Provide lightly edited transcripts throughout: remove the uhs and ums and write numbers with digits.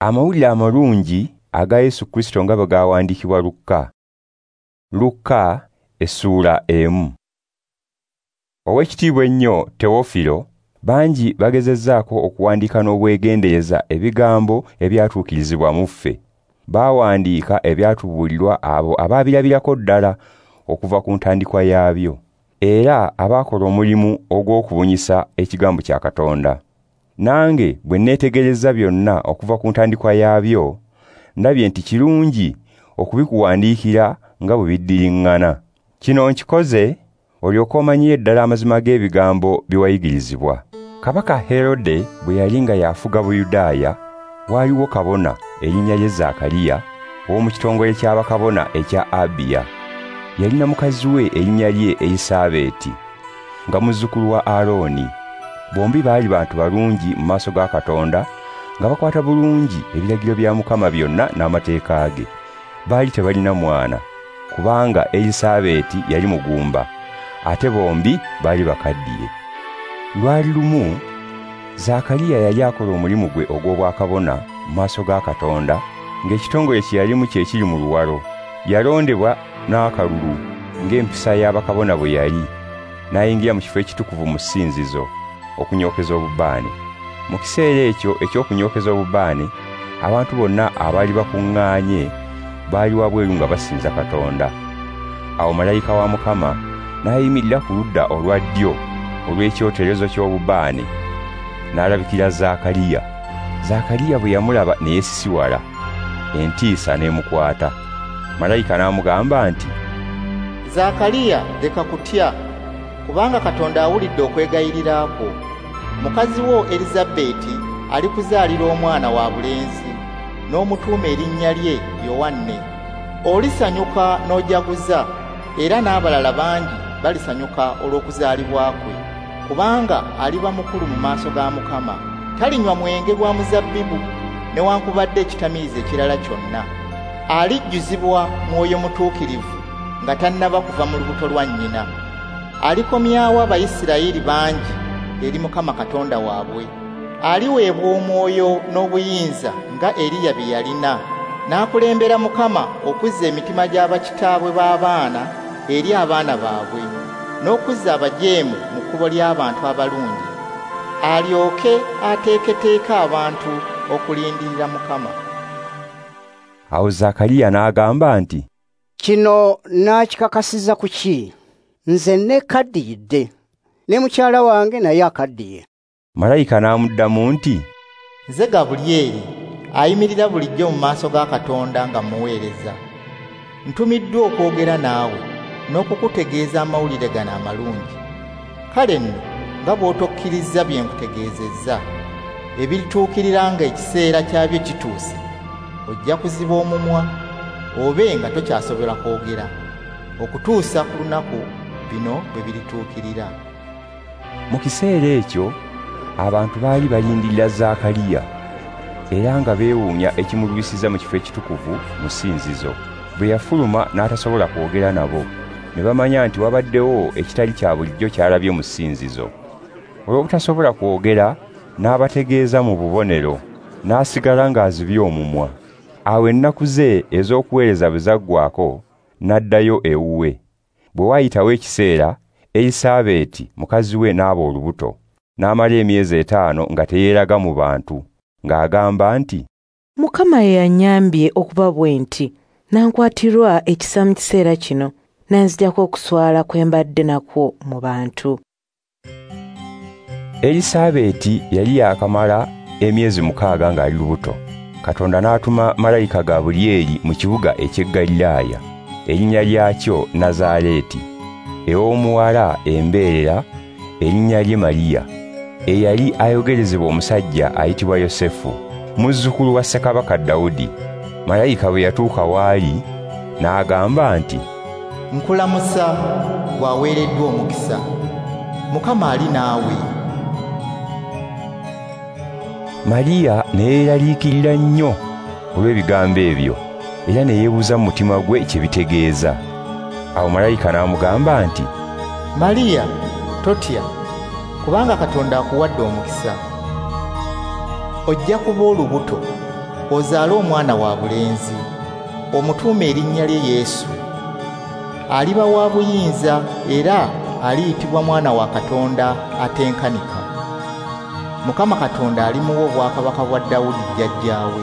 Amawulire amalungi aga Yesu Kristo nga bwe gawandiikibwa Lukka. Lukka essuula 1. Ow'ekitiibwa ennyo Teofilo, bangi bagezezzaako okuwandiika n'obwegendereza ebigambo ebyatuukirizibwa mu ffe. Baawandiika ebyatubuulirwa abo abaabirabirako ddala okuva ku ntandikwa yaabyo, era abaakola omulimu ogw'okubunyisa ekigambo kya Katonda. Nange bwe neetegereza byonna okuva ku ntandikwa yaabyo, ndabye nti kirungi okubikuwandiikira nga bwe biddiriŋŋana. Kino nkikoze olyoke omanyire ddala amazima g'ebigambo bye wayigirizibwa. Kabaka Herode bwe yali nga yafuga Buyudaaya, waaliwo kabona erinnya lye Zaakaliya ow'omu kitongole ky'abakabona ekya Abiya. Yalina mukazi we erinnya lye Erisaabeeti, nga muzzukulu wa Alooni. Bombi baali bantu balungi mu maaso ga Katonda, nga bakwata bulungi ebiragiro bya Mukama byonna n'amateeka ge. Baali tebalina mwana, kubanga Erisaabeeti yali mugumba, ate bombi baali bakaddiye. Lwali lumu, Zaakaliya yali akola omulimu gwe ogw'obwakabona mu maaso ga Katonda, ng'ekitongole kye yalimu kye kiri mu luwalo. Yalondebwa n'akalulu ng'empisa y'abakabona bwe yali, n'ayingira mu kifo ekitukuvu mu ssinzizo okunyookeza obubaane. Mu kiseera ekyo eky'okunyookeza obubaane, abantu bonna abaali bakuŋŋaanye baali wabweru nga basinza Katonda. Awo malayika wa Mukama n'ayimirira ku ludda olwa ddyo olw'ekyoterezo ky'obubaane, n'alabikira Zaakaliya. Zaakaliya bwe yamulaba ne yeesisiwala, entiisa n'emukwata. Malayika n'amugamba nti, Zaakaliya, leka kutya, kubanga Katonda awulidde okwegayirira kwo. Mukazi wo Erisabeti alikuzaalira omwana wa bulenzi, n'omutuuma erinnya lye Yowanne. Olisanyuka n'ojaguza, era n'abalala bangi balisanyuka olw'okuzaalibwa kwe, kubanga aliba mukulu mu maaso ga Mukama. Talinywa mwenge gwa muzabbibu newankubadde ekitamiiza ekirala kyonna. Alijjuzibwa Mwoyo Mutuukirivu nga tannaba kuva mu lubuto lwa nnyina. Alikomyawo Abayisirayiri bangi eri Mukama Katonda waabwe. Aliweebwa omwoyo n'obuyinza nga Eriya bye yalina, n'akulembera Mukama okuzza emitima gy'abakitaabwe b'abaana eri abaana baabwe, n'okuzza abajeemu mu kkubo ly'abantu abalungi, alyoke ateeketeeke abantu okulindirira Mukama. Awo Zaakaliya n'agamba nti, Kino naakikakasiza ku ki? Nze nneekaddiyidde, ne mukyala wange naye akaddiye. Malayika n'amuddamu nti, Nze Gabulyeri, ayimirira bulijjo mu maaso ga Katonda nga mmuweereza. Ntumiddwa okwogera naawe n'okukutegeeza amawulire gano amalungi. Kale nno nga bw'otokkirizza bye nkutegeezezza, ebirituukirira nga ekiseera kyabyo kituuse, ojja kuziba omumwa obe nga tokyasobola kwogera, okutuusa ku lunaku bino bwe birituukirira. Mu kiseera ekyo abantu baali balindirira Zaakaliya, era nga beewuunya ekimulwisiza mu kifo ekitukuvu mu ssinzizo. Bwe yafuluma n'atasobola kwogera nabo, ne bamanya nti wabaddewo ekitali kya bulijjo ky'alabye mu ssinzizo. Olw'obutasobola kwogera, n'abategeeza mu bubonero, n'asigala ng'azibye omumwa. Awo ennaku ze ez'okuweereza bwe zaggwaako, n'addayo ewuwe. Bwe waayitawo ekiseera, Erisaabeeti mukazi we n'aba olubuto, n'amala emyezi 5 nga teyeeraga mu bantu, ng'agamba nti, Mukama ye yannyambye okuba bwe nti, nankwatirwa ekisa mu kiseera kino, n'anzigyako okuswala kwe mbadde nakwo mu bantu. Erisaabeeti yali yaakamala emyezi 6 ng'ali lubuto. Katonda n'atuma malayika Gabulyeri mu kibuga eky'e Ggaliraaya, erinnya lyakyo Nazaaleeti, ew'omuwala embeerera erinnya lye Mariya, eyali ayogerezebwa omusajja ayitibwa Yosefu, muzzukulu wa Ssekabaka Dawudi. Malayika bwe yatuuka w'ali, n'agamba nti, Nkulamusa, bw'aweereddwa omukisa, Mukama ali naawe. Mariya ne yeeraliikirira nnyo olw'ebigambo ebyo, era ne yeebuuza mu mutima gwe kye bitegeeza. Awo malayika n'amugamba nti, Mariya, totya, kubanga Katonda akuwadde omukisa. Ojja kuba olubuto, ozaale omwana wa bulenzi, omutuume erinnya lye Yesu. Aliba wa buyinza era aliyitibwa Mwana wa Katonda Atenkanika. Mukama Katonda alimuwa obwakabaka bwa Dawudi jjajjaawe.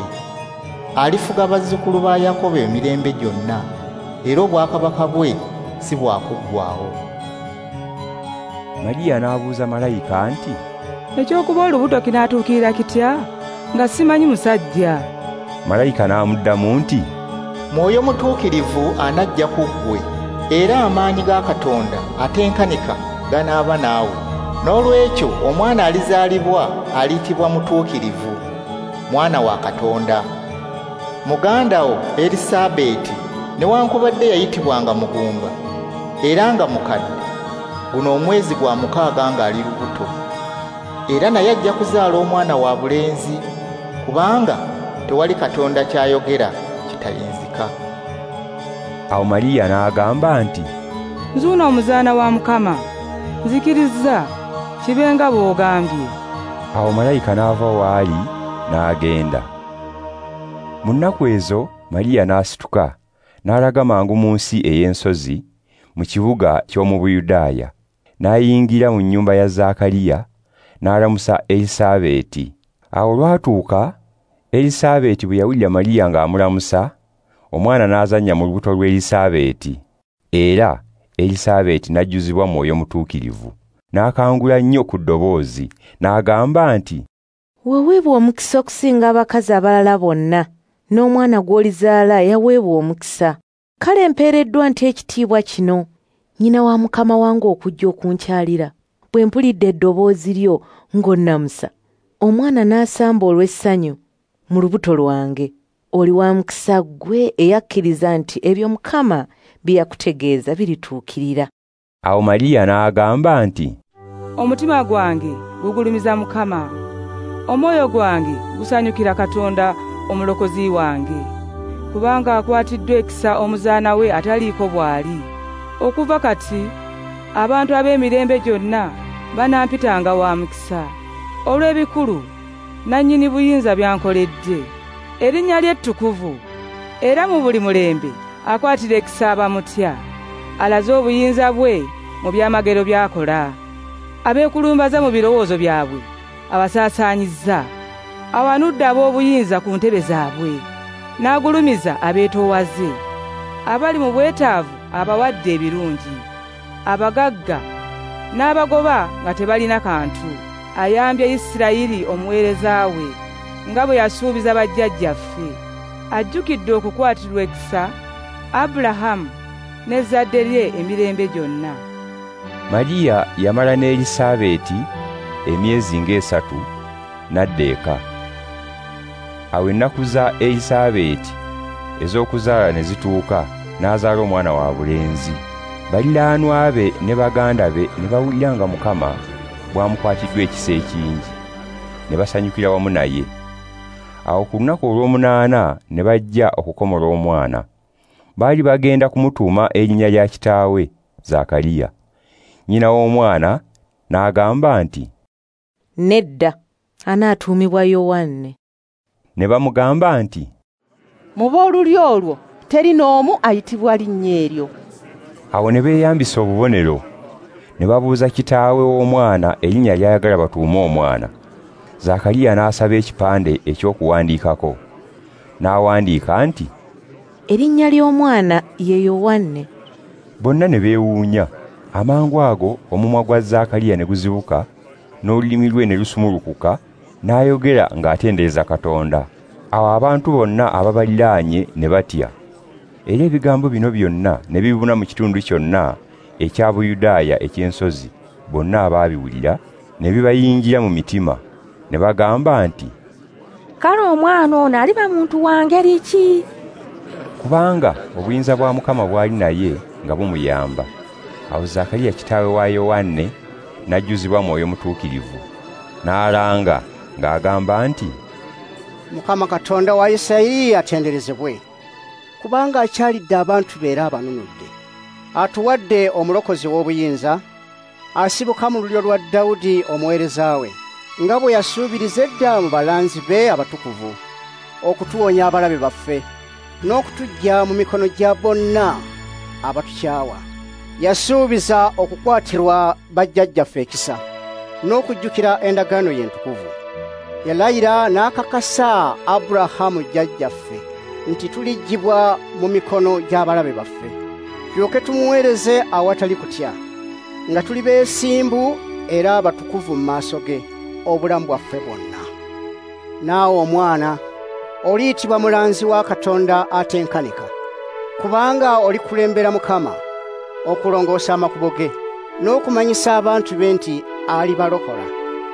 Alifuga bazzukulu ba Yakobo emirembe gyonna, era obwakabaka bwe si bwa kuggwaawo. Mariya n'abuuza malayika nti, Eky'okuba olubuto kinaatuukirira kitya nga simanyi musajja? Malayika n'amuddamu nti, Mwoyo Mutuukirivu anajja ku ggwe, era amaanyi ga Katonda atenkanika ganaaba naawe. N'olwekyo omwana alizaalibwa aliyitibwa Mutuukirivu, Mwana wa Katonda. Muganda wo Erisabeti newankubadde yayitibwanga mugumba era nga mukadde, guno omwezi gwa 6 ng'ali lubuto. Era naye ajja kuzaala omwana wa bulenzi, kubanga tewali Katonda ky'ayogera kitayinzika. Awo Mariya n'agamba nti, Nzuuno omuzaana wa Mukama, nzikirizza kibe nga bw'ogambye. Awo malayika n'ava w'ali n'agenda. Mu nnaku ezo Mariya n'asituka n'alaga mangu mu nsi ey'ensozi mu kibuga ky'omu Buyudaaya, n'ayingira mu nnyumba ya Zaakaliya n'alamusa Elisabeti. Awo olwatuuka Elisabeti bwe yawulira Mariya ng'amulamusa, omwana n'azannya mu lubuto lw'Elisabeti, era Elisabeti n'ajjuzibwa Mwoyo Mutuukirivu, n'akangula nnyo ku ddoboozi, n'agamba nti, Waweebwa omukisa okusinga abakazi abalala bonna, n'omwana gw'olizaala yaweebwa omukisa. Kale mpeereddwa nti ekitiibwa kino, nnyina wa Mukama wange okujja okunkyalira. Bwe mpulidde eddoboozi lyo ng'onnamusa, omwana n'asamba olw'essanyu mu lubuto lwange. Oli wa mukisa ggwe eyakkiriza nti ebyo Mukama bye yakutegeeza birituukirira. Awo Mariya n'agamba nti, Omutima gwange gugulumiza Mukama, omwoyo gwange gusanyukira Katonda omulokozi wange, kubanga akwatiddwa ekisa omuzaana we ataliiko bw'ali. Okuva kati abantu ab'emirembe gyonna banampitanga wa mukisa, olw'ebikulu nannyini buyinza byankoledde. Erinnya lye ttukuvu, era mu buli mulembe akwatira ekisa abamutya. Alaze obuyinza bwe mu byamagero by'akola. Abeekulumbaza mu birowoozo byabwe abasaasaanyizza. Awanudde ab'obuyinza ku ntebe zaabwe, n'agulumiza abeetoowaze. Abali mu bwetaavu abawadde ebirungi, abagagga n'abagoba nga tebalina kantu. Ayambye Isirayiri omuweereza we, nga bwe yasuubiza bajjajjaffe. Ajjukidde okukwatirwa ekisa Abulahamu n'ezzadde lye emirembe gyonna. Mariya yamala ne Elisabeti emyezi ng'esatu n'adda eka. Awo ennaku za Elisabeti ez'okuzaala ne zituuka, n'azaala omwana wa bulenzi. Baliraanwa be ne baganda be ne bawulira nga Mukama bw'amukwatiddwa ekisa ekingi, ne basanyukira wamu naye. Awo ku lunaku olw'omunaana ne bajja okukomola omwana. Baali bagenda kumutuuma erinnya lya kitaawe Zaakaliya. Nnyina w'omwana n'agamba nti, Nedda, anaatuumibwa Yowanne. Ne bamugamba nti, Mu b'olulyo olwo teri n'omu ayitibwa linnya eryo. Awo ne beeyambisa obubonero, ne babuuza kitaawe w'omwana erinnya ly'ayagala batuume omwana. Zaakaliya n'asaba ekipande eky'okuwandiikako, n'awandiika nti, Erinnya ly'omwana ye Yowanne. Bonna ne beewuunya. Amangu ago omumwa gwa Zaakaliya ne guzibuka, n'olulimi lwe ne lusumulukuka, n'ayogera ng'atendereza Katonda. Awo abantu bonna ababaliraanye ne batya. Era ebigambo bino byonna ne bibuna mu kitundu kyonna ekya Buyudaaya eky'ensozi. Bonna abaabiwulira ne bibayingira mu mitima, ne bagamba nti, Kale omwana ono aliba muntu wa ngeri ki? Kubanga obuyinza bwa Mukama bwali naye nga bumuyamba. Awo Zaakaliya kitaawe wa Yowanne n'ajjuzibwa Mwoyo Mutuukirivu, n'alanga ng'agamba nti, Mukama Katonda wa Isirayiri atenderezebwe, kubanga akyalidde abantu be era abanunudde. Atuwadde omulokozi w'obuyinza, asibuka mu lulyo lwa Dawudi omuweereza we, nga bwe yasuubiriza edda mu balanzi be abatukuvu, okutuwonya abalabe baffe n'okutuggya mu mikono gya bonna abatukyawa. Yasuubiza okukwatirwa bajjajjaffe ekisa n'okujjukira endagaano ye entukuvu. Yalayira n'akakasa Aburahamu jjajjaffe nti tuliggyibwa mu mikono gy'abalabe baffe, tulyoke tumuweereze awatali kutya, nga tuli beesimbu era abatukuvu mu maaso ge obulamu bwaffe bwonna. Naawe omwana oliyitibwa mulanzi wa Katonda atenkanika, kubanga olikulembera Mukama okulongoosa amakubo ge n'okumanyisa abantu be nti alibalokola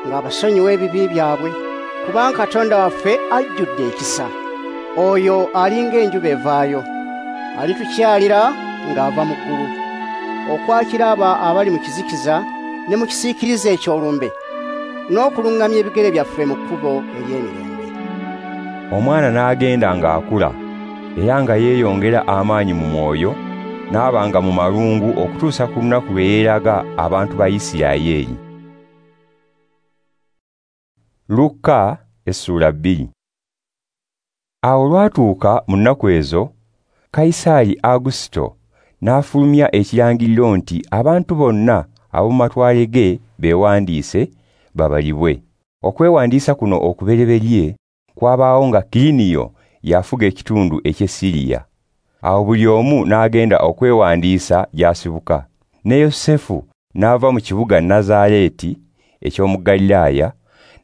ng'abasonyiwa ebibi byabwe, kubanga Katonda waffe ajjudde ekisa. Oyo alinga enjuba evaayo, alitukyalira ng'ava mu ggulu, okwakira abo abali mu kizikiza ne mu kisiikirize eky'olumbe, n'okuluŋŋamya ebigere byaffe mu kkubo ery'emirembe. Omwana n'agenda ng'akula, era nga yeeyongera amaanyi mu mwoyo, n'abanga mu malungu okutuusa ku lunaku lwe yeeraga abantu ba Isirayiri. Luka essula 2. Awo olwatuuka mu nnaku ezo, Kayisaali Agusito n'afulumya ekirangiriro nti abantu bonna ab'omu matwale ge beewandiise babalibwe. Okwewandiisa kuno okubereberye kwabaawo nga Kiriniyo yafuga ekitundu eky'e Siriya. Awo buli omu n'agenda okwewandiisa gy'asibuka. Ne Yosefu n'ava mu kibuga Nazaareeti eky'omu Galilaaya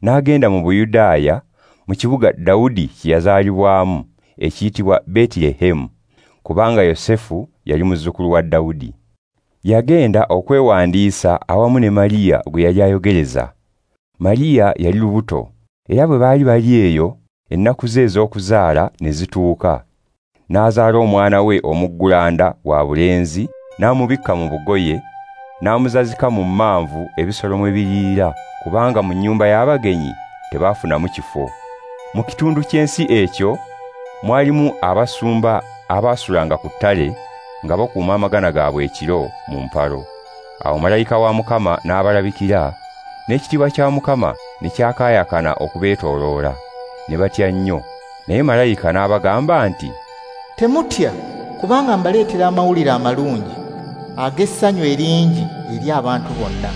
n'agenda mu Buyudaaya mu kibuga Dawudi kye yazaalibwamu ekiyitibwa Beetirehemu, kubanga Yosefu yali muzzukulu wa Dawudi. Yagenda okwewandiisa awamu ne Mariya gwe yali ayogereza. Mariya yali lubuto, era bwe baali bali eyo ennaku ze ez'okuzaala ne zituuka. N'azaala omwana we omuggulanda wa bulenzi, n'amubikka mu bugoye, n'amuzazika mu mmanvu ebisolo mwe biriira, kubanga mu nnyumba y'abagenyi tebaafunamu kifo. Mu kitundu ky'ensi ekyo mwalimu abasumba abaasulanga ku ttale nga bakuuma amagana gaabwe ekiro mu mpalo. Awo malayika wa Mukama n'abalabikira, n'ekitiibwa kya Mukama ne kyakaayakana okubeetooloola, ne batya nnyo. Naye malayika n'abagamba nti, "Temutya, kubanga mbaleetera amawulire amalungi ag'essanyu eringi eri abantu bonna.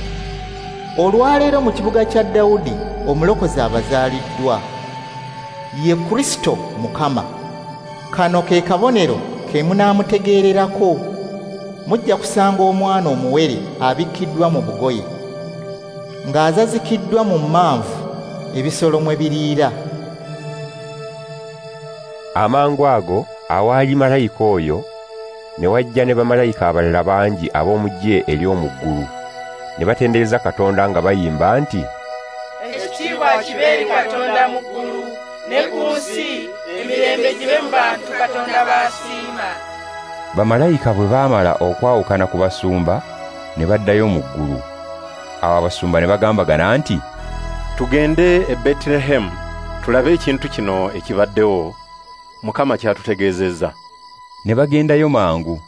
Olwaleero mu kibuga kya Dawudi omulokozi abazaaliddwa, ye Kristo Mukama. Kano ke kabonero ke munaamutegeererako: mujja kusanga omwana omuwere abikkiddwa mu bugoye, ng'azazikiddwa mu mmanvu ebisolo mwe biriira." Amangu ago awaali malayika oyo ne wajja ne bamalayika abalala bangi ab'omu ggye ery'omu ggulu, ne batendereza Katonda nga bayimba nti, "Ekitiibwa kibe eri Katonda mu ggulu, ne ku nsi emirembe gibe mu bantu Katonda b'asiima." Bamalayika bwe baamala okwawukana ku basumba ne baddayo mu ggulu. Awo abasumba ne bagambagana nti, "Tugende e Betirehemu tulabe ekintu kino ekibaddewo Mukama ky'atutegeezezza." Ne bagendayo mangu,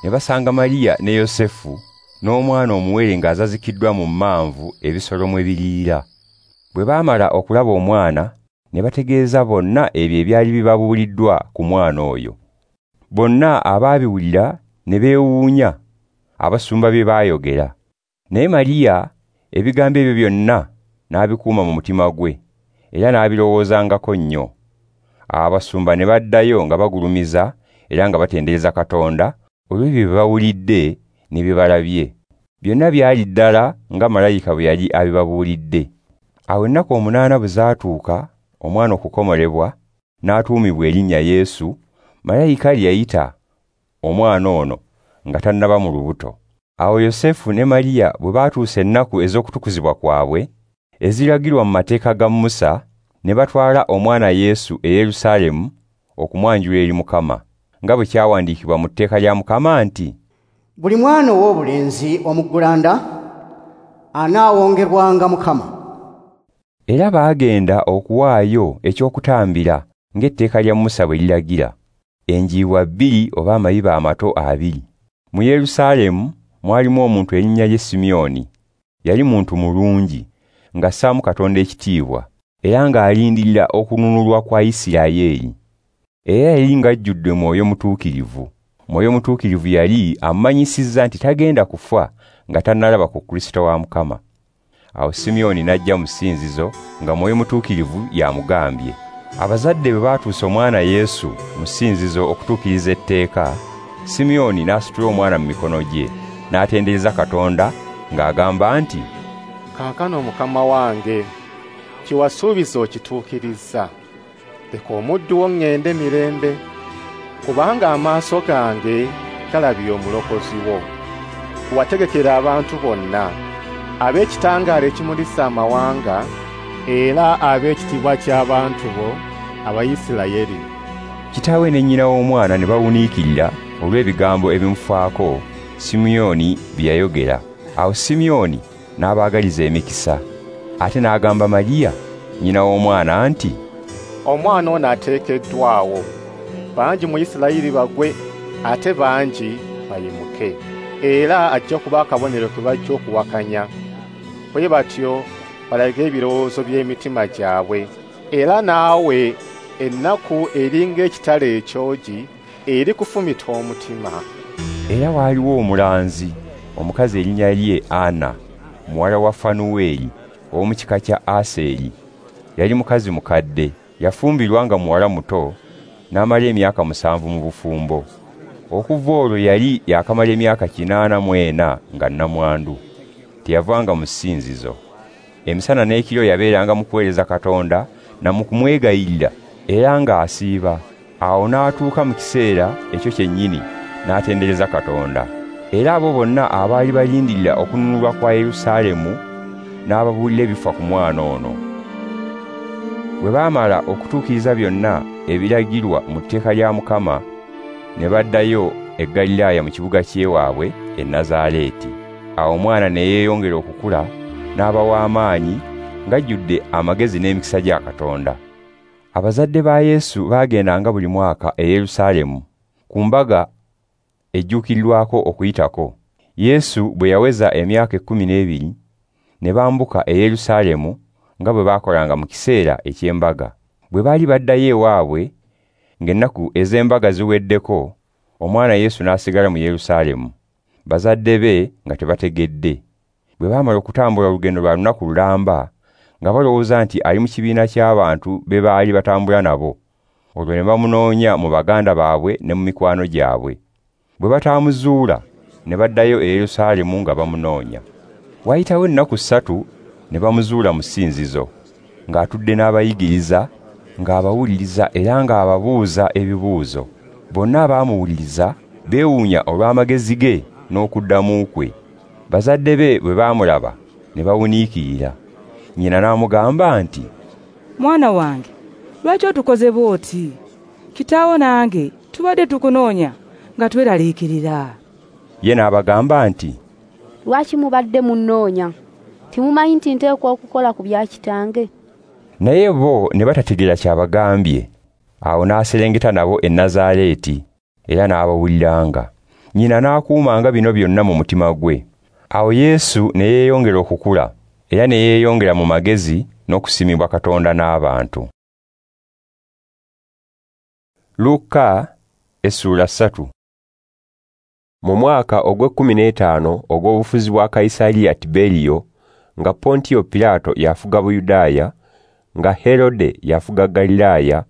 ne basanga Mariya ne Yosefu n'omwana omuwere ng'azazikiddwa mu mmanvu ebisolo mwe biriira. Bwe baamala okulaba omwana, ne bategeeza bonna ebyo ebyali bibabuuliddwa ku mwana oyo. Bonna abaabiwulira ne beewuunya abasumba bye baayogera. Naye Mariya ebigambo ebyo byonna n'abikuuma mu mutima gwe, era n'abirowoozangako nnyo. Abasumba ne baddayo nga bagulumiza era nga batendereza Katonda olw'ebyo bye bawulidde ne bye balabye. Byonna byali ddala nga malayika bwe yali abibabuulidde. Awo ennaku 8 bwe zaatuuka omwana okukomolebwa, n'atuumibwa erinnya Yesu, malayika lye yayita omwana ono nga tannaba mu lubuto. Awo Yosefu ne Mariya bwe baatuusa ennaku ez'okutukuzibwa kwabwe eziragirwa mu mateeka ga Musa, ne batwala omwana Yesu e Yerusaalemu okumwanjula eri Mukama, nga bwe kyawandiikibwa mu tteeka lya Mukama nti, "Buli mwana ow'obulenzi omuggulanda anaawongerwanga Mukama." Era baagenda okuwaayo eky'okutambira ng'etteeka lya Musa bwe liragira, enjiibwa 2 oba amayiba amato 2. Mu Yerusaalemu mwalimu omuntu erinnya lye Simyoni. Yali muntu mulungi, ng'assaamu Katonda ekitiibwa, era ng'alindirira okununulwa kwa Isirayiri. Era yali ng'ajjudde Mwoyo Mutuukirivu. Mwoyo Mutuukirivu yali amanyisizza nti tagenda kufa nga tannalaba ku Kristo wa Mukama. Awo Simyoni n'ajja mu ssinzizo nga Mwoyo Mutuukirivu yamugambye. Abazadde bwe baatuusa omwana Yesu mu ssinzizo okutuukiriza etteeka, Simyoni n'asitula omwana mu mikono gye, n'atendereza Katonda ng'agamba nti, "Kaakano Mukama wange, kye wasuubiza okituukirizza. Leka omuddu wo ŋŋende mirembe, kubanga amaaso gange galabye omulokozi wo. Wategekera abantu bonna, ab'ekitangaala ekimulisa amawanga, era ab'ekitiibwa ky'abantu bo Abayisirayeli." Kitaawe ne nnyina w'omwana ne bawuniikirira olw'ebigambo ebimufaako Simyoni bye yayogera. Awo Simyoni n'abaagaliza emikisa. Ate n'agamba Mariya nnyina w'omwana nti, "Omwana ono ateekeddwawo, bangi mu Isirayiri bagwe, ate bangi bayimuke. Era ajja kuba akabonero ke bajja okuwakanya, bwe batyo balage ebirowoozo by'emitima gyabwe. Era naawe ennaku eringa ekitala ekyogi eri kufumita omutima." Era waaliwo omulanzi omukazi erinnya lye Ana, muwala wa Fanuweli ow'omu kika kya Aseri. Yali mukazi mukadde, yafumbirwa nga muwala muto, n'amala emyaka 7 mu bufumbo. Okuva olwo yali yakamala emyaka 84 nga nnamwandu. Teyavanga mu ssinzizo. Emisana n'ekiro yabeeranga mu kuweereza Katonda na mu kumwegayirira, era ng'asiiba. Awo n'atuuka mu kiseera ekyo kyennyini n'atendereza Katonda. Era abo bonna abaali balindirira okununulwa kwa Yerusaalemu n'ababuulira ebifa ku mwana ono. Bwe baamala okutuukiriza byonna ebiragirwa mu tteeka lya Mukama, ne baddayo e Ggaliraaya mu kibuga ky'ewaabwe e Nazaaleeti. Awo omwana ne yeeyongera okukula n'aba w'amaanyi ng'ajjudde amagezi n'emikisa gya Katonda. Abazadde ba Yesu baagendanga buli mwaka e Yerusaalemu ku mbaga ejjuukirirwako Okuyitako. Yesu bwe yaweza emyaka 12 ne bambuka e Yerusaalemu nga bwe baakolanga mu kiseera eky'embaga. Bwe baali baddayo ewaabwe ng'ennaku ez'embaga ziweddeko, omwana Yesu n'asigala mu Yerusaalemu, bazadde be nga tebategedde. Bwe baamala okutambula olugendo lwa lunaku lulamba, nga balowooza nti ali mu kibiina ky'abantu be baali batambula nabo, olwo ne bamunoonya mu baganda baabwe ne mu mikwano gyabwe. Bwe bataamuzuula, ne baddayo e Yerusaalemu nga bamunoonya. Waayitawo ennaku 3 ne bamuzuula mu ssinzizo, ng'atudde n'abayigiriza, ng'abawuliriza era ng'ababuuza ebibuuzo. Bonna abaamuwuliriza beewuunya olw'amagezi ge n'okuddamu kwe. Bazadde be bwe baamulaba ne bawuniikirira. Nnyina n'amugamba nti, "Mwana wange, lwaki otukoze bw'oti? Kitaawo nange tubadde tukunoonya nga tweraliikirira." Ye n'abagamba nti, "Lwaki mubadde munnoonya? Temumanyi nti nteekwa okukola ku bya kitange?" Naye bo ne batategeera ky'abagambye. Awo n'aserengeta nabo e Nazaaleeti, era n'abawuliranga. Nnyina n'akuumanga bino byonna mu mutima gwe. Awo Yesu ne yeeyongera okukula, era ne yeeyongera mu magezi n'okusiimibwa Katonda n'abantu. Luka essula 3. Mu mwaka ogw'e15 ogw'obufuzi bwa Kayisaliya Tiberiyo, nga Pontiyo Pilato yafuga Buyudaaya, nga Herode yafuga Galilaaya,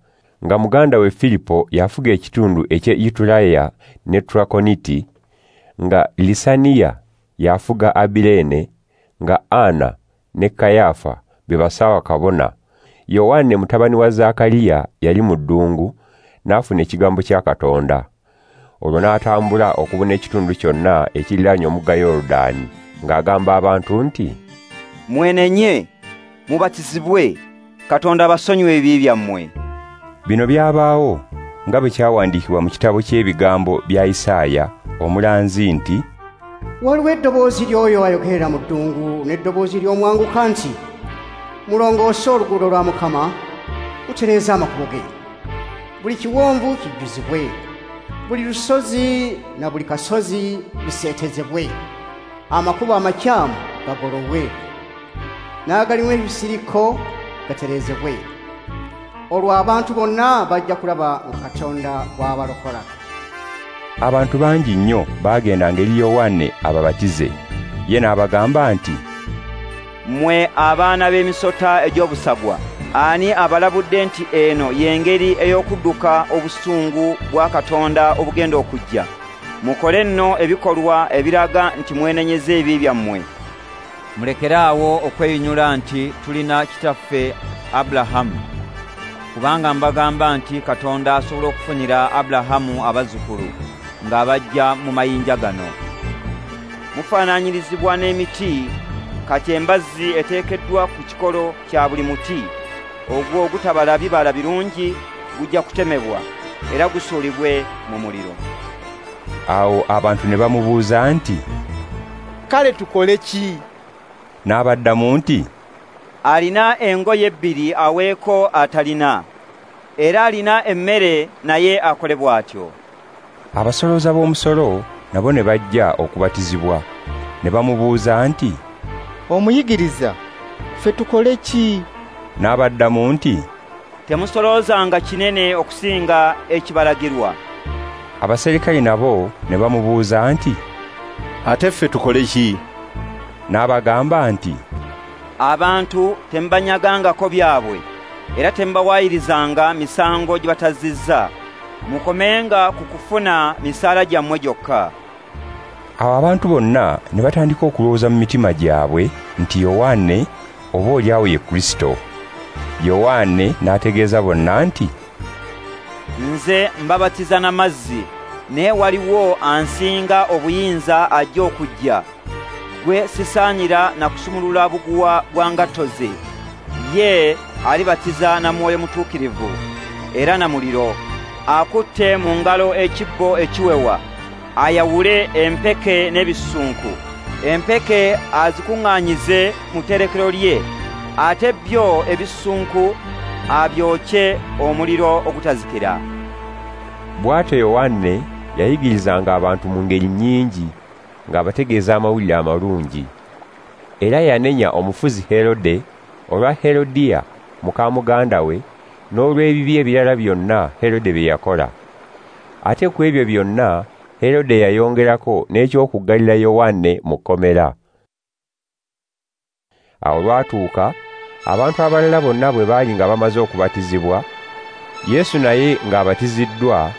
nga muganda we Filipo yafuga ekitundu eky'e Itulaya ne Trakoniti, nga Lisaniya yafuga Abilene, nga Ana ne Kayafa be basawa kabona, Yowanne mutabani wa Zakariya yali mu ddungu n'afuna ekigambo kya Katonda. Olwo n'atambula okubuna ekitundu kyonna ekiriraanye omugga Yoludaani, ng'agamba abantu nti, "Mwenenye, mubatizibwe, Katonda abasonyiwe ebibi byammwe." Bino byabaawo nga bwe kyawandiikibwa mu kitabo ky'ebigambo bya Isaaya omulanzi nti, "Waliwo eddoboozi ly'oyo ayogerera mu ddungu n'eddoboozi ly'omwanguka nti, mulongoose oluguudo lwa Mukama, mutereeze amakubo ge. Buli kiwonvu kijjuzibwe, buli lusozi na buli kasozi biseetezebwe, amakubo amakyamu gagololwe, n'agalimu ebisiriko gatereezebwe. Olwo abantu bonna bajja kulaba nga Katonda bw'abalokola. Abantu bangi nnyo baagendanga eri Yowanne ababatize. Ye n'abagamba nti, "Mmwe abaana b'emisota egy'obusagwa, ani abalabudde nti eno y'engeri ey'okudduka obusungu bwa Katonda obugenda okujja? Mukole nno ebikolwa ebiraga nti mwenenyeza ebibi byammwe. Mulekere awo okweyinyula nti tulina kitaffe Abulahamu, kubanga mbagamba nti Katonda asobola okufunira Abulahamu abazzukulu ng'abajja mu mayinja gano. Mufaananyirizibwa n'emiti, kati embazzi eteekeddwa ku kikolo kya buli muti, ogwo ogutabala bibala birungi gujja kutemebwa era gusuulibwe mu muliro." Awo abantu ne bamubuuza nti, "Kale tukole ki?" N'abaddamu nti, "Alina engoye ebbiri aweeko atalina, era alina emmere naye akole bw'atyo." Abasolooza b'omusolo nabo ne bajja okubatizibwa, ne bamubuuza nti, "Omuyigiriza, ffe tukole ki?" N'abaddamu nti, "Temusoloozanga kinene okusinga ekibalagirwa." Abaserikale nabo ne bamubuuza nti, "Ate ffe tukole ki?" N'abagamba nti, "Abantu temubanyagangako byabwe, era temubawaayirizanga misango gye batazizza. Mukomenga ku kufuna misaala gyammwe gyokka." Awo abantu bonna ne batandika okulowooza mu mitima gyabwe nti Yowanne oboolyawo ye Kristo. Yowanne n'ategeeza bonna nti, "Nze mbabatiza na mazzi, naye waliwo ansinga obuyinza ajja okujja. Gwe sisaanira na kusumulula buguwa bwa ngatto ze. Ye alibatiza na Mwoyo Mutuukirivu era na muliro. Akutte mu ngalo ekibbo ekiwewa, ayawule empeke n'ebisunku. Empeke azikuŋŋaanyize mu tterekero lye, ate byo ebisunku abyokye omuliro ogutazikira." Bw'atyo Yowanne yayigirizanga abantu mu ngeri nnyingi ng'abategeeza amawulire amalungi. Era yanenya omufuzi Herode olwa Herodiya muka muganda we n'olw'ebibi ebirala byonna Herode bye yakola. Ate ku ebyo byonna Herode yayongerako n'eky'okuggalira Yowanne mu kkomera. Awo lwatuuka abantu abalala bonna bwe baali nga bamaze okubatizibwa, Yesu naye ng'abatiziddwa,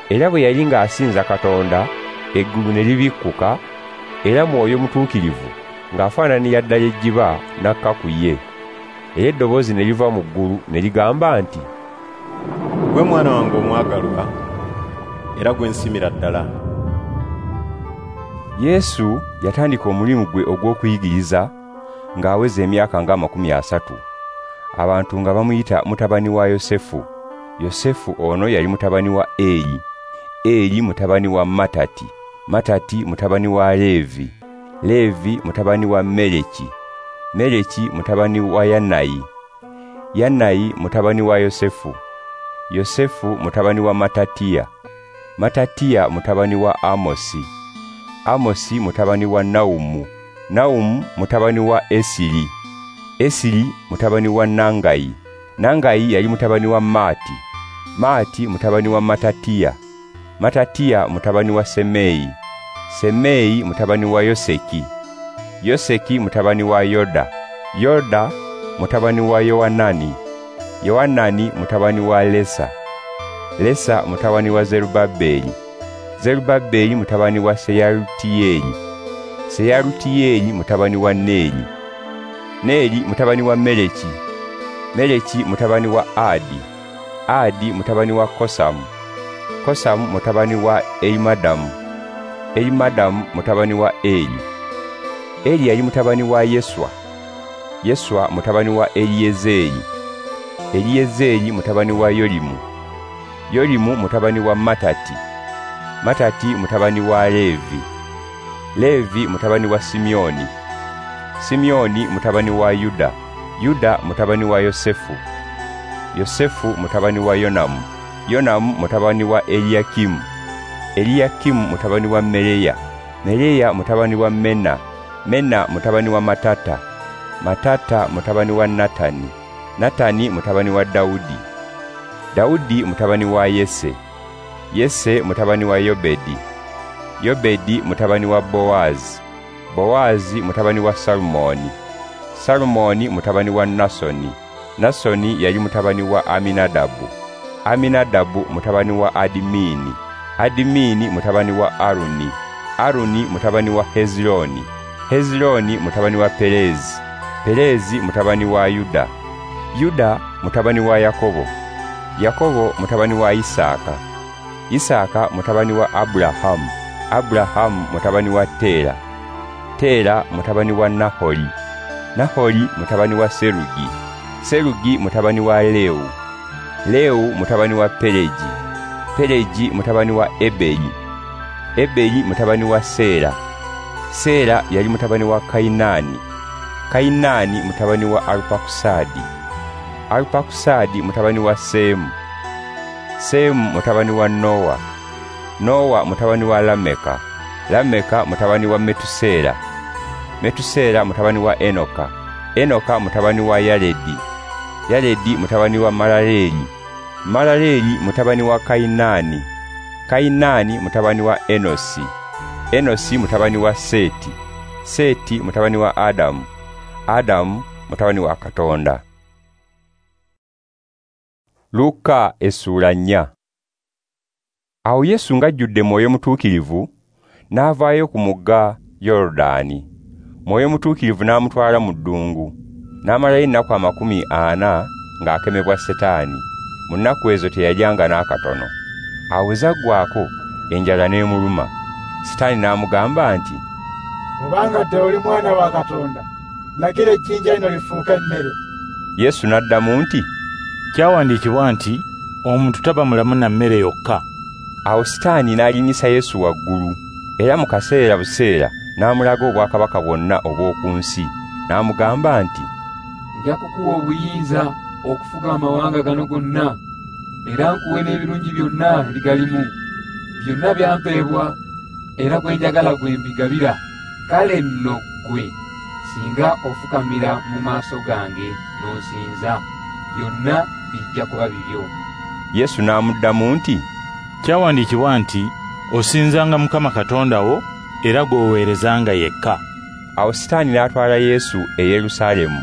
era bwe yali ng'asinza Katonda, eggulu ne libikkuka, era Mwoyo Mutuukirivu ng'afaananira ddala ejjiba n'akka ku ye. Era eddoboozi ne liva mu ggulu ne ligamba nti, "Gwe mwana wange omwagalwa, era gwe nsiimira ddala." Yesu yatandika omulimu gwe ogw'okuyigiriza ng'aweza emyaka nga 30. Abantu nga bamuyita mutabani wa Yosefu. Yosefu ono yali mutabani wa Eli, Eli mutabani wa Matati, Matati mutabani wa Levi, Levi mutabani wa Meleki, Meleki mutabani wa Yanayi, Yanayi mutabani wa Yosefu, Yosefu mutabani wa Matatiya, Matatiya mutabani wa Amosi, Amosi mutabani wa Naumu, Naumu mutabani wa Esiri, Esiri mutabani wa Nangayi, Nangayi yali mutabani wa Maati, Maati mutabani wa Matatiya, Matatiya mutabani wa Semei, Semei mutabani wa Yoseki, Yoseki mutabani wa Yoda, Yoda mutabani wa Yowanani, Yowanani mutabani wa Lesa, Lesa mutabani wa Zerubabeli, Zerubabeli mutabani wa Seyalutiyeli, Seyalutiyeli mutabani wa Neri, Neri mutabani wa Meleki, Meleki mutabani wa Adi, Adi mutabani wa Kosamu, Kosamu mutabani wa Elimadamu, Elimadamu mutabani wa Eli, Eli yali mutabani wa Yeswa, Yeswa mutabani wa Eliyezeri, Eliyezeri mutabani wa Yolimu, Yolimu mutabani wa Matati, Matati mutabani wa Levi, Levi mutabani wa Simeoni, Simeoni mutabani wa Yuda, Yuda mutabani wa Yosefu, Yosefu mutabani wa Yonamu, Yonamu mutabani wa Eliyakimu, Eliyakimu mutabani wa Meleya, Meleya mutabani wa Mena, Mena mutabani wa Matata, Matata mutabani wa Natani, Natani mutabani wa Dawudi, Dawudi mutabani wa Yese, Yese mutabani wa Yobedi, Yobedi mutabani wa Bowazi, Bowazi mutabani wa Salumoni, Salumoni mutabani wa Nasoni, Nasoni yali mutabani wa Aminadabu, Aminadabu mutabani wa Adimini, Adimini mutabani wa Aruni, Aruni mutabani wa Hezironi, Hezironi mutabani wa Perezi, Perezi mutabani wa Yuda, Yuda mutabani wa Yakobo, Yakobo mutabani wa Isaka, Isaka mutabani wa Abrahamu, Abrahamu mutabani wa Tera, Tera mutabani wa Nahori, Nahori mutabani wa Serugi, Serugi mutabani wa Leu, Leu mutabani wa Peleji, Peleji mutabani wa Eberi, Eberi mutabani wa Sera, Sera yali mutabani wa Kainani, Kainani mutabani wa Arpakusadi, Arpakusadi mutabani wa Semu, Semu mutabani wa Noa, Noa mutabani wa Lameka, Lameka mutabani wa Metusela, Metusela mutabani wa Enoka, Enoka mutabani wa Yaredi, Yaredi mutabani wa Malaleli, Malaleli mutabani wa Kainani, Kainani mutabani wa Enosi, Enosi mutabani wa Seti, Seti mutabani wa Adamu, Adamu mutabani wa Katonda. Luka essuula 4. Awo Yesu ng'ajjudde Mwoyo Mutuukirivu n'avaayo ku mugga Yoludaani. Mwoyo Mutuukirivu n'amutwala mu ddungu, n'amalayo ennaku 40 ng'akemebwa Setaani. Mu nnaku ezo teyalyanga n'akatono. Awo bwe zaggwaako enjala n'emuluma. Setaani n'amugamba nti, "Obanga ddala oli mwana wa Katonda, lagira ejjinja lino lifuuke emmere." Yesu n'addamu nti, "Kyawandiikibwa nti omuntu taba mulamu na mmere yokka." Awo Sitaani n'alinnyisa Yesu waggulu, era mu kaseera buseera n'amulaga obwakabaka bwonna obw'oku nsi, n'amugamba nti, "Nja kukuwa obuyinza okufuga amawanga gano gonna, era nkuwe n'ebirungi byonna ebigalimu. Byonna byampeebwa, era gwe njagala gwe mbigabira. Kale nno ggwe singa ofukamira mu maaso gange n'onsinza, byonna bijja kuba bibyo." Yesu n'amuddamu nti, "Kyawandiikibwa nti osinzanga Mukama Katonda wo era gw'oweerezanga yekka." Awo Sitaani n'atwala Yesu e Yerusaalemu,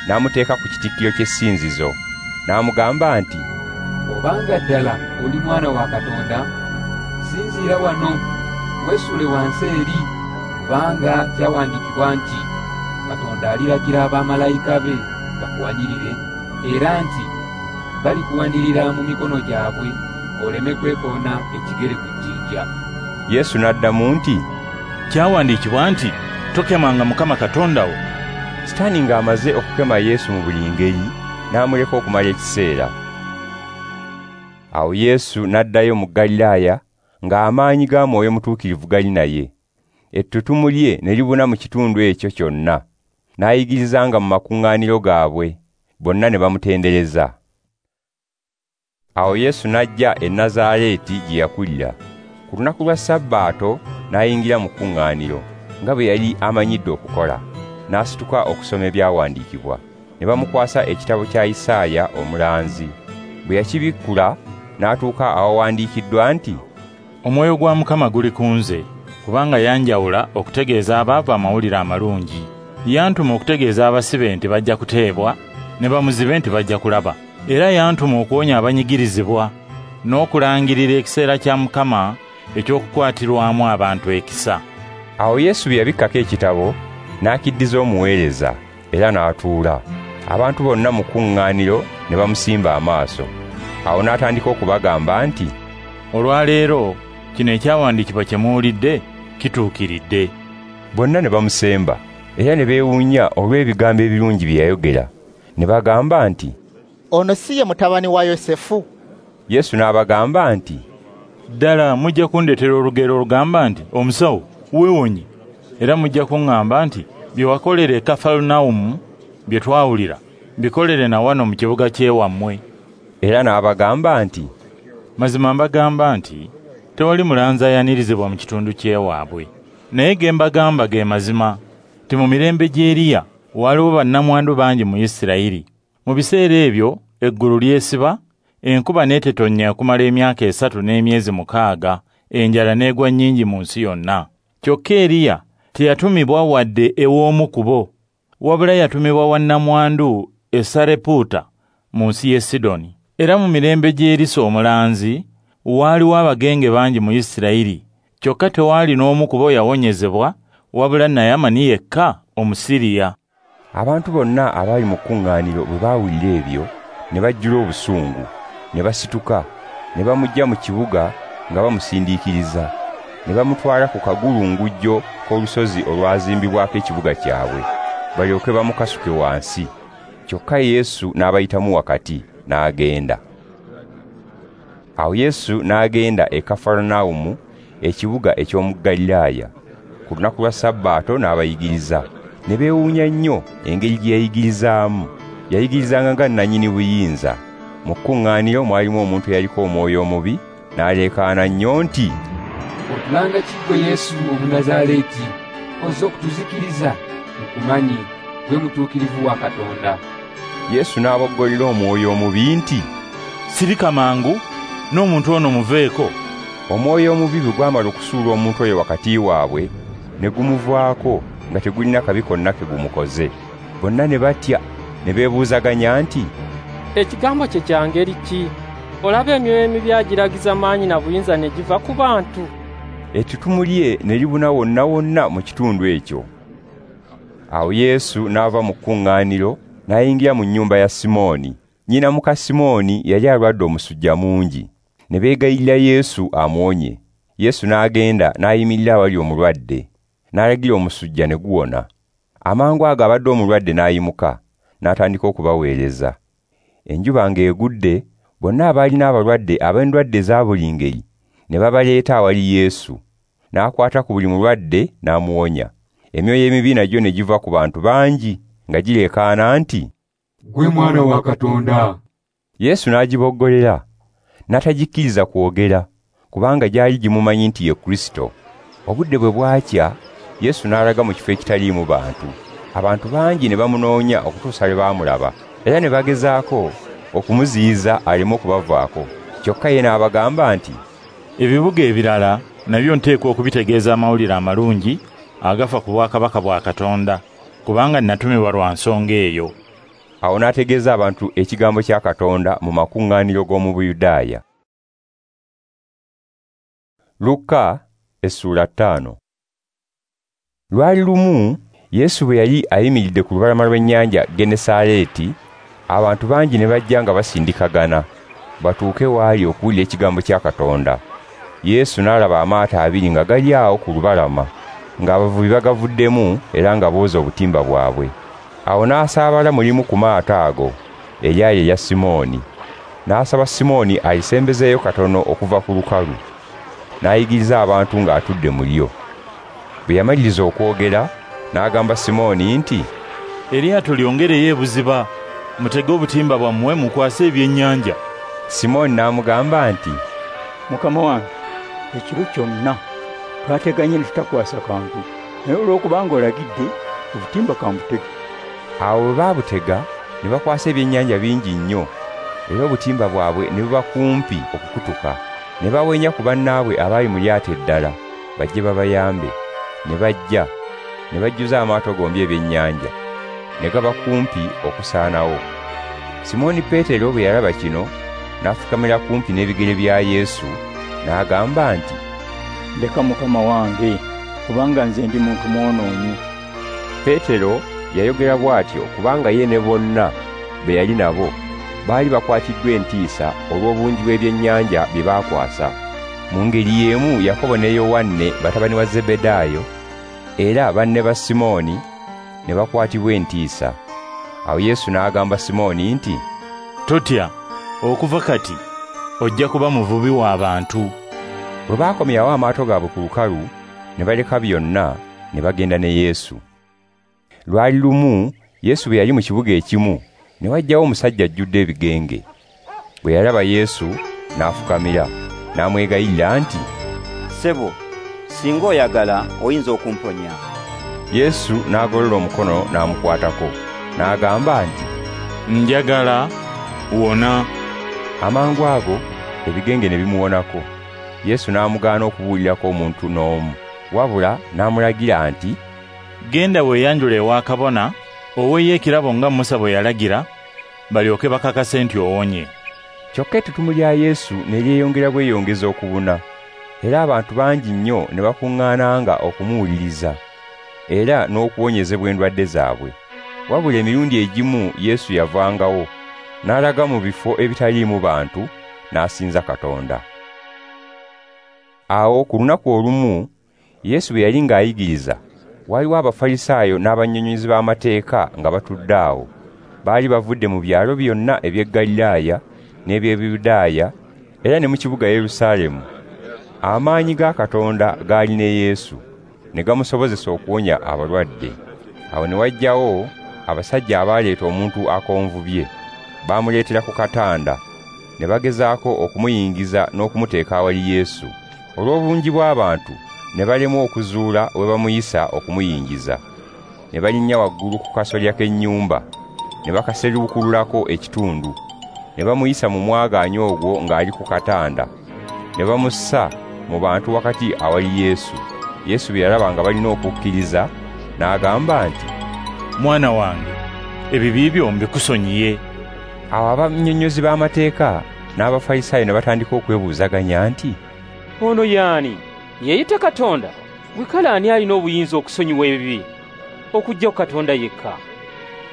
n'amuteeka ku kitikkiro ky'essinzizo, n'amugamba nti, "Obanga ddala oli mwana wa Katonda, sinziira wano, weesule wansi eri, kubanga kyawandiikibwa nti Katonda aliragira abamalayika be bakuwanirire, era nti balikuwanirira mu mikono gyabwe oleme kwekoona ekigere ku jjinja." Yesu n'addamu nti, "Kyawandiikibwa nti tokemanga Mukama Katonda wo." Sitaani ng'amaze okukema Yesu mu buli ngeri, n'amuleka okumala ekiseera. Awo Yesu n'addayo mu Galilaaya ng'amaanyi ga Mwoyo Mutuukirivu gali naye. Ettutumu lye ne libuna mu kitundu ekyo kyonna. N'ayigirizanga mu makuŋŋaaniro gaabwe, bonna ne bamutendereza. Awo Yesu n'ajja e Nazaaleeti gye yakulira. Ku lunaku lwa Sabbaato n'ayingira mu kuŋŋaaniro, nga bwe yali amanyidde okukola. N'asituka okusoma ebyawandiikibwa. Ne bamukwasa ekitabo kya Isaaya omulanzi. Bwe yakibikkula, n'atuuka awawandiikiddwa nti, "Omwoyo gwa Mukama guli ku nze, kubanga yanjawula okutegeeza abaavu amawulire amalungi. Yantuma okutegeeza abasibe nti bajja kuteebwa, ne bamuzibe nti bajja kulaba. Era yantuma okuwonya abanyigirizibwa, n'okulangirira ekiseera kya Mukama eky'okukwatirwamu abantu ekisa." Awo Yesu bwe yabikkako ekitabo, n'akiddiza omuweereza, era n'atuula. Abantu bonna mu kuŋŋaaniro ne bamusimba amaaso. Awo n'atandika okubagamba nti, "Olwaleero kino ekyawandiikibwa kye muwulidde kituukiridde." Bonna ne bamusemba, era ne beewuunya olw'ebigambo ebirungi bye yayogera. Ne bagamba nti, "Ono si ye mutabani wa Yosefu?" Yesu n'abagamba nti, "Ddala mujja kundeetera olugero olugamba nti, 'Omusawo, weewonye.' Era mujja kuŋŋamba nti, 'Bye wakolera e Kafarunawumu bye twawulira, bikolere na wano mu kibuga ky'ewammwe.'" Era n'abagamba nti, "Mazima mbagamba nti tewali mulanzi ayanirizibwa mu kitundu ky'ewaabwe. Naye ge mbagamba ge mazima nti mu mirembe gy'Eriya waliwo bannamwandu bangi mu Isirayiri Mu biseera ebyo eggulu lyesiba, enkuba n'etetonnya okumala emyaka 3 n'emyezi 6, enjala n'egwa nnyingi mu nsi yonna. Kyokka Eriya teyatumibwa wadde ew'omu ku bo, wabula yatumibwa wa nnamwandu e Sareputa mu nsi y'e Sidoni. Era mu mirembe gy'Erisa omulanzi waaliwo abagenge bangi mu Isirayiri, kyokka tewaali n'omu ku bo yawonyezebwa, wabula Naamani yekka Omusiriya. Abantu bonna abaali mu kkuŋŋaaniro bwe baawulira ebyo ne bajjula obusungu, ne basituka, ne bamuggya mu kibuga nga bamusindiikiriza, ne bamutwala ku kagulungujjo k'olusozi olwazimbibwako ekibuga kyabwe, balyoke bamukasuke wansi. Kyokka Yesu n'abayitamu wakati, n'agenda. Awo Yesu n'agenda e Kafarunawumu, ekibuga eky'omu Ggaliraaya. Ku lunaku lwa Sabbaato n'abayigiriza. Ne beewuunya nnyo engeri gye yayigirizaamu. Yayigirizanga nga nnannyini buyinza. Mu kkuŋŋaaniro mwalimu omuntu eyaliko omwoyo omubi, n'aleekaana nnyo nti, "Otulanga ki ggwe Yesu Omunnazaaleeti? Ozze okutuzikiriza? Nkumanyi, ggwe mutuukirivu wa Katonda." Yesu n'aboggolera omwoyo omubi nti, "Sirika mangu, n'omuntu ono muveeko." Omwoyo omubi bwe gwamala okusuula omuntu oyo wakati waabwe, ne gumuvaako nga tegulina kabi konna ke gumukoze. Bonna ne batya, ne beebuuzaganya nti, "Ekigambo kye kya ngeri ki? Olaba emyoyo emibi agiragiza maanyi na buyinza ne giva ku bantu." Ettutumu lye ne libuna wonna wonna mu kitundu ekyo. Awo Yesu n'ava mu kkuŋŋaaniro n'ayingira mu nnyumba ya Simooni. Nnyina muka Simooni yali alwadde omusujja mungi. Ne beegayirira Yesu amuwonye. Yesu n'agenda n'ayimirira awali omulwadde, n'alagira omusujja ne guwona. Amangu ago abadde omulwadde n'ayimuka, n'atandika okubaweereza. Enjuba ng'egudde, bonna abaalina abalwadde ab'endwadde eza buli ngeri ne babaleeta awali Yesu. N'akwata ku buli mulwadde n'amuwonya. Emyoyo emibi nagyo ne giva ku bantu bangi nga gireekaana nti, "Ggwe Mwana wa Katonda." Yesu n'agiboggolera, n'atagikkiriza kwogera, kubanga gyali gimumanyi nti ye Kristo. Obudde bwe bwakya, Yesu n'alaga mu kifo ekitaliimu bantu. Abantu bangi ne bamunoonya okutuusa lwe baamulaba, era ne bagezaako okumuziyiza aleme okubavaako. Kyokka ye n'abagamba nti, "Ebibuga ebirala nabyo nteekwa okubitegeeza amawulire amalungi agafa ku bwakabaka bwa Katonda, kubanga natumibwa lwa nsonga eyo." Awo n'ategeeza abantu ekigambo kya Katonda mu makuŋŋaaniro g'omu Buyudaaya. Luka essula 5. Lwali lumu Yesu bwe yali ayimiridde ku lubalama lw'ennyanja Genesaleeti, abantu bangi ne bajja nga basindikagana batuuke waali okuwulira ekigambo kya Katonda. Yesu n'alaba amaato abiri nga gali awo ku lubalama, ng'abavubi bagavuddemu era nga booza obutimba bwabwe. Awo n'asaabala mu limu ku maato ago, eryali erya Simooni. N'asaba Simooni alisembezeeyo katono okuva ku lukalu, n'ayigiriza abantu ng'atudde mu lyo. Bwe yamaliriza okwogera, n'agamba Simooni nti, "Eryato lyongereyo ebuziba, mutege obutimba bwammwe mukwase ebyennyanja." Simooni n'amugamba nti, "Mukama wange, ekiro kyonna twateganye ne tutakwasa kantu, naye olw'okubanga olagidde, obutimba kambutege." Awo bwe baabutega ne bakwasa ebyennyanja bingi nnyo, era obutimba bwabwe ne buba kumpi okukutuka. Ne bawenya ku bannaabwe abaali mu lyato eddala bajje babayambe. Ne bajja ne bajjuza amaato gombi ebyennyanja, ne gaba kumpi okusaanawo. Simooni Peetero bwe yalaba kino, n'afukamira kumpi n'ebigere bya Yesu, n'agamba nti, "Ndeka Mukama wange, kubanga nze ndi muntu mwonoonyi." Peetero yayogera bw'atyo kubanga ye ne bonna be yali nabo baali bakwatiddwa entiisa olw'obungi bw'ebyennyanja bye baakwasa. Mu ngeri y'emu Yakobo ne Yowanne batabani wa Zebedaayo era banne ba Simooni ne bakwatibwa entiisa. Awo Yesu n'agamba Simooni nti, "Totya, okuva kati ojja kuba muvubi w'abantu." Bwe baakomyawo amaato gaabwe ku lukalu, ne baleka byonna ne bagenda ne Yesu. Lwali lumu Yesu bwe yali mu kibuga ekimu, ne wajjawo omusajja ajjudde ebigenge. Bwe yalaba Yesu n'afukamira, n'amwegayirira nti, "Ssebo, singa oyagala oyinza okumponya." Yesu n'agolola omukono n'amukwatako, n'agamba nti, "Njagala, wona." Amangu ago ebigenge ne bimuwonako. Yesu n'amugaana okubuulirako omuntu n'omu, wabula n'amulagira nti, "Genda weeyanjule ewa kabona, oweeyo ekirabo nga Musa bwe yalagira, balyoke bakakase nti owonye." Kyokka ettutumu lya Yesu ne lyeyongera bweyongeza okubuna, era abantu bangi nnyo ne bakuŋŋaananga okumuwuliriza, era n'okuwonyezebwa endwadde zaabwe. Wabula emirundi egimu Yesu yavangawo, n'alaga mu bifo ebitaliimu bantu, n'asinza Katonda. Awo ku lunaku olumu, Yesu bwe yali ng'ayigiriza, waliwo Abafalisaayo n'abannyonnyozi b'amateeka nga batudde awo. Baali bavudde mu byalo byonna eby'e Galilaaya n'eby'e Buyudaaya, era ne mu kibuga Yerusaalemu. Amaanyi ga Katonda gaali ne Yesu, ne gamusobozesa okuwonya abalwadde. Awo ne wajjawo abasajja abaaleeta omuntu akonvubye. Baamuleetera ku katanda, ne bagezaako okumuyingiza n'okumuteeka awali Yesu. Olw'obungi bw'abantu ne balemwa okuzuula we bamuyisa okumuyingiza. Ne balinnya waggulu ku kasolya k'ennyumba, ne bakaseruukululako ekitundu, ne bamuyisa mu mwagaanya ogwo ng'ali ku katanda, ne bamussa mu bantu wakati awali Yesu. Yesu bwe yalaba nga balina okukkiriza, n'agamba nti, "Mwana wange, ebibi byo mbikusonyiye." Awo abannyonnyozi b'amateeka n'Abafalisaayo ne batandika okwebuuzaganya nti, "Ono y'ani? Yeeyita Katonda? Gwe kale ani alina obuyinza okusonyiwa ebibi okuggyako Katonda yekka?"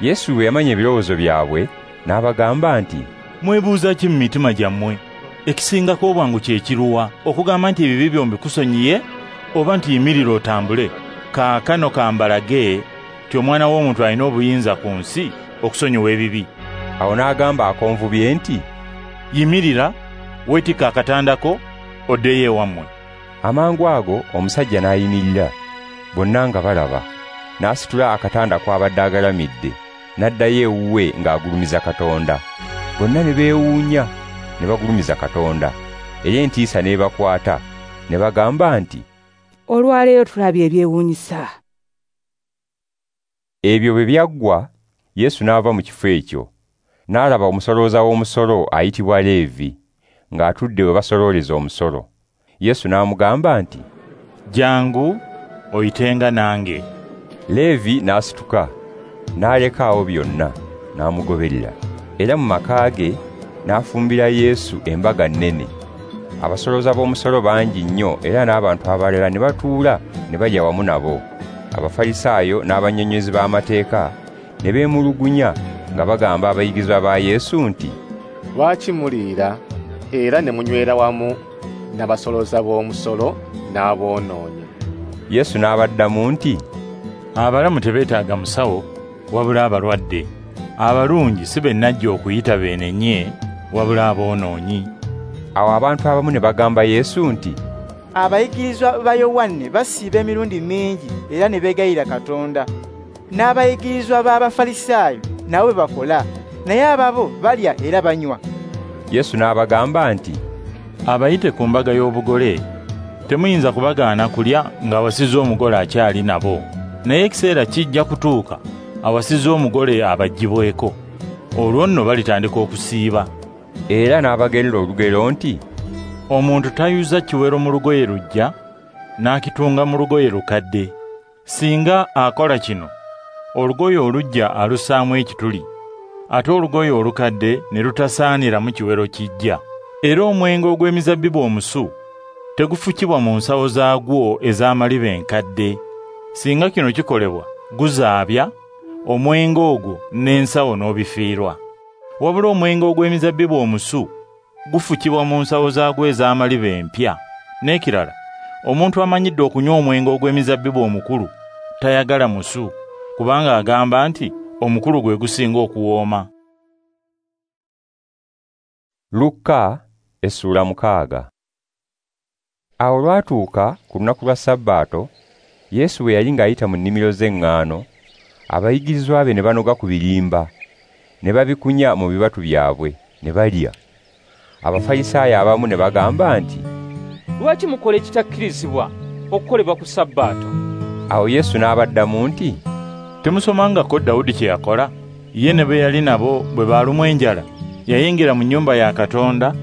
Yesu bwe yamanya ebirowoozo byabwe, n'abagamba nti, "Mwebuuza ki mu mitima gyammwe? Ekisingako obwangu kye kiruwa, okugamba nti ebibi byo mbikusonyiye, oba nti yimirira otambule? Kaakano kambalage nti Omwana w'Omuntu alina obuyinza ku nsi okusonyiwa ebibi." Awo n'agamba akonvubye nti, "Yimirira, weetikke akatanda ko, oddeyo ewammwe." Amangu ago omusajja n'ayimirira, bonna nga balaba, n'asitula akatanda kw'abadde agalamidde, n'addayo ewuwe ng'agulumiza Katonda. Bonna ne beewuunya, ne bagulumiza Katonda, era entiisa n'ebakwata, ne bagamba nti, "Olwaleero tulabye ebyewuunyisa." Ebyo bwe byaggwa, Yesu n'ava mu kifo ekyo, n'alaba omusolooza w'omusolo ayitibwa Leevi, ng'atudde we basolooleza omusolo. Yesu n'amugamba nti, "Jangu oyitenga nange." Leevi n'asituka, n'aleka awo byonna, n'amugoberera. Era mu maka ge n'afumbira Yesu embaga nnene. Abasolooza b'omusolo bangi nnyo era n'abantu abalala ne batuula ne balya wamu nabo. Abafalisaayo n'abannyonnyozi b'amateeka ne beemulugunya nga bagamba abayigirizwa ba Yesu nti, "Lwaki muliira era ne munywera wamu n'abasolooza b'omusolo n'aboonoonyi?" Yesu n'abaddamu nti, "Abalamu tebeetaaga musawo, wabula abalwadde. Abalungi si be najja okuyita beenenye, wabula aboonoonyi." Awo abantu abamu ne bagamba Yesu nti, "Abayigirizwa ba Yowanne basiiba emirundi mingi era ne beegayirira Katonda. N'abayigirizwa b'Abafalisaayo nabo bwe bakola, naye ababo balya era banywa." Yesu n'abagamba nti, "Abayite ku mbaga y'obugole temuyinza kubagaana kulya ng'awasizza omugole akyali nabo, naye ekiseera kijja kutuuka awasizza omugole abaggyibweko, olwo nno balitandika okusiiba." Era n'abagerera olugero nti, "Omuntu tayuza kiwero mu lugoye luggya n'akitunga mu lugoye lukadde. Singa akola kino, olugoye oluggya alussaamu ekituli, ate olugoye olukadde ne lutasaaniramu kiwero kijja. Era omwenge ogw'emizabbibu omusu tegufukibwa mu nsawo zaagwo ez'amaliba enkadde. Singa kino kikolebwa, guzaabya omwenge ogwo n'ensawo n'obifiirwa. Wabula omwenge ogw'emizabbibu omusu gufukibwa mu nsawo zaagwo ez'amaliba empya. N'ekirala, omuntu amanyidde okunywa omwenge ogw'emizabbibu omukulu tayagala musu, kubanga agamba nti omukulu gwe gusinga okuwooma." Lukka essula 6. Awo olwatuuka ku lunaku lwa Sabbaato, Yesu bwe yali ng'ayita mu nnimiro z'eŋŋaano, abayigirizwa be ne banoga ku birimba, ne babikunya mu bibatu byabwe, ne balya. Abafalisaayo abamu ne bagamba nti, "Lwaki mukola ekitakkirizibwa okukolebwa ku Sabbaato?" Awo Yesu n'abaddamu nti, "Temusomangako Dawudi kye yakola Ye ne be yali nabo bwe baalumwa enjala, yayingira mu nnyumba ya Katonda,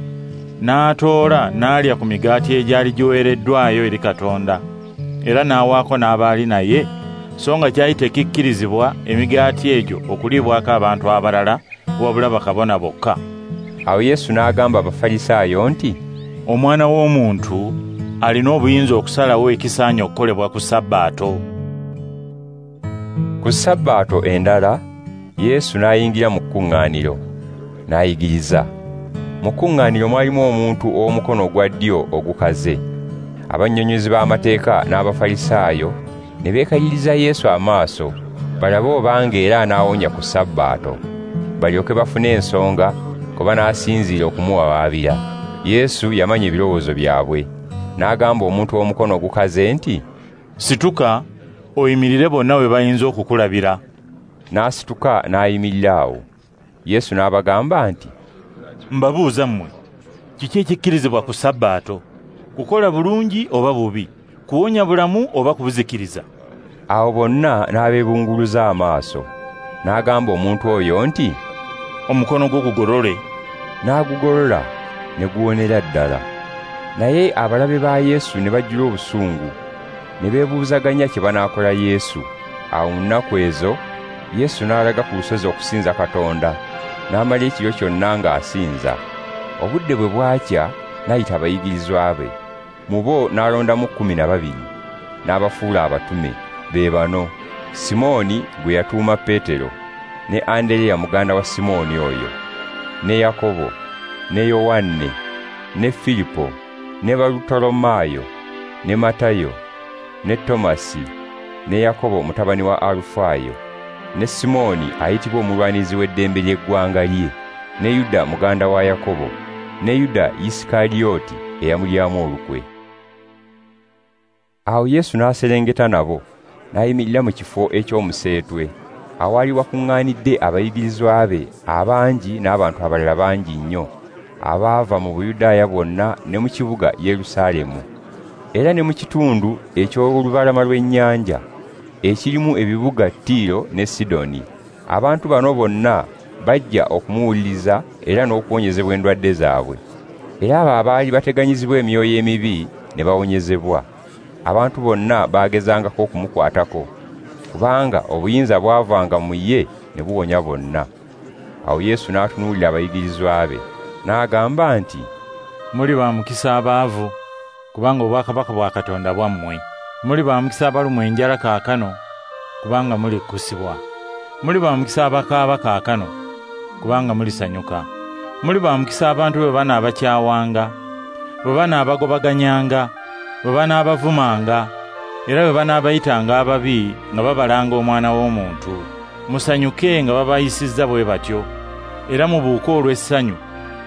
n'atoola n'alya ku migaati egyali giweereddwayo eri Katonda, era n'awaako n'abaali naye, so nga kyali tekikkirizibwa emigaati egyo okuliibwako abantu abalala wabula bakabona bokka. Awo Yesu n'agamba Abafalisaayo nti, Omwana w'omuntu alina obuyinza okusalawo ekisaanye okukolebwa ku Sabbaato. Ku Sabbaato endala, Yesu n'ayingira mu kkuŋŋaaniro, n'ayigiriza. Mu kkuŋŋaaniro mwalimu omuntu ow'omukono ogwa ddyo ogukaze. Abannyonnyozi b'amateeka n'Abafalisaayo ne beekaliriza Yesu amaaso, balabe obanga era anaawonya ku Sabbaato, balyoke bafune ensonga kwe banaasinziira okumuwawaabira. Yesu yamanya ebirowoozo byabwe, n'agamba omuntu ow'omukono ogukaze nti, Situka, oyimirire bonna we bayinza okukulabira. N'asituka n'ayimirira awo. Yesu n'abagamba nti, Mbabuuza mmwe, kiki ekikkirizibwa ku Sabbaato? Kukola bulungi oba bubi? Kuwonya bulamu oba kubuzikiriza? Awo bonna n'abeebunguluza amaaso. N'agamba omuntu oyo nti, Omukono gwo gugolole. N'agugolola ne guwonera ddala. Naye abalabe ba Yesu ne bajjula obusungu, ne beebuuzaganya kye banaakola Yesu. Awo mu nnaku ezo Yesu n'alaga ku lusozi okusinza Katonda, n'amala ekiro kyonna ng'asinza. Obudde bwe bwakya n'ayita abayigirizwa be. Mu bo n'alondamu 12, n'abafuula abatume. Be bano: Simooni gwe yatuuma Peetero, ne Andereya muganda wa Simooni oyo, ne Yakobo, ne Yowanne, ne Filipo, ne Barutolomaayo, ne Matayo, ne Tomasi, ne Yakobo mutabani wa Alufaayo, ne Simooni ayitibwa omulwanirizi w'eddembe ly'eggwanga lye, ne Yuda muganda wa Yakobo, ne Yuda Isikarioti eyamulyamu olukwe. Awo Yesu n'aserengeta nabo, n'ayimirira mu kifo eky'omuseetwe, awaali wakuŋŋaanidde abayigirizwa be abangi n'abantu abalala bangi nnyo, abaava mu Buyudaaya bwonna ne mu kibuga Yerusaalemu, era ne mu kitundu eky'olubalama lw'ennyanja, ekirimu ebibuga Tiiro ne Sidoni. Abantu bano bonna bajja okumuwuliriza era n'okuwonyezebwa endwadde zaabwe. Era abo abaali bateganyizibwa emyoyo emibi ne bawonyezebwa. Abantu bonna baagezangako okumukwatako, kubanga obuyinza bwavanga mu ye ne buwonya bonna. Awo Yesu n'atunuulira abayigirizwa be, n'agamba nti, Muli ba mukisa abaavu, kubanga obwakabaka bwa Katonda bwammwe. Muli ba mukisa abalumwa enjala kaakano, kubanga mulikkusibwa. Muli ba mukisa abakaaba kaakano, kubanga mulisanyuka. Muli ba mukisa abantu bwe banaabakyawanga, bwe banaabagobaganyanga, bwe banaabavumanga, era bwe banaabayitanga ababi nga babalanga Omwana w'Omuntu. Musanyuke nga babayisizza bwe batyo, era mubuuke olw'essanyu,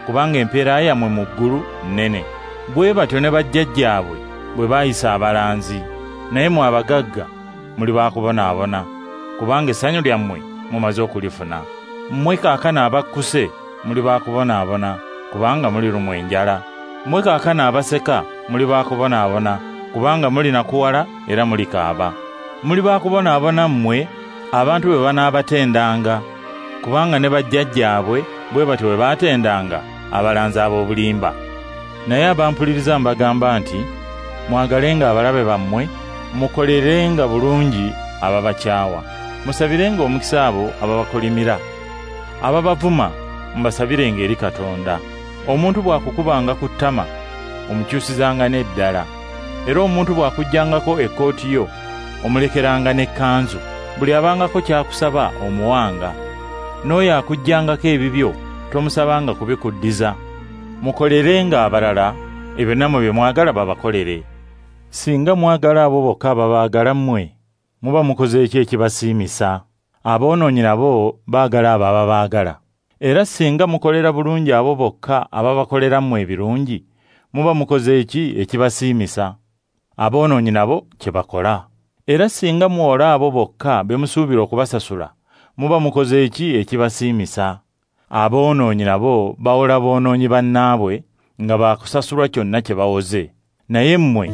kubanga empeera yammwe mu ggulu nnene. Bwe batyo ne bajjajjaabwe bwe baayisa abalanzi. Naye mmwe abagagga muli baakubonaabona, kubanga essanyu lyammwe mumaze okulifuna. Mmwe kaakano abakkuse muli baakubonaabona, kubanga mulirumwa enjala. Mmwe kaakano abaseka muli baakubonaabona, kubanga mulinakuwala era mulikaaba. Muli baakubonaabona mmwe abantu bwe banaabatendanga, kubanga ne bajjajjaabwe bwe batyo bwe baatendanga abalanzi ab'obulimba. Naye abampuliriza mbagamba nti, mwagalenga abalabe bammwe, mukolerenga bulungi ababakyawa, musabirenga omukisa abo ababakolimira, ababavuma mubasabirenga eri Katonda. Omuntu bw'akukubanga ku ttama, omukyusizanga n'eddala, era omuntu bw'akuggyangako ekkooti yo, omulekeranga n'ekkanzu. Buli abangako ky'akusaba omuwanga, n'oyo akuggyangako ebibyo tomusabanga kubikuddiza. Mukolerenga abalala ebyo nammwe bye mwagala babakolere. Singa mwagala abo bokka ababaagala mmwe, muba mukoze eki ekibasiimisa? Aboonoonyi nabo baagala abo ababaagala. Era singa mukolera bulungi abo bokka ababakolera mmwe ebirungi, muba mukoze eki ekibasiimisa? Aboonoonyi nabo kye bakola. Era singa muwola abo bokka be musuubira okubasasula, muba mukoze eki ekibasiimisa? Aboonoonyi nabo bawola boonoonyi bannaabwe nga baakusasulwa kyonna kye bawoze. Naye mmwe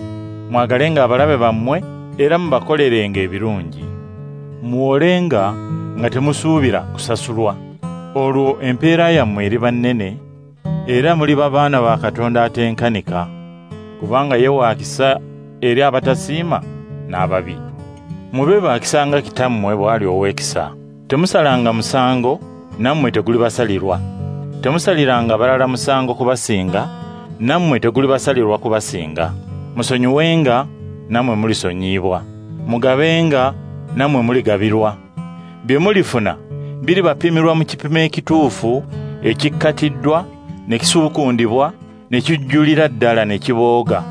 mwagalenga abalabe bammwe era mubakolerenga ebirungi. Muwolenga nga temusuubira kusasulwa. Olwo empeera yammwe eriba nnene, era muliba baana ba Katonda atenkanika, kubanga ye wa kisa eri abatasiima n'ababi. Mube ba kisa nga Kitammwe bw'ali ow'ekisa. Temusalanga musango, nammwe tegulibasalirwa. Temusaliranga balala musango kubasinga, nammwe tegulibasalirwa kubasinga. Musonyiwenga, nammwe mulisonyiyibwa. Mugabenga, nammwe muligabirwa. Bye mulifuna biribapimirwa mu kipimo ekituufu, ekikkatiddwa, ne kisuukundibwa, ne kijjulira ddala ne kibooga.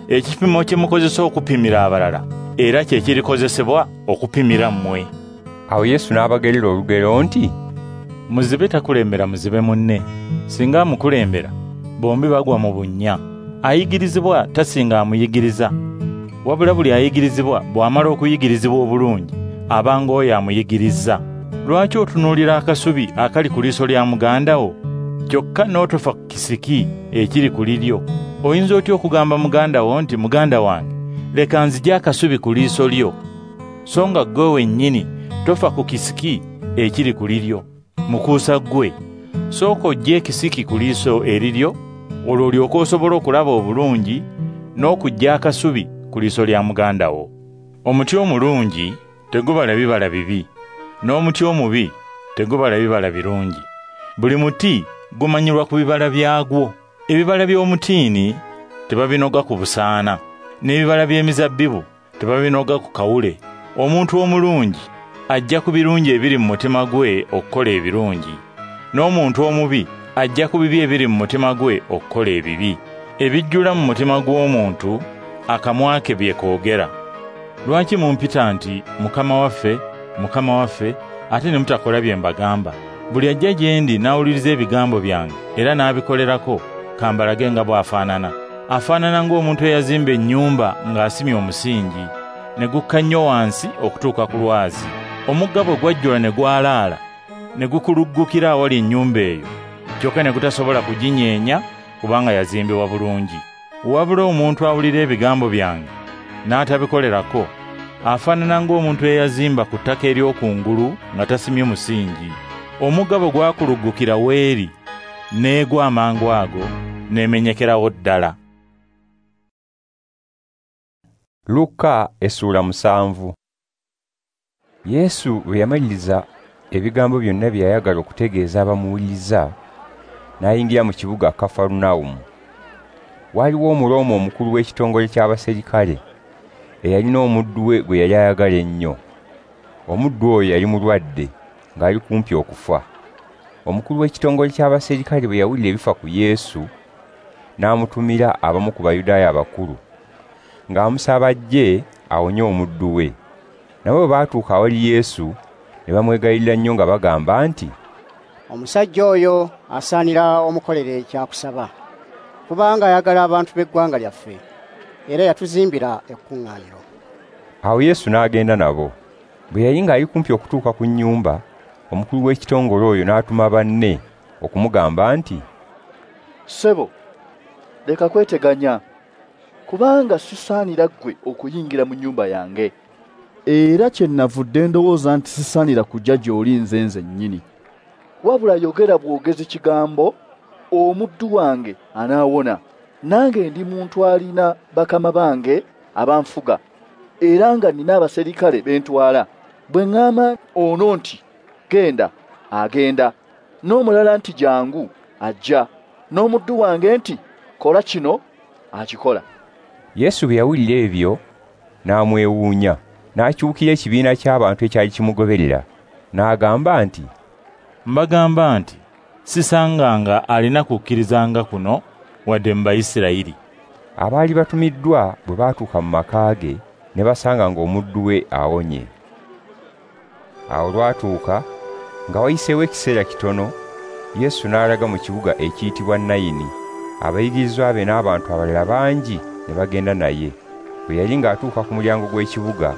Ekipimo kye mukozesa okupimira abalala era kye kirikozesebwa okupimira mmwe. Awo Yesu n'abagerera olugero nti, muzibe takulembera muzibe munne. Singa amukulembera, bombi bagwa mu bunnya. Ayigirizibwa tasinga amuyigiriza, wabula buli ayigirizibwa bw'amala okuyigirizibwa obulungi aba ng'oyo amuyigiriza. Lwaki otunuulira akasubi akali ku liiso lya muganda wo, kyokka n'otofa ku kisiki ekiri ku liryo? Oyinza otya okugamba muganda wo nti, muganda wange, leka nzigye akasubi ku liiso lyo, so nga ggwe wennyini tofa ku kisiki ekiri ku liryo? Mukuusa ggwe, sooka oggye ekisiki ku liiso eriryo, olwo olyoke osobola okulaba obulungi n'okuggya akasubi ku liiso lya muganda wo. Omuti omulungi tegubala bibala bibi, n'omuti omubi tegubala bibala birungi. Buli muti gumanyirwa ku bibala byagwo. Ebibala by'omutiini tebabinoga ku busaana, n'ebibala by'emizabbibu tebabinoga ku kawule. Omuntu omulungi ajja ku birungi ebiri mu mutima gwe okukola ebirungi, n'omuntu omubi ajja ku bibi ebiri mu mutima gwe okukola ebibi. Ebijjula mu mutima gw'omuntu akamwa ke bye koogera. Lwaki mumpita nti Mukama waffe, Mukama waffe, ate ne mutakola bye mbagamba? Buli ajja gye ndi n'awuliriza ebigambo byange era n'abikolerako, kambalage nga bw'afaanana. Afaanana ng'omuntu eyazimba ennyumba ng'asimye omusingi, ne gukka nnyo wansi okutuuka ku lwazi. Omugga bwe gwajjula ne gwalaala, ne gukuluggukira awali ennyumba eyo, kyokka ne gutasobola kuginyeenya kubanga yazimbibwa bulungi. Wabula omuntu awulira ebigambo byange n'atabikolerako, afaanana ng'omuntu eyazimba ku ttaka ery'okungulu nga tasimye musingi. Omugga bwe gwakuluggukira weeri, n'egwa amangu ago, n'emenyekerawo ddala. Luka essula 7. Yesu bwe yamaliriza ebigambo byonna bye yayagala okutegeeza abamuwuliriza, n'ayingira mu kibuga Kafarunawumu. Waaliwo Omurooma omukulu w'ekitongole ky'abaserikale eyalina omuddu we gwe yali ayagala ennyo. Omuddu oyo yali mulwadde ng'ali kumpi okufa. Omukulu w'ekitongole ky'abaserikale bwe yawulira ebifa ku Yesu, n'amutumira abamu ku Bayudaaya abakulu, ng'amusaba ajje awonye omuddu we. Nabo bwe baatuuka awali Yesu, ne bamwegayirira nnyo nga bagamba nti, omusajja oyo asaanira omukolere ekyakusaba, kubanga ayagala abantu b'eggwanga lyaffe, era yatuzimbira ekkuŋŋaaniro. Awo Yesu n'agenda nabo. Bwe yali ng'ali kumpi okutuuka ku nnyumba, omukulu w'ekitongole oyo n'atuma banne okumugamba nti, Ssebo, leka kweteganya, kubanga sisaanira ggwe okuyingira mu nnyumba yange. Era kye navudde ndowooza nti sisaanira kujja gy'oli nze nzennyini. Wabula yogera bwogezi kigambo, omuddu wange anaawona. Nange ndi muntu alina bakama bange abanfuga, era nga nnina abaserikale bentwala. Bwe ŋŋamba ono nti genda, agenda, n'omulala nti jangu, ajja, n'omuddu wange nti kola kino, akikola. Yesu bwe yawulira ebyo n'amwewuunya, n'akyukira ekibiina ky'abantu ekyali kimugoberera, n'agamba nti, mbagamba nti sisanganga alina kukkirizanga kuno wadde mu Bayisirayiri. Abaali batumiddwa bwe baatuuka mu maka ge, ne basanga ng'omuddu we awonye. Awo lwatuuka nga wayiseewo ekiseera kitono, Yesu n'alaga mu kibuga ekiyitibwa Nayini. Abayigirizwa be n'abantu abalala bangi ne bagenda naye. Bwe yali ng'atuuka ku mulyango gw'ekibuga,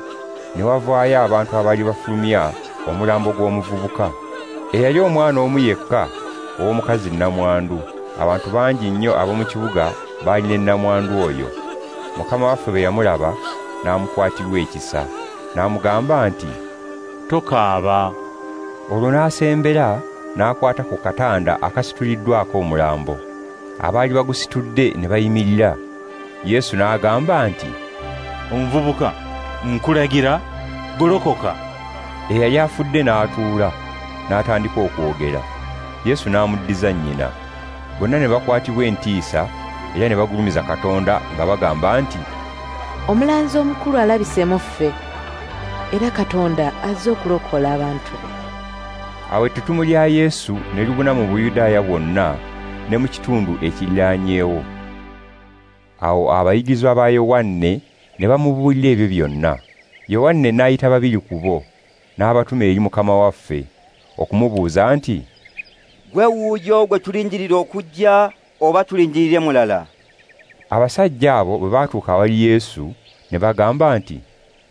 ne wavaayo abantu abaali bafulumya omulambo gw'omuvubuka, eyali omwana omu yekka ow'omukazi nnamwandu. Abantu bangi nnyo ab'omu kibuga baali ne nnamwandu oyo. Mukama waffe bwe yamulaba, n'amukwatirwa ekisa, n'amugamba nti, tokaaba. Olwo n'asembera n'akwata ku katanda akasituliddwako omulambo. Abaali bagusitudde ne bayimirira. Yesu n'agamba nti, "Omuvubuka, nkulagira, golokoka." Eyali afudde n'atuula, n'atandika okwogera. Yesu n'amuddiza nnyina. Bonna ne bakwatibwa entiisa era ne bagulumiza Katonda nga bagamba nti, "Omulanzi omukulu alabise mu ffe, era Katonda azze okulokola abantu be." Awo ettutumu lya Yesu ne libuna mu Buyudaaya bwonna ne mu kitundu ekiriraanyeewo. Awo abayigirizwa ba Yowanne ne bamubuulira ebyo byonna. Yowanne n'ayita babiri ku bo, n'abatuma eri Mukama waffe, okumubuuza nti, "Gwe wuuyo gwe tulindirira okujja oba tulindirire mulala?" Abasajja abo bwe baatuuka awali Yesu ne bagamba nti,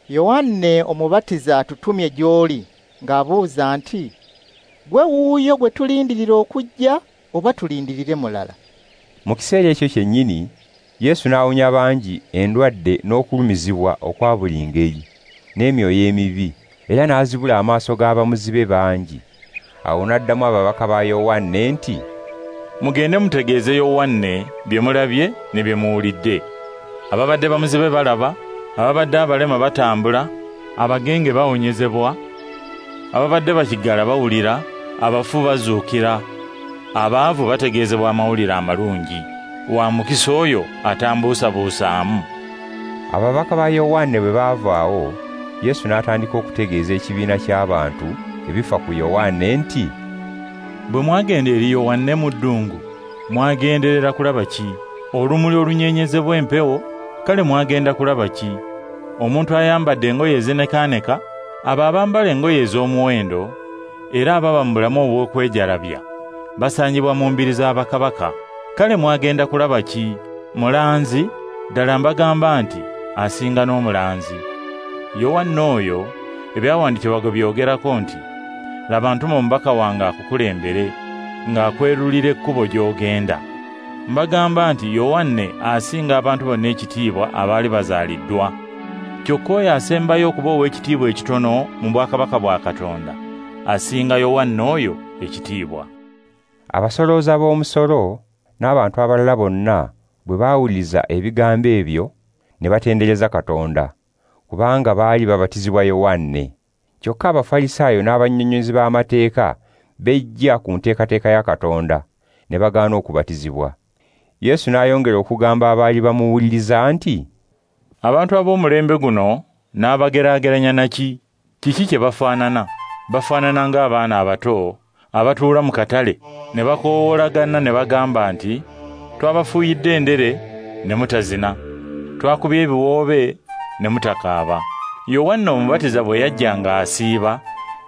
"Yowanne Omubatiza atutumye gy'oli ng'abuuza nti, 'Gwe wuuyo gwe tulindirira okujja oba tulindirire mulala?'" Mu kiseera ekyo kyennyini Yesu n'awonya bangi endwadde n'okulumizibwa okwa buli ngeri n'emyoyo emibi, era n'azibula amaaso g'abamuzibe bangi. Awo n'addamu ababaka ba Yowanne nti, "Mugende mutegeeze Yowanne bye mulabye ne bye muwulidde. Ababadde bamuzibe balaba, ababadde abalema batambula, abagenge bawonyezebwa, ababadde bakiggala bawulira, abafu bazuukira, abaavu bategeezebwa amawulire amalungi. Wa mukisa oyo atambuusabuusaamu." Ababaka ba Yowanne bwe baavaawo, Yesu n'atandika okutegeeza ekibiina ky'abantu ebifa ku Yowanne nti, "Bwe mwagenda eri Yowanne mu ddungu, mwagenderera kulaba ki? Olumuli olunyenyezebwa empewo? Kale mwagenda kulaba ki? Omuntu ayambadde engoye ezinekaaneka? Abo abambala engoye ez'omuwendo era ababa mu bulamu obw'okwejalabya basangibwa mu mbiri z'abakabaka. Kale mwagenda kulaba ki? Mulanzi? Ddala mbagamba nti asinga n'omulanzi. Yowanne oyo ebyawandiikibwa gwe byogerako nti, 'Laba ntuma omubaka wange akukulembere, ng'akwerulira ekkubo gy'ogenda.' Mbagamba nti Yowanne asinga abantu bonna ekitiibwa abaali bazaaliddwa. Kyokka oyo asembayo okuba ow'ekitiibwa ekitono mu bwakabaka bwa Katonda asinga Yowanne oyo ekitiibwa." Abasolooza b'omusolo n'abantu abalala bonna bwe baawuliriza ebigambo ebyo ne batendereza Katonda, kubanga baali babatizibwa Yowanne. Kyokka Abafalisaayo n'abannyonnyozi b'amateeka bejja ku nteekateeka ya Katonda ne bagaana okubatizibwa. Yesu n'ayongera okugamba abaali bamuwuliriza nti, "Abantu ab'omulembe guno n'abageraageranya na ki? Kiki kye bafaanana? Bafaanana ng'abaana abato abatuula mu katale ne bakoowoolagana ne bagamba nti, 'Twabafuuyidde endere ne mutazina, twakubye ebiwoobe ne mutakaaba.' Yowanne Omubatiza bwe yajja ng'asiiba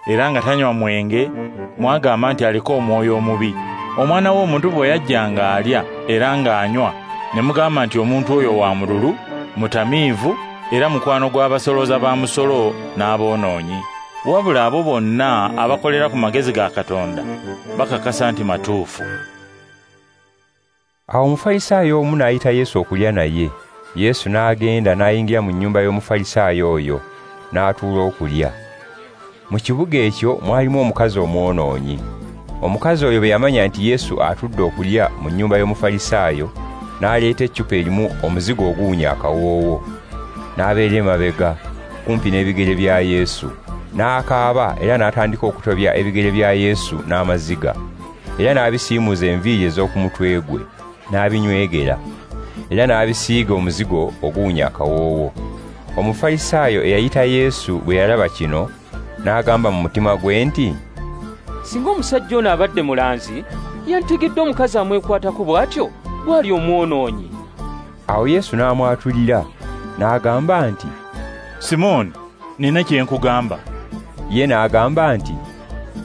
era nga tanywa mwenge, mwagamba nti aliko omwoyo omubi. Omwana w'omuntu bwe yajja ng'alya era ng'anywa, ne mugamba nti omuntu oyo wa mululu, mutamiivu, era mukwano gw'abasolooza ba musolo n'aboonoonyi. Wabula abo bonna abakolera ku magezi ga Katonda bakakasa nti matuufu." Awo Omufalisaayo omu n'ayita Yesu okulya naye. Yesu n'agenda n'ayingira mu nnyumba y'Omufalisaayo oyo, n'atuula okulya. Mu kibuga ekyo mwalimu omukazi omwonoonyi. Omukazi oyo bwe yamanya nti Yesu atudde okulya mu nnyumba y'Omufalisaayo, n'aleeta eccupa erimu omuzigo oguwunya akawoowo. N'abeera emabega, kumpi n'ebigere bya Yesu. N'akaaba era n'atandika okutobya ebigere bya Yesu n'amaziga. Era n'abisiimuuza enviiri ez'oku mutwe gwe, n'abinywegera. Era n'abisiiga omuzigo oguwunya akawoowo. Omufalisaayo eyayita Yesu bwe yalaba kino, n'agamba mu mutima gwe nti, "Singa omusajja ono abadde mulanzi, yantegedde omukazi amwekwatako bw'atyo bw'ali omwonoonyi." Awo Yesu n'amwatulira, n'agamba nti, "Simooni, nina kye nkugamba." Ye n'agamba nti,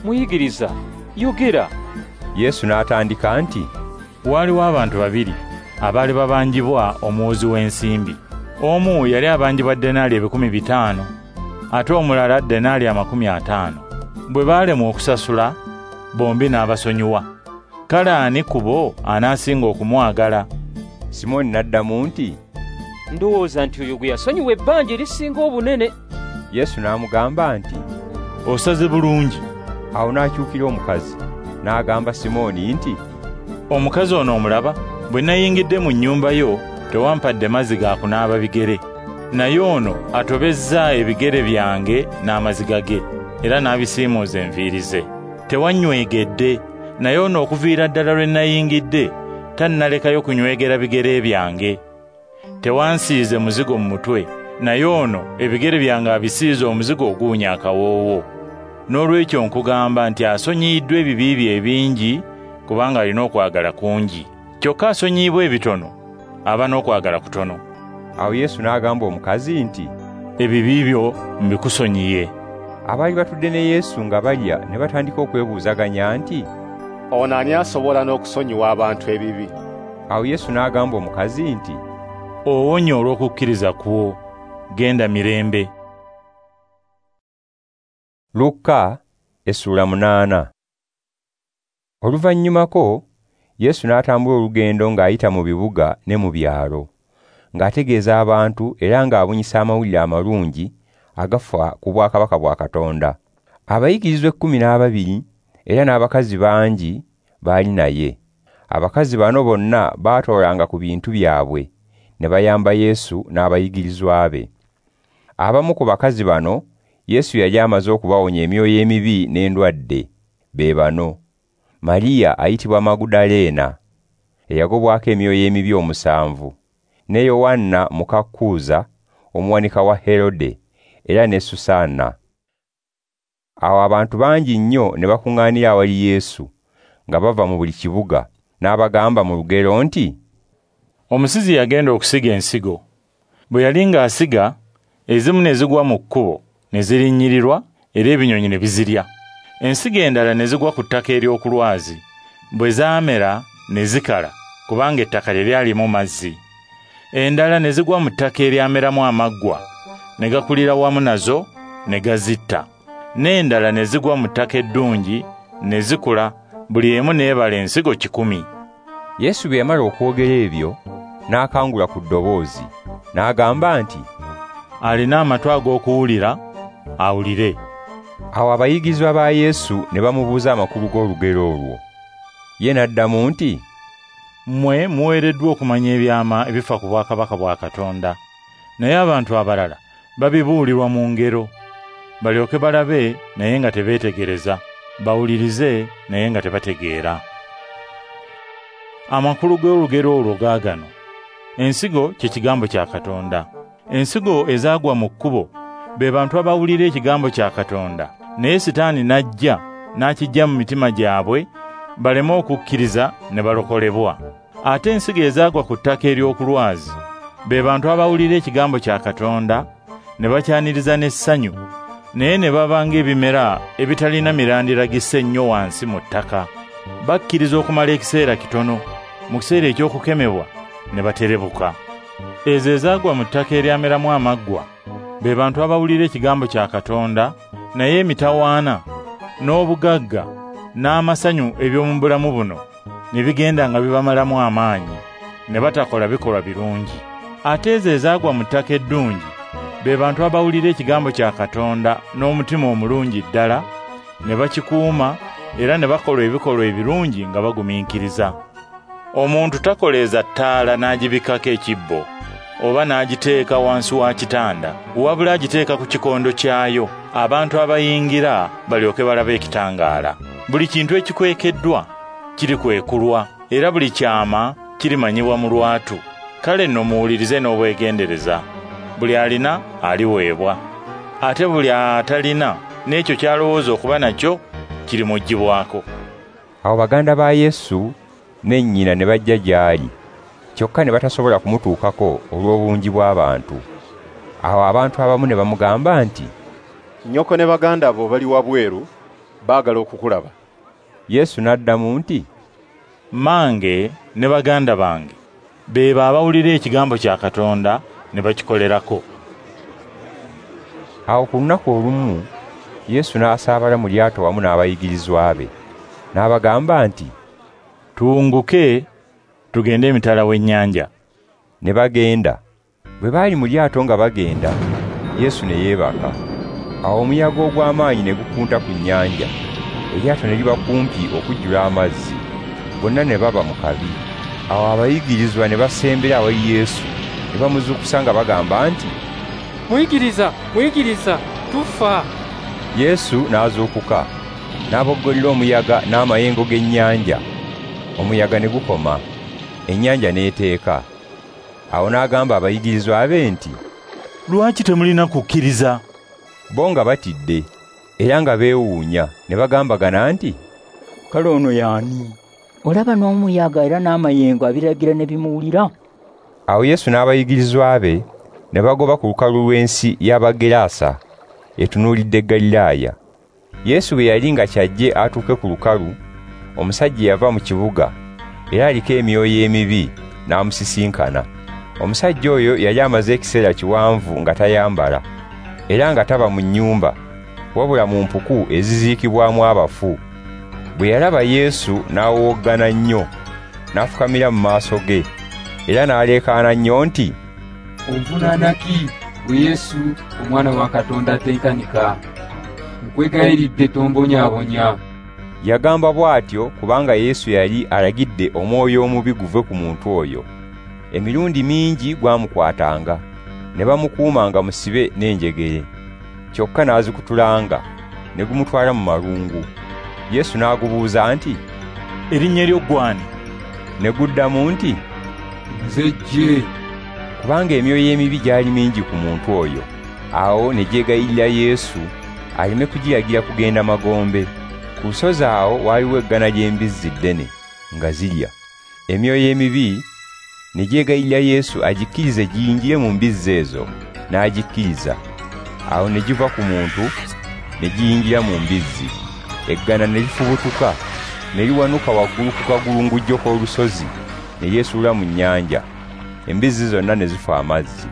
"Muyigiriza, yogera." Yesu n'atandika nti, "Waaliwo abantu babiri abaali babanjibwa omuwozi w'ensimbi. Omu yali abanjibwa denaali 500, ate omulala denaali 50. Bwe baalemwa okusasula, bombi n'abasonyiwa. Kale ani ku bo anaasinga okumwagala?" Simooni n'addamu nti, "Ndowooza nti oyo gwe yasonyiwa ebbanja erisinga obunene." Yesu n'amugamba nti, "Osaze bulungi." Awo n'akyukira omukazi, n'agamba Simooni nti, "Omukazi ono omulaba? Bwe nayingidde mu nnyumba yo, tewampadde mazzi ga kunaaba bigere. Naye ono atobezza ebigere byange n'amaziga ge, era n'abisiimuuza enviiri ze. Tewannywegedde, naye ono okuviira ddala lwe nayingidde tannalekayo kunywegera bigere byange. Tewansiize muzigo mu mutwe, naye ono ebigere byange abisiize omuzigo oguwunya akawoowo. N'olwekyo nkugamba nti asonyiyiddwa ebibi bye ebingi, kubanga alina okwagala kungi. Kyokka asonyiyibwa ebitono, aba n'okwagala kutono." Awo Yesu n'agamba omukazi nti, "Ebibi byo mbikusonyiye." Abaali batudde ne Yesu nga balya ne batandika okwebuuzaganya nti, "Ono ani asobola n'okusonyiwa abantu ebibi?" Awo Yesu n'agamba omukazi nti, "Owonye olw'okukkiriza kwo, genda mirembe." Luka essula 8. Oluvannyumako Yesu n'atambula olugendo ng'ayita mu bibuga ne mu byalo, ng'ategeeza abantu era ng'abunyisa amawulire amalungi agafa ku bwakabaka bwa Katonda. Abayigirizwa 12 era n'abakazi bangi baali naye. Abakazi bano bonna baatoolanga ku bintu byabwe ne bayamba Yesu n'abayigirizwa be. Abamu ku bakazi bano Yesu yali amaze okubawonya emyoyo emibi n'endwadde. Be bano: Mariya ayitibwa Magudaleena, eyagobwako emyoyo emibi 7, ne Yowanna muka Kuuza omuwanika wa Herode, era ne Susanna. Awo abantu bangi nnyo ne bakuŋŋaanira awali Yesu nga bava mu buli kibuga, n'abagamba mu lugero nti, "Omusizi yagenda okusiga ensigo. Bwe yali ng'asiga, ezimu ne zigwa mu kkubo ne zirinnyirirwa, era ebinyonyi ne bizirya. Ensigo endala ne zigwa ku ttaka ery'okulwazi. Bwe zaamera ne zikala, kubanga ettaka teryalimu mazzi. Endala ne zigwa mu ttaka eryameramu amaggwa, ne gakulira wamu nazo ne gazitta. N'endala ne zigwa mu ttaka eddungi ne zikula, buli emu n'ebala ensigo 100. Yesu bwe yamala okwogera ebyo, n'akangula ku ddoboozi, n'agamba nti, "Alina amatu ag'okuwulira, awulire." Awo abayigirizwa ba Yesu ne bamubuuza amakulu g'olugero olwo. Ye n'addamu nti, "Mmwe muweereddwa okumanya ebyama ebifa ku bwakabaka bwa Katonda, naye abantu abalala babibuulirwa mu ngero, balyoke balabe naye nga tebeetegereza, bawulirize naye nga tebategeera. Amakulu g'olugero olwo gaagano: ensigo kye kigambo kya Katonda. Ensigo ezaagwa mu kkubo be bantu abawulira ekigambo kya Katonda, naye Sitaani n'ajja n'akiggya mu mitima gyabwe baleme okukkiriza ne balokolebwa. Ate ensigo ezaagwa ku ttaka ery'okulwazi be bantu abawulira ekigambo kya Katonda ne bakyaniriza n'essanyu, naye ne baba ng'ebimera ebitalina mirandira gisse nnyo wansi mu ttaka. Bakkiriza okumala ekiseera kitono, mu kiseera eky'okukemebwa ne baterebuka. Ezo ezaagwa mu ttaka eryameramu amaggwa be bantu abawulira ekigambo kya Katonda, naye emitawaana n'obugagga n'amasanyu eby'omu bulamu buno ne bigenda nga bibamalamu amaanyi, ne batakola bikolwa birungi. Ate ezo ezaagwa mu ttaka eddungi be bantu abawulira ekigambo kya Katonda n'omutima omulungi ddala, ne bakikuuma era ne bakola ebikolwa ebirungi nga bagumiikiriza. Omuntu takoleeza ttaala n'agibikkako ekibbo oba n'agiteeka wansi wa kitanda, wabula agiteeka ku kikondo kyayo, abantu abayingira balyoke balabe ekitangaala. Buli kintu ekikwekeddwa kirikwekulwa, era buli kyama kirimanyibwa mu lwatu. Kale nno muwulirize n'obwegendereza. Buli alina aliweebwa, ate buli atalina n'ekyo ky'alowooza okuba nakyo kirimuggyibwako. Awo baganda ba Yesu ne nnyina ne bajja gy'ali, kyokka ne batasobola kumutuukako olw'obungi bw'abantu. Awo abantu abamu ne bamugamba nti, "Nnyoko ne baganda bo bali wabweru, baagala okukulaba." Yesu n'addamu nti, "Mmange ne baganda bange be abawulira ekigambo kya Katonda ne bakikolerako." Awo ku lunaku olumu Yesu n'asaabala mu lyato wamu n'abayigirizwa be, n'abagamba nti, "Tuwunguke tugende emitala w'ennyanja." Ne bagenda. Bwe baali mu lyato nga bagenda, Yesu ne yeebaka. Awo omuyaga ogw'amaanyi ne gukunta ku nnyanja, Eryato ne liba kumpi okujjula amazzi, bonna ne baba mu kabi. Awo abayigirizwa ne basembera awali Yesu, ne bamuzuukusa nga bagamba nti, "Muyigiriza, muyigiriza, tufa!" Yesu n'azuukuka, n'aboggolera omuyaga n'amayengo g'ennyanja. Omuyaga ne gukoma, ennyanja n'eteeka. Awo n'agamba abayigirizwa be nti, "Lwaki temulina kukkiriza?" Bo nga batidde era nga beewuunya, ne bagambagana nti, "Kale ono y'ani? Olaba n'omuyaga era n'amayengo abiragira ne bimuwulira." Awo Yesu n'abayigirizwa be ne bagoba ku lukalu lw'ensi y'Abagerasa etunuulidde Galilaaya. Yesu bwe yali nga kyajje atuuke ku lukalu, omusajja yava mu kibuga era aliko emyoyo emibi n'amusisinkana. Omusajja oyo yali amaze ekiseera kiwanvu nga tayambala era nga taba mu nnyumba, wabula mu mpuku eziziikibwamu abafu. Bwe yalaba Yesu n'awowoggana nnyo, n'afukamira mu maaso ge, era n'aleekaana nnyo nti, "Onvunaana ki, ggwe Yesu, Omwana wa Katonda atenkanika? Nkwegayiridde tombonyaabonya." Yagamba bw'atyo kubanga Yesu yali alagidde omwoyo omubi guve ku muntu oyo. Emirundi mingi gwamukwatanga, ne bamukuumanga musibe n'enjegere. Kyokka n'azikutulanga, ne gumutwala mu malungu. Yesu n'agubuuza nti, "Erinnya lyo ggw'ani?" Ne guddamu nti, "Nze Jje." Kubanga emyoyo emibi gyali mingi ku muntu oyo. Awo ne gyegayirira Yesu aleme kugiragira kugenda magombe. Ku lusozi awo waaliwo eggana ly'embizzi ddene nga zirya. Emyoyo emibi ne gyegayirira Yesu agikkirize giyingire mu mbizzi ezo, n'agikkiriza. Awo ne giva ku muntu ne giyingira mu mbizzi. Eggana ne lifubutuka, ne liwanuka waggulu ku kagulungujjo k'olusozi, ne lyesuula mu nnyanja. Embizzi zonna ne zifa amazzi.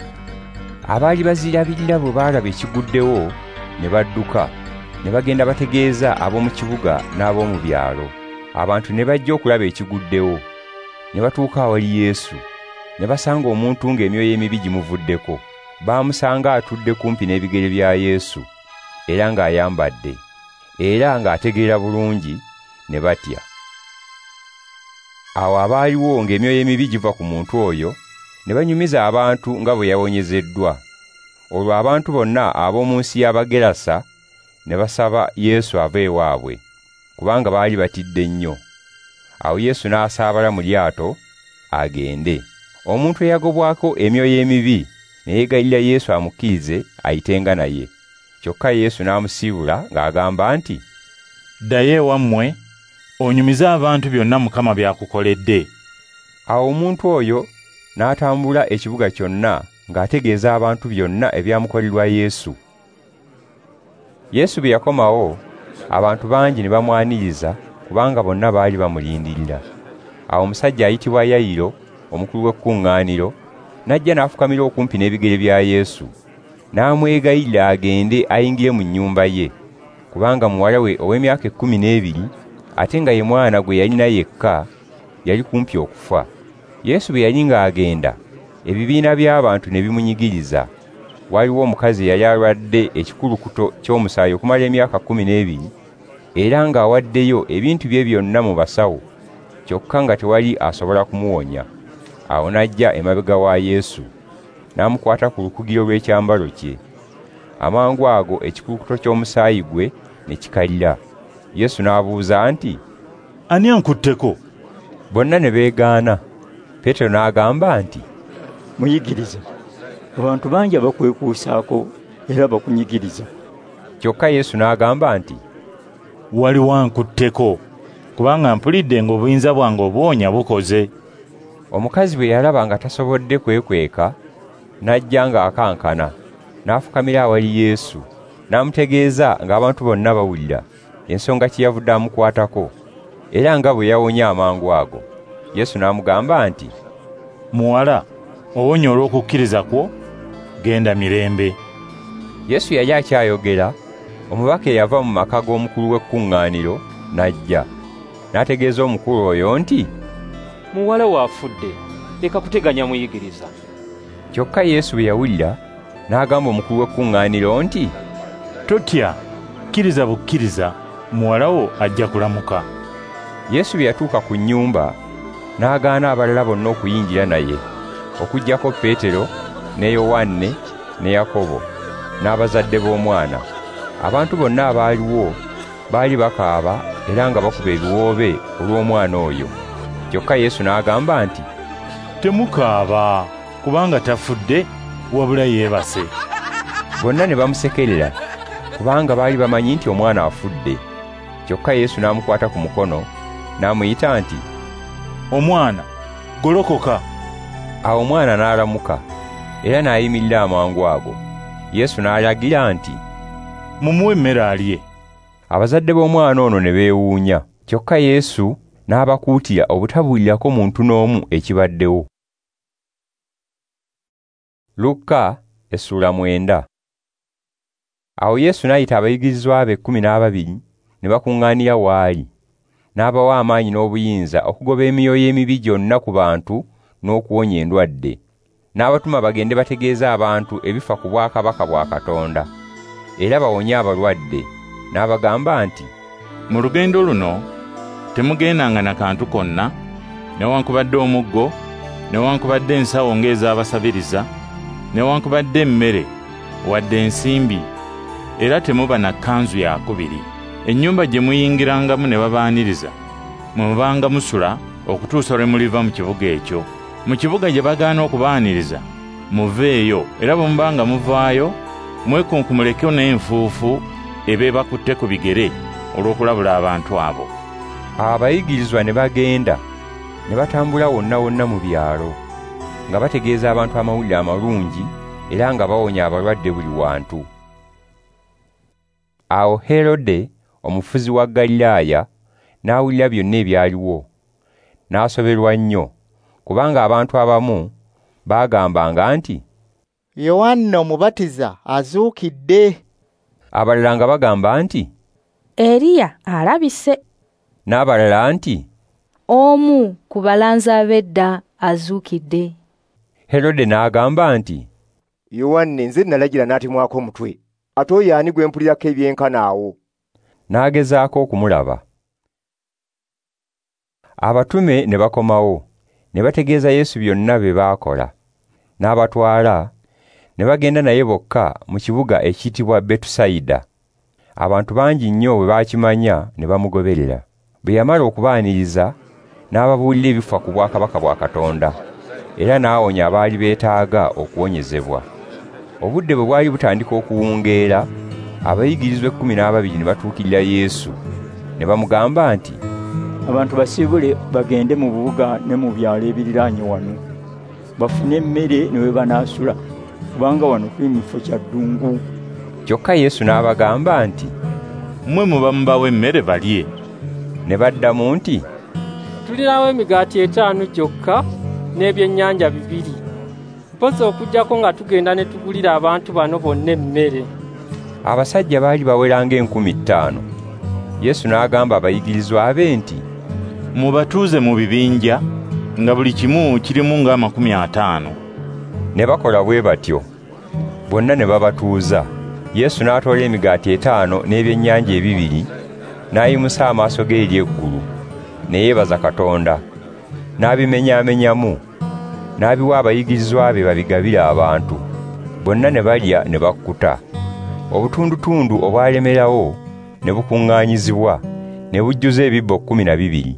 Abaali bazirabirira bwe baalaba ekiguddewo ne badduka, ne bagenda bategeeza ab'omu kibuga n'ab'omu byalo. Abantu ne bajja okulaba ekiguddewo. Ne batuuka awali Yesu, ne basanga omuntu ng'emyoyo emibi gimuvuddeko. Baamusanga atudde kumpi n'ebigere bya Yesu, era ng'ayambadde, era ng'ategeera bulungi, ne batya. Awo abaaliwo ng'emyoyo emibi giva ku muntu oyo, ne banyumiza abantu nga bwe yawonyezeddwa. Olwo abantu bonna ab'omu nsi y'Abagerasa ne basaba Yesu ave ewaabwe, kubanga baali batidde nnyo. Awo Yesu n'asaabala mu lyato agende. Omuntu eyagobwako emyoyo emibi ne yeegayirira Yesu amukkirize ayitenga naye. Kyokka Yesu n'amusiibula ng'agamba nti, "Ddayo ewammwe, onyumize abantu byonna Mukama by'akukoledde." Awo omuntu oyo n'atambula ekibuga kyonna ng'ategeeza abantu byonna ebyamukolerwa Yesu. Yesu bwe yakomawo, abantu bangi ne bamwaniriza kubanga bonna baali bamulindirira. Awo omusajja ayitibwa Yayiro, omukulu w'ekkuŋŋaaniro, n'ajja n'afukamira okumpi n'ebigere bya Yesu, n'amwegayirira agende ayingire mu nnyumba ye, kubanga muwala we ow'emyaka 12, ate nga ye mwana gwe yalina yekka, yali kumpi okufa. Yesu bwe yali ng'agenda, ebibiina by'abantu ne bimunyigiriza. Waliwo omukazi eyali alwadde ekikulukuto ky'omusaayi okumala emyaka 12, era ng'awaddeyo ebintu bye byonna mu basawo, kyokka nga tewali asobola kumuwonya. Awo n'ajja emabega wa Yesu, n'amukwata ku lukugiro lw'ekyambalo kye. Amangu ago ekikulukuto ky'omusaayi gwe ne kikalira. Yesu n'abuuza nti, "Ani ankutteko?" Bonna ne beegaana. Peetero n'agamba nti, "Muyigiriza, abantu bangi abakwekuusaako era bakunyigiriza." Kyokka Yesu n'agamba nti, "Waliwo ankutteko, kubanga mpulidde ng'obuyinza bwange obuwonya bukoze." Omukazi bwe yalaba nga tasobodde kwekweka, n'ajja ng'akankana, n'afukamira awali Yesu, n'amutegeeza ng'abantu bonna bawulira ensonga kye yavudde amukwatako, era nga bwe yawonye amangu ago. Yesu n'amugamba nti, "Muwala, owonye olw'okukkiriza kwo, genda mirembe." Yesu yali akyayogera, omubaka eyava mu maka g'omukulu w'ekkuŋŋaaniro n'ajja, n'ategeeza omukulu oyo nti, "Muwala wo afudde, leka kuteganya muyigiriza." Kyokka Yesu bwe yawulira, n'agamba omukulu w'ekkuŋŋaaniro nti, "Totya, kkiriza bukkiriza, Muwala wo ajja kulamuka. Yesu bwe yatuuka ku nnyumba, n'agaana abalala bonna okuyingira naye, okuggyako Peetero ne Yowanne ne Yakobo n'abazadde b'omwana. Abantu bonna abaaliwo baali bakaaba era nga bakuba ebiwoobe olw'omwana oyo. Kyokka Yesu n'agamba nti, "Temukaaba, kubanga tafudde, wabula yeebase." Bonna ne bamusekerera, kubanga baali bamanyi nti omwana afudde. Kyokka Yesu n'amukwata ku mukono, n'amuyita nti, "Omwana, golokoka." Awo omwana n'alamuka, era n'ayimirira amangu ago. Yesu n'alagira nti, "Mumuwe emmere alye." Abazadde b'omwana ono ne beewuunya. Kyokka Yesu n'abakuutira obutabuulirako muntu n'omu ekibaddewo. Lukka essula 9. Awo Yesu n'ayita abayigirizwa be 12 ne bakuŋŋaanira w'ali. N'abawa amaanyi n'obuyinza okugoba emyoyo emibi gyonna ku bantu n'okuwonya endwadde. N'abatuma bagende bategeeze abantu ebifa ku bwakabaka bwa Katonda, era bawonye abalwadde. N'abagamba nti, "Mu lugendo luno temugendanga na kantu konna, newankubadde omuggo, newankubadde ensawo ng'ez'abasabiriza, newankubadde emmere, wadde ensimbi, era temuba na kkanzu yakubiri. Ennyumba gye muyingirangamu ne babaaniriza, mwe mubanga musula okutuusa lwe muliva mu kibuga ekyo. Mu kibuga gye bagaana okubaaniriza, muveeyo, era bwe mubanga muvaayo, mwekunkumuleko n'enfuufu ebeebakutte ku bigere olw'okulabula abantu abo." Abayigirizwa ne bagenda ne batambula wonna wonna mu byalo, nga bategeeza abantu amawulire amalungi era nga bawonya abalwadde buli wantu. Awo Herode, omufuzi wa Galilaaya, n'awulira byonna ebyaliwo, n'asoberwa nnyo, kubanga abantu abamu baagambanga nti, "Yowanne Omubatiza azuukidde." Abalala nga bagamba nti, "Eriya alabise." N'abalala nti, "Omu ku balanzi ab'edda azuukidde." Herode n'agamba nti, "Yowanne nze nalagira n'atemwako omutwe, ate oyo ani gwe mpulirako ebyenkana awo?" N'agezaako okumulaba. Abatume ne bakomawo, ne bategeeza Yesu byonna bye baakola. N'abatwala, ne bagenda naye bokka mu kibuga ekiyitibwa Betusayida. Abantu bangi nnyo bwe baakimanya ne bamugoberera. Bwe yamala okubaaniriza, n'ababuulira ebifa ku bwakabaka bwa Katonda, era n'awonya abaali beetaaga okuwonyezebwa. Obudde bwe bwali butandika okuwungeera, abayigirizwa 12 ne batuukirira Yesu, ne bamugamba nti, "Abantu basiibule bagende mu bubuga ne mu byalo ebiriraanye wano, bafune emmere ne we banaasula, kubanga wano tuli mu kifo kya ddungu." Kyokka Yesu n'abagamba nti, "Mmwe muba mubawe emmere balye." Ne baddamu nti, "Tulinawo emigaati 5 gyokka n'ebyennyanja 2. Mpozzi okuggyako nga tugenda ne tugulira abantu bano bonna emmere." Abasajja baali bawera ng'enkumbi 5. Yesu n'agamba abayigirizwa be nti, "Mubatuuze mu bibinja, nga buli kimu kirimu nga 50." Ne bakola bwe batyo. Bonna ne babatuuza. Yesu n'atoola emigaati 5 n'ebyennyanja 2, n'ayimusa amaaso ge eri eggulu, ne yeebaza Katonda, n'abimenyaamenyamu, n'abiwa abayigirizwa be babigabire abantu. Bonna ne balya ne bakkuta. Obutundutundu obwalemerawo ne bukuŋŋaanyizibwa, ne bujjuza ebibbo 12.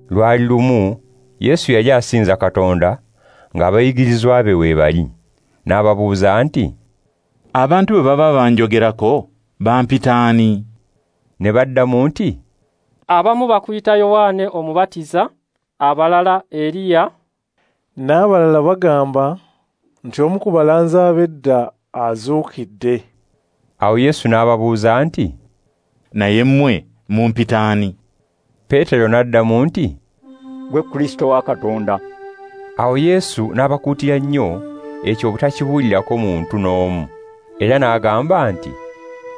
Lwali lumu Yesu yali asinza Katonda ng'abayigirizwa be we bali, n'ababuuza nti, "Abantu bwe baba banjogerako, bampita ani?" Ne baddamu nti, "Abamu bakuyita Yowanne Omubatiza, abalala Eriya, n'abalala bagamba nti omu ku balanzi ab'edda azuukidde." Awo Yesu n'ababuuza nti, "Naye mmwe mumpita ani?" Peetero n'addamu nti, "Gwe Kristo wa Katonda." Awo Yesu n'abakuutira nnyo ekyo obutakibuulirako muntu n'omu, era n'agamba nti,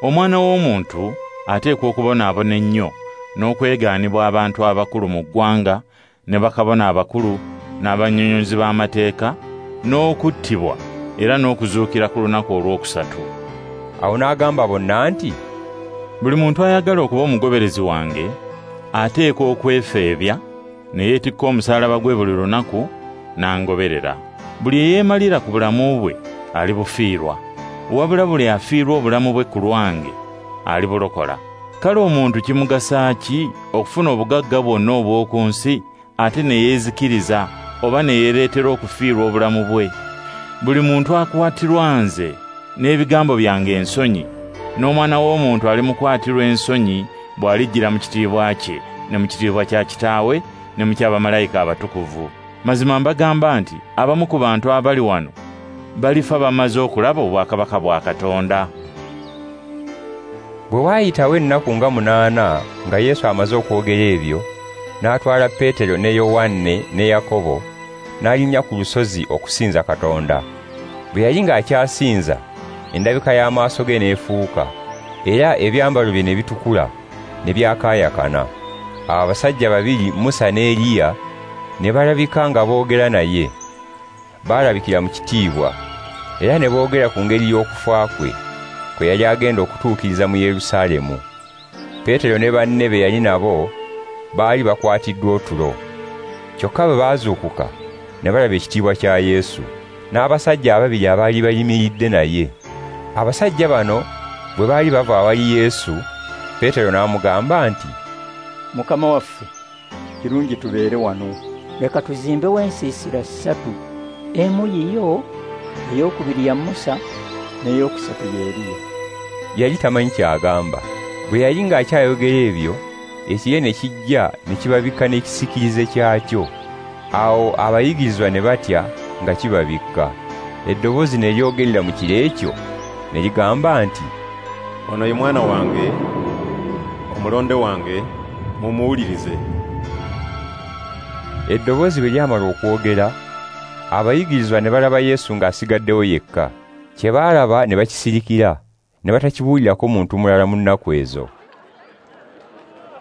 "Omwana w'omuntu ateekwa okubonaabona ennyo n'okwegaanibwa abantu abakulu mu ggwanga ne bakabona abakulu n'abannyonnyozi b'amateeka, n'okuttibwa era n'okuzuukira ku lunaku olwokusatu." Awo n'agamba bonna nti, Buli muntu ayagala okuba omugoberezi wange ateekwa okwefeebya ne yeetikka omusaalaba gwe buli lunaku n'angoberera. Buli eyeemalira ku bulamu bwe alibufiirwa, wabula buli afiirwa obulamu bwe ku lwange alibulokola. Kale omuntu kimugasa ki okufuna obugagga bwonna obw'oku nsi ate ne yeezikiriza oba ne yeereetera okufiirwa obulamu bwe? Buli muntu akwatirwa nze n'ebigambo byange ensonyi, n'Omwana w'Omuntu alimukwatirwa ensonyi bw'alijjira mu kitiibwa kye ne mu kitiibwa kya Kitaawe ne mu ky'abamalayika abatukuvu. Mazima mbagamba nti abamu ku bantu abali wano balifa bamaze okulaba obwakabaka bwa Katonda. Bwe waayitawo ennaku nga 8 nga Yesu amaze okwogera ebyo, n'atwala Peetero ne Yowanne ne Yakobo n'alinnya ku lusozi okusinza Katonda. Bwe yali ng'akyasinza, endabika y'amaaso ge n'efuuka, era ebyambalo bye ne bitukula ne byakaayakana. Awo abasajja babiri, Musa ne Eriya, ne balabika nga boogera naye. Baalabikira mu kitiibwa, era ne boogera ku ngeri y'okufa kwe, kwe yali agenda okutuukiriza mu Yerusaalemu. Peetero ne banne be yali nabo baali bakwatiddwa otulo. Kyokka bwe baazuukuka ne balaba ekitiibwa kya Yesu n'abasajja ababiri abaali bayimiridde naye. Abasajja bano bwe baali bava awali Yesu, Peetero n'amugamba nti, Mukama waffe, kirungi tubeere wano. Leka tuzimbewo ensiisira 3, emu yiyo, ey'okubiri ya Musa, n'ey'okusatu ya Eriya. Yali tamanyi ky'agamba. Bwe yali ng'akyayogera ebyo, ekire ne kijja ne kibabikka n'ekisiikirize kyakyo. Awo abayigirizwa ne batya nga kibabikka. Eddoboozi ne lyogerera mu kire ekyo ne ligamba nti, Ono ye mwana wange, omulonde wange, mumuwulirize. Eddoboozi bwe lyamala okwogera, abayigirizwa ne balaba Yesu ng'asigaddewo yekka. Kye baalaba ne bakisirikira, ne batakibuulirako muntu mulala mu nnaku ezo.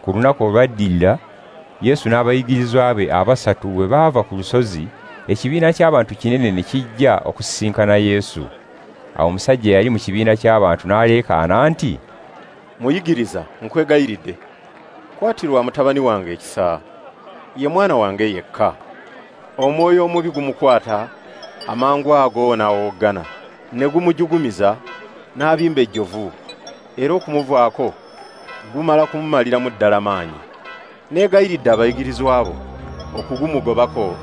Ku lunaku olwaddirira, Yesu n'abayigirizwa be abasatu bwe baava ku lusozi, ekibiina ky'abantu kinene ne kijja okusisinkana Yesu. Awo omusajja eyali mu kibiina ky'abantu n'aleekaana nti, Muyigiriza, nkwegayiridde, kwatirwa mutabani wange ekisa. Ye mwana wange yekka. Omwoyo omubi gumukwata, amangu ago n'awoggana, ne gumujugumiza, n'abimba ejjovu, era okumuvaako gumala kumumaliramu ddala maanyi. Neegayiridde abayigirizwa abo okugumugobako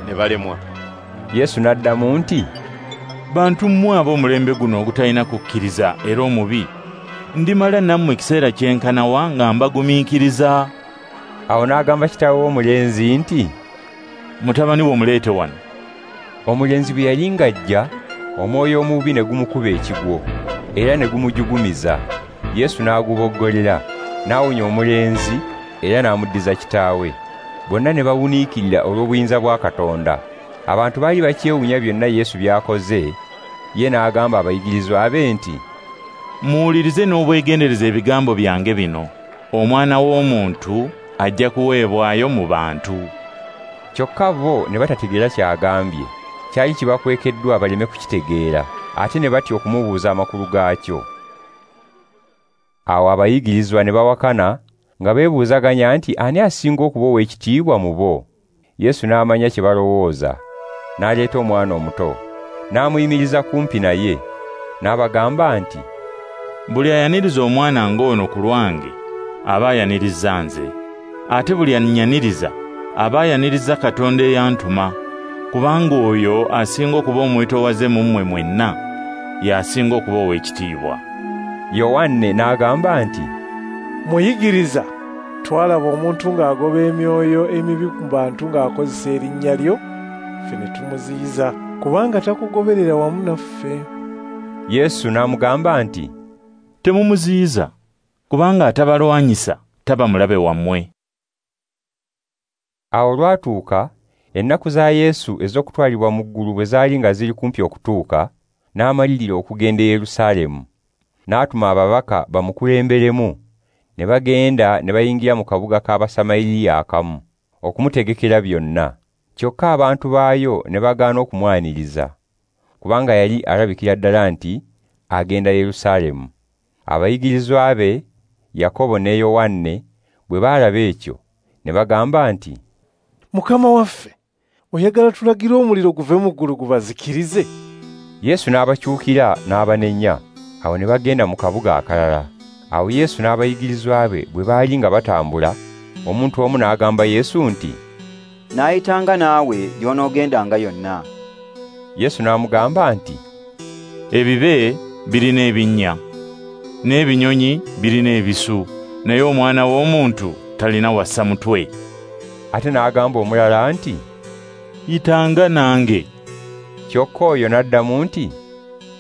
ne balemwa. Yesu n'addamu nti, Bantu mmwe ab'omulembe guno ogutalina kukkiriza era omubi, ndimala nammwe ekiseera kyenkana wa nga mbagumiikiriza? Awo n'agamba kitaawe w'omulenzi nti, Mutabani wo muleete wano. Omulenzi bwe yali ng'ajja, omwoyo omubi ne gumukuba ekigwo, era ne gumujugumiza. Yesu n'aguboggolera, n'awonya omulenzi era n'amuddiza kitaawe. Bonna ne bawuniikirira olw'obuyinza bwa Katonda. Abantu baali bakyewuunya byonna Yesu by'akoze. Ye n'agamba abayigirizwa be nti, Muwulirize n'obwegendereza ebigambo byange bino. Omwana w'Omuntu ajja kuweebwayo mu bantu. Kyokka bo ne batategeera ky'agambye. Kyali kibakwekeddwa baleme kukitegeera, ate ne batya okumubuuza amakulu gaakyo. Awo abayigirizwa ne bawakana nga beebuuzaganya nti ani asinga okuba ow'ekitiibwa mu bo. Yesu n'amanya kye balowooza, n'aleeta omwana omuto, n'amuyimiriza kumpi naye, n'abagamba nti, Buli ayaniriza omwana ng'ono ku lwange aba ayaniriza nze, ate buli annyaniriza aba ayaniriza Katonda eyantuma, kubanga oyo asinga okuba omwetoowaze mu mmwe mwenna y'asinga okuba ow'ekitiibwa. Yowanne n'agamba nti, Muyigiriza, twalaba omuntu ng'agoba emyoyo emibi ku bantu ng'akozesa erinnya lyo, ffe ne tumuziyiza, kubanga takugoberera wamu naffe. Yesu n'amugamba nti, Temumuziyiza, kubanga atabalwanyisa taba mulabe wammwe. Awo olwatuuka, ennaku za Yesu ez'okutwalibwa mu ggulu bwe zaali nga ziri kumpi okutuuka, n'amalirira okugenda e Yerusaalemu. N'atuma ababaka bamukulemberemu, ne bagenda ne bayingira mu kabuga k'Abasamaliya akamu okumutegekera byonna. Kyokka abantu baayo ne bagaana okumwaniriza, kubanga yali alabikira ddala nti agenda Yerusaalemu. Abayigirizwa be Yakobo ne Yowanne bwe baalaba ekyo, ne bagamba nti, Mukama waffe, oyagala tulagire omuliro guve mu ggulu gubazikirize? Yesu n'abakyukira n'abanenya. Awo ne bagenda mu kabuga akalala. Awo Yesu n'abayigirizwa be bwe baali nga batambula, omuntu omu n'agamba Yesu nti, Naayitanga naawe gy'onoogendanga yonna. Yesu n'amugamba nti, Ebibe birina ebinnya, n'ebinyonyi birina ebisu, naye omwana w'omuntu talina wassa mutwe. Ate n'agamba omulala nti, Yitanga nange. Kyokka oyo n'addamu nti,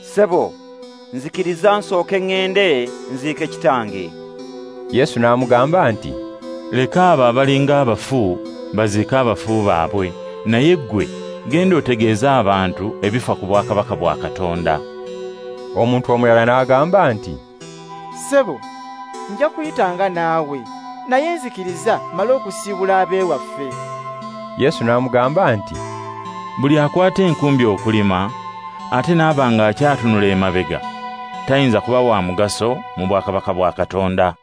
Ssebo, nzikiriza nsooke ŋŋende nziike kitange. Yesu n'amugamba nti, Leka abo abalinga abafu baziike abafu baabwe, naye ggwe genda otegeeze abantu ebifa ku bwakabaka bwa Katonda. Omuntu omulala n'agamba nti, Ssebo, nja kuyitanga naawe, naye nzikiriza mmale okusiibula ab'ewaffe. Yesu n'amugamba nti, Buli akwata enkumbi okulima ate n'aba ng'akyatunula emabega tayinza kuba wa mugaso mu bwakabaka bwa Katonda.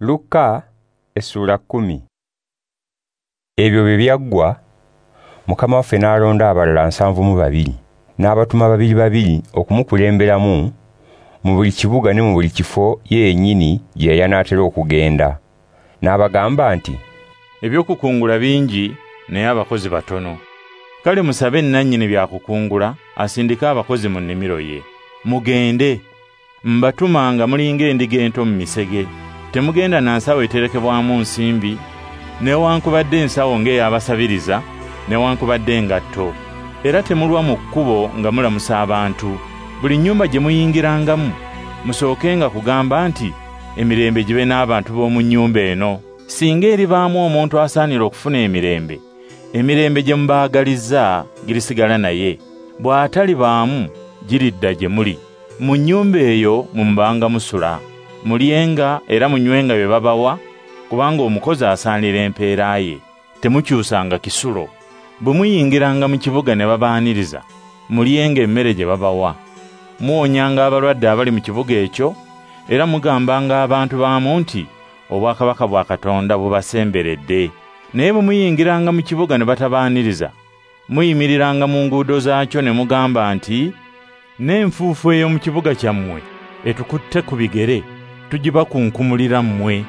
Luka essula 10. Ebyo bwe byaggwa, Mukama waffe n'alonda abalala 72 n'abatuma babiri babiri okumukulemberamu mu buli kibuga ne mu buli kifo ye yennyini gye yali anaatera okugenda. N'abagamba nti, Ebyokukungula bingi naye abakozi batono. Kale musabe nnannyini byakukungula asindike abakozi mu nnimiro ye. Mugende, mbatuma nga mulinga endiga ento mu misege. Temugenda na nsawo eterekebwamu nsimbi, newankubadde ensawo ng'ey'abasabiriza, newankubadde engatto. Era temulwa mu kkubo nga mulamusa abantu. Buli nnyumba gye muyingirangamu, musookenga kugamba nti, emirembe gibe n'abantu b'omu nnyumba eno. Singa eribaamu omuntu asaanira okufuna emirembe, emirembe gye mubaagalizza girisigala naye. Bw'atalibaamu giridda gye muli. Mu nnyumba eyo mumubanga musula. Mulyenga era munywenga bye babawa, kubanga omukozi asaanira empeera ye. Temukyusanga kisulo. Bwe muyingiranga mu kibuga ne babaaniriza, mulyenga emmere gye babawa. Muwonyanga abalwadde abali mu kibuga ekyo, era mugambanga abantu baamu nti, obwakabaka bwa Katonda bubasemberedde. Naye bwe muyingiranga mu kibuga ne batabaaniriza, muyimiriranga mu nguudo zaakyo ne mugamba nti, n'enfuufu ey'omu kibuga kyammwe etukutte ku bigere, tugibakunkumulira mmwe.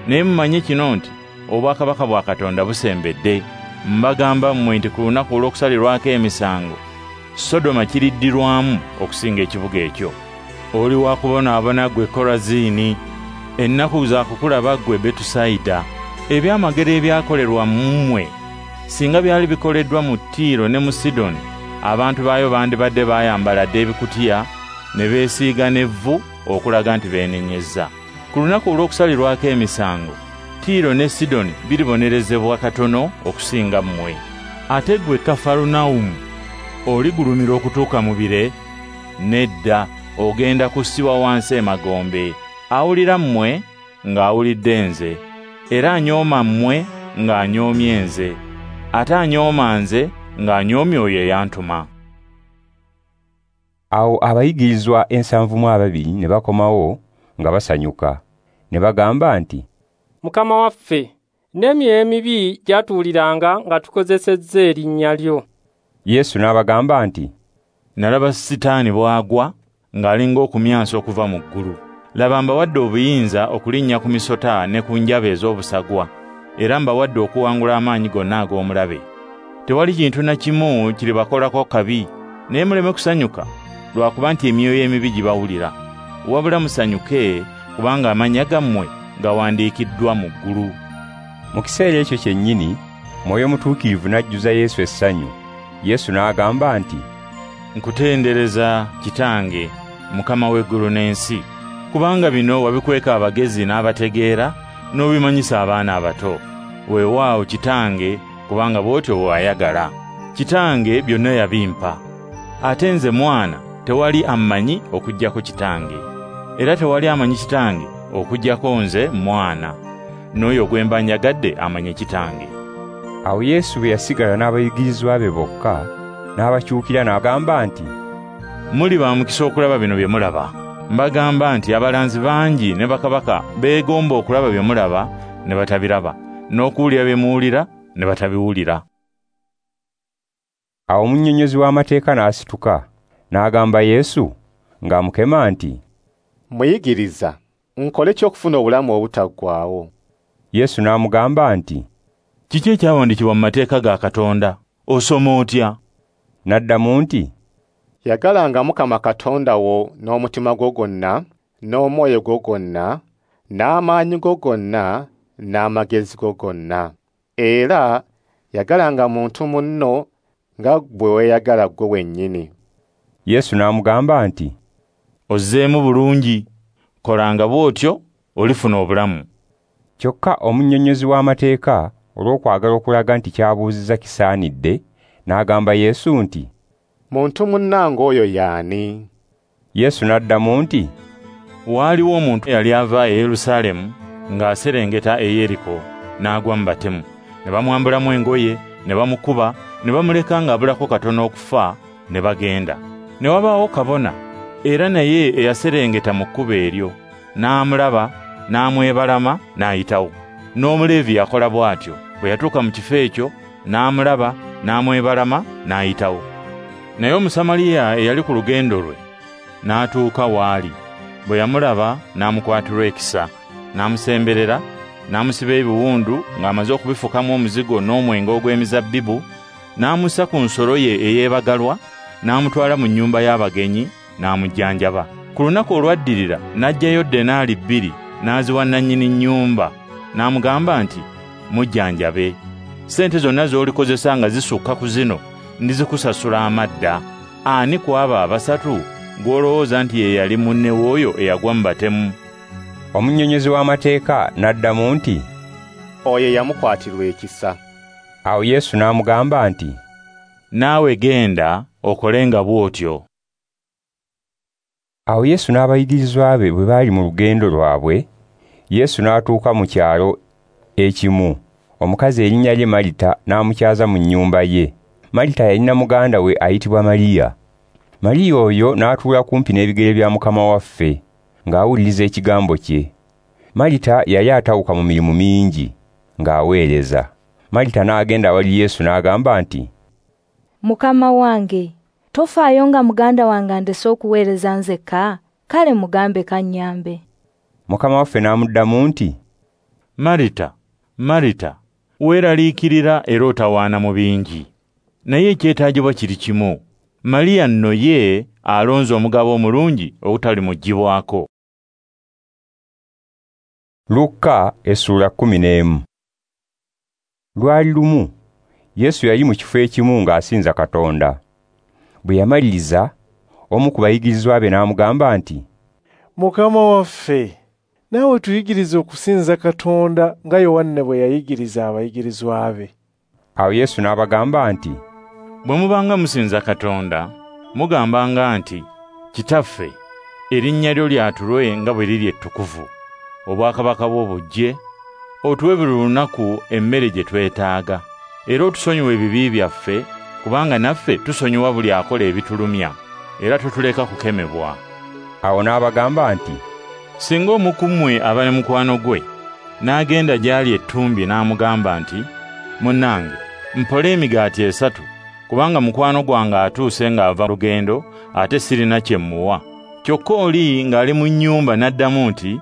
Naye mumanye kino nti, obwakabaka bwa Katonda busembedde. Mbagamba mmwe nti ku lunaku olw'okusalirwako emisango, Sodoma kiriddirwamu okusinga ekibuga ekyo. Oli wa kubonaabona ggwe Korazini, ennaku za kukulaba ggwe Betusayida. Ebyamagero ebyakolerwa mu mmwe singa byali bikoleddwa mu Tiiro ne mu Sidoni, abantu baayo bandibadde bayambala dda ebikutiya ne beesiiga n'evvu okulaga nti beenenyezza. Ku lunaku olw'okusalirwako emisango, Tiiro ne Sidoni biribonerezebwa katono okusinga mmwe. Ate ggwe Kafarunawumu, oligulumira okutuuka mu bire? Nedda, ogenda kussibwa wansi emagombe. Awulira mmwe ng'awulidde nze, era anyooma mmwe ng'anyoomye nze, ate anyooma nze ng'anyoomye oyo eyantuma. Awo abayigirizwa 72 ne bakomawo nga basanyuka, ne bagamba nti, Mukama waffe, n'emyoyo emibi gyatuwuliranga nga tukozesezza erinnya lyo. Yesu n'abagamba nti, Nalaba Sitaani bw'agwa ng'alinga okumyansa okuva mu ggulu. Laba mbawadde obuyinza okulinnya ku misota ne ku njaba ez'obusagwa, era mbawadde okuwangula amaanyi gonna ag'omulabe. Tewali kintu na kimu kiribakolako kabi, naye muleme kusanyuka lwakuba nti emyoyo emibi gibawulira. Wabula musanyuke kubanga amannya gammwe gawandiikiddwa mu ggulu. Mu kiseera ekyo kyennyini, Mwoyo Mutuukirivu n'ajjuza Yesu essanyu. Yesu n'agamba nti, Nkutendereza Kitange, Mukama w'eggulu n'ensi, kubanga bino wabikweka abagezi n'abategeera n'obimanyisa abaana abato. Weewaawo Kitange, kubanga bw'otyo bw'oyagala. Kitange byonna yabimpa. Ate nze mwana tewali ammanyi okuggyako Kitange, era tewali amanyi Kitange okuggyako nze mwana, n'oyo gwe mba njagadde amanye Kitange. Awo Yesu bwe yasigala n'abayigirizwa be bokka, n'abakyukira n'agamba nti, Muli ba mukisa okulaba bino bye mulaba. Mbagamba nti abalanzi bangi ne bakabaka beegomba okulaba bye mulaba ne batabiraba, n'okuwulira bye muwulira ne batabiwulira. Awo omunnyonnyozi w'amateeka n'asituka n'agamba Yesu ng'amukema nti, Muyigiriza, nkole ki okufuna obulamu obutaggwaawo? Yesu n'amugamba nti, Kiki ekyawandiikibwa mu mateeka ga Katonda? Osoma otya? N'addamu nti, Yagalanga Mukama Katonda wo n'omutima gwo gwonna, n'omwoyo gwo gwonna, n'amaanyi go gonna, n'amagezi go gonna. Era yagalanga muntu munno nga bwe weeyagala ggwe wennyini. Yesu n'amugamba nti, Ozzeemu bulungi, kolanga bw'otyo olifuna obulamu. Kyokka omunnyonnyozi w'amateeka olw'okwagala okulaga nti ky'abuuzizza kisaanidde, n'agamba Yesu nti, Muntu munnange oyo y'ani? Yesu n'addamu nti, Waaliwo omuntu eyali ava e Yerusaalemu ng'aserengeta e Yeriko, n'agwa mu batemu. Ne bamwambulamu engoye, ne bamukuba, ne bamuleka ng'abulako katono okufa, ne bagenda. Ne wabaawo kabona, era naye eyaserengeta mu kkubo eryo, n'amulaba, n'amwebalama, n'ayitawo. N'Omuleevi yakola bw'atyo, bwe yatuuka mu kifo ekyo, n'amulaba, n'amwebalama, n'ayitawo. Naye Omusamaliya eyali ku lugendo lwe, n'atuuka w'ali. Bwe yamulaba, n'amukwatirwa ekisa, n'amusemberera, n'amusiba ebiwundu ng'amaze okubifukamu omuzigo n'omwenge ogw'emizabbibu, n'amussa ku nsolo ye eyeebagalwa, n'amutwala mu nnyumba y'abagenyi, n'amujjanjaba. Ku lunaku olwaddirira n'aggyayo denaali 2 n'aziwa nannyini nnyumba, n'amugamba nti, Mujjanjabe. Ssente zonna z'olikozesa nga zisukka ku zino ndizikusasula amadda. Ani ku abo abasatu gw'olowooza nti ye yali munne w'oyo eyagwa mu batemu? Omunnyonnyozi w'amateeka n'addamu nti, Oyo eyamukwatirwa ekisa. Awo Yesu n'amugamba nti, Naawe genda okolenga bw'otyo. Awo Yesu n'abayigirizwa be bwe baali mu lugendo lwabwe, Yesu n'atuuka mu kyalo ekimu. Omukazi erinnya lye Malita n'amukyaza mu nnyumba ye. Malita yalina muganda we ayitibwa Mariya. Mariya oyo n'atuula kumpi n'ebigere bya Mukama waffe, ng'awuliriza ekigambo kye. Malita yali atawuka mu mirimu mingi, ng'aweereza. Malita n'agenda awali Yesu n'agamba nti, Mukama wange, tofaayo nga muganda wange andese okuweereza nzekka? Kale mugambe kannyambe. Mukama waffe n'amuddamu nti, Marita, Marita, weeraliikirira era otawaana mu bingi. Naye ekyetaagibwa kiri kimu. Mariya nno ye alonze omugabo omulungi ogutalimuggyibwako. Luka essula 11. Lwali lumu, Yesu yali mu kifo ekimu ng'asinza Katonda. Bwe yamaliriza, omu ku bayigirizwa be n'amugamba nti, Mukama waffe, naawe tuyigirize okusinza Katonda nga Yowanne bwe yayigiriza abayigirizwa be. Awo Yesu n'abagamba nti, Bwe mubanga musinza Katonda, mugambanga nti, Kitaffe, erinnya lyo lyatulwe nga bwe liri ettukuvu. Obwakabaka bwo bujje, otuwe buli lunaku emmere gye twetaaga. Era otusonyiwe ebibi byaffe, kubanga naffe tusonyiwa buli akola ebitulumya, era totuleka kukemebwa. Awo n'abagamba nti, Singa omu ku mmwe aba ne mukwano gwe, n'agenda gy'ali ettumbi n'amugamba nti, Munnange, mpole emigaati 3, kubanga mukwano gwange atuuse ng'ava lugendo, ate sirina kye mmuwa. Kyokka oli ng'ali mu nnyumba n'addamu nti,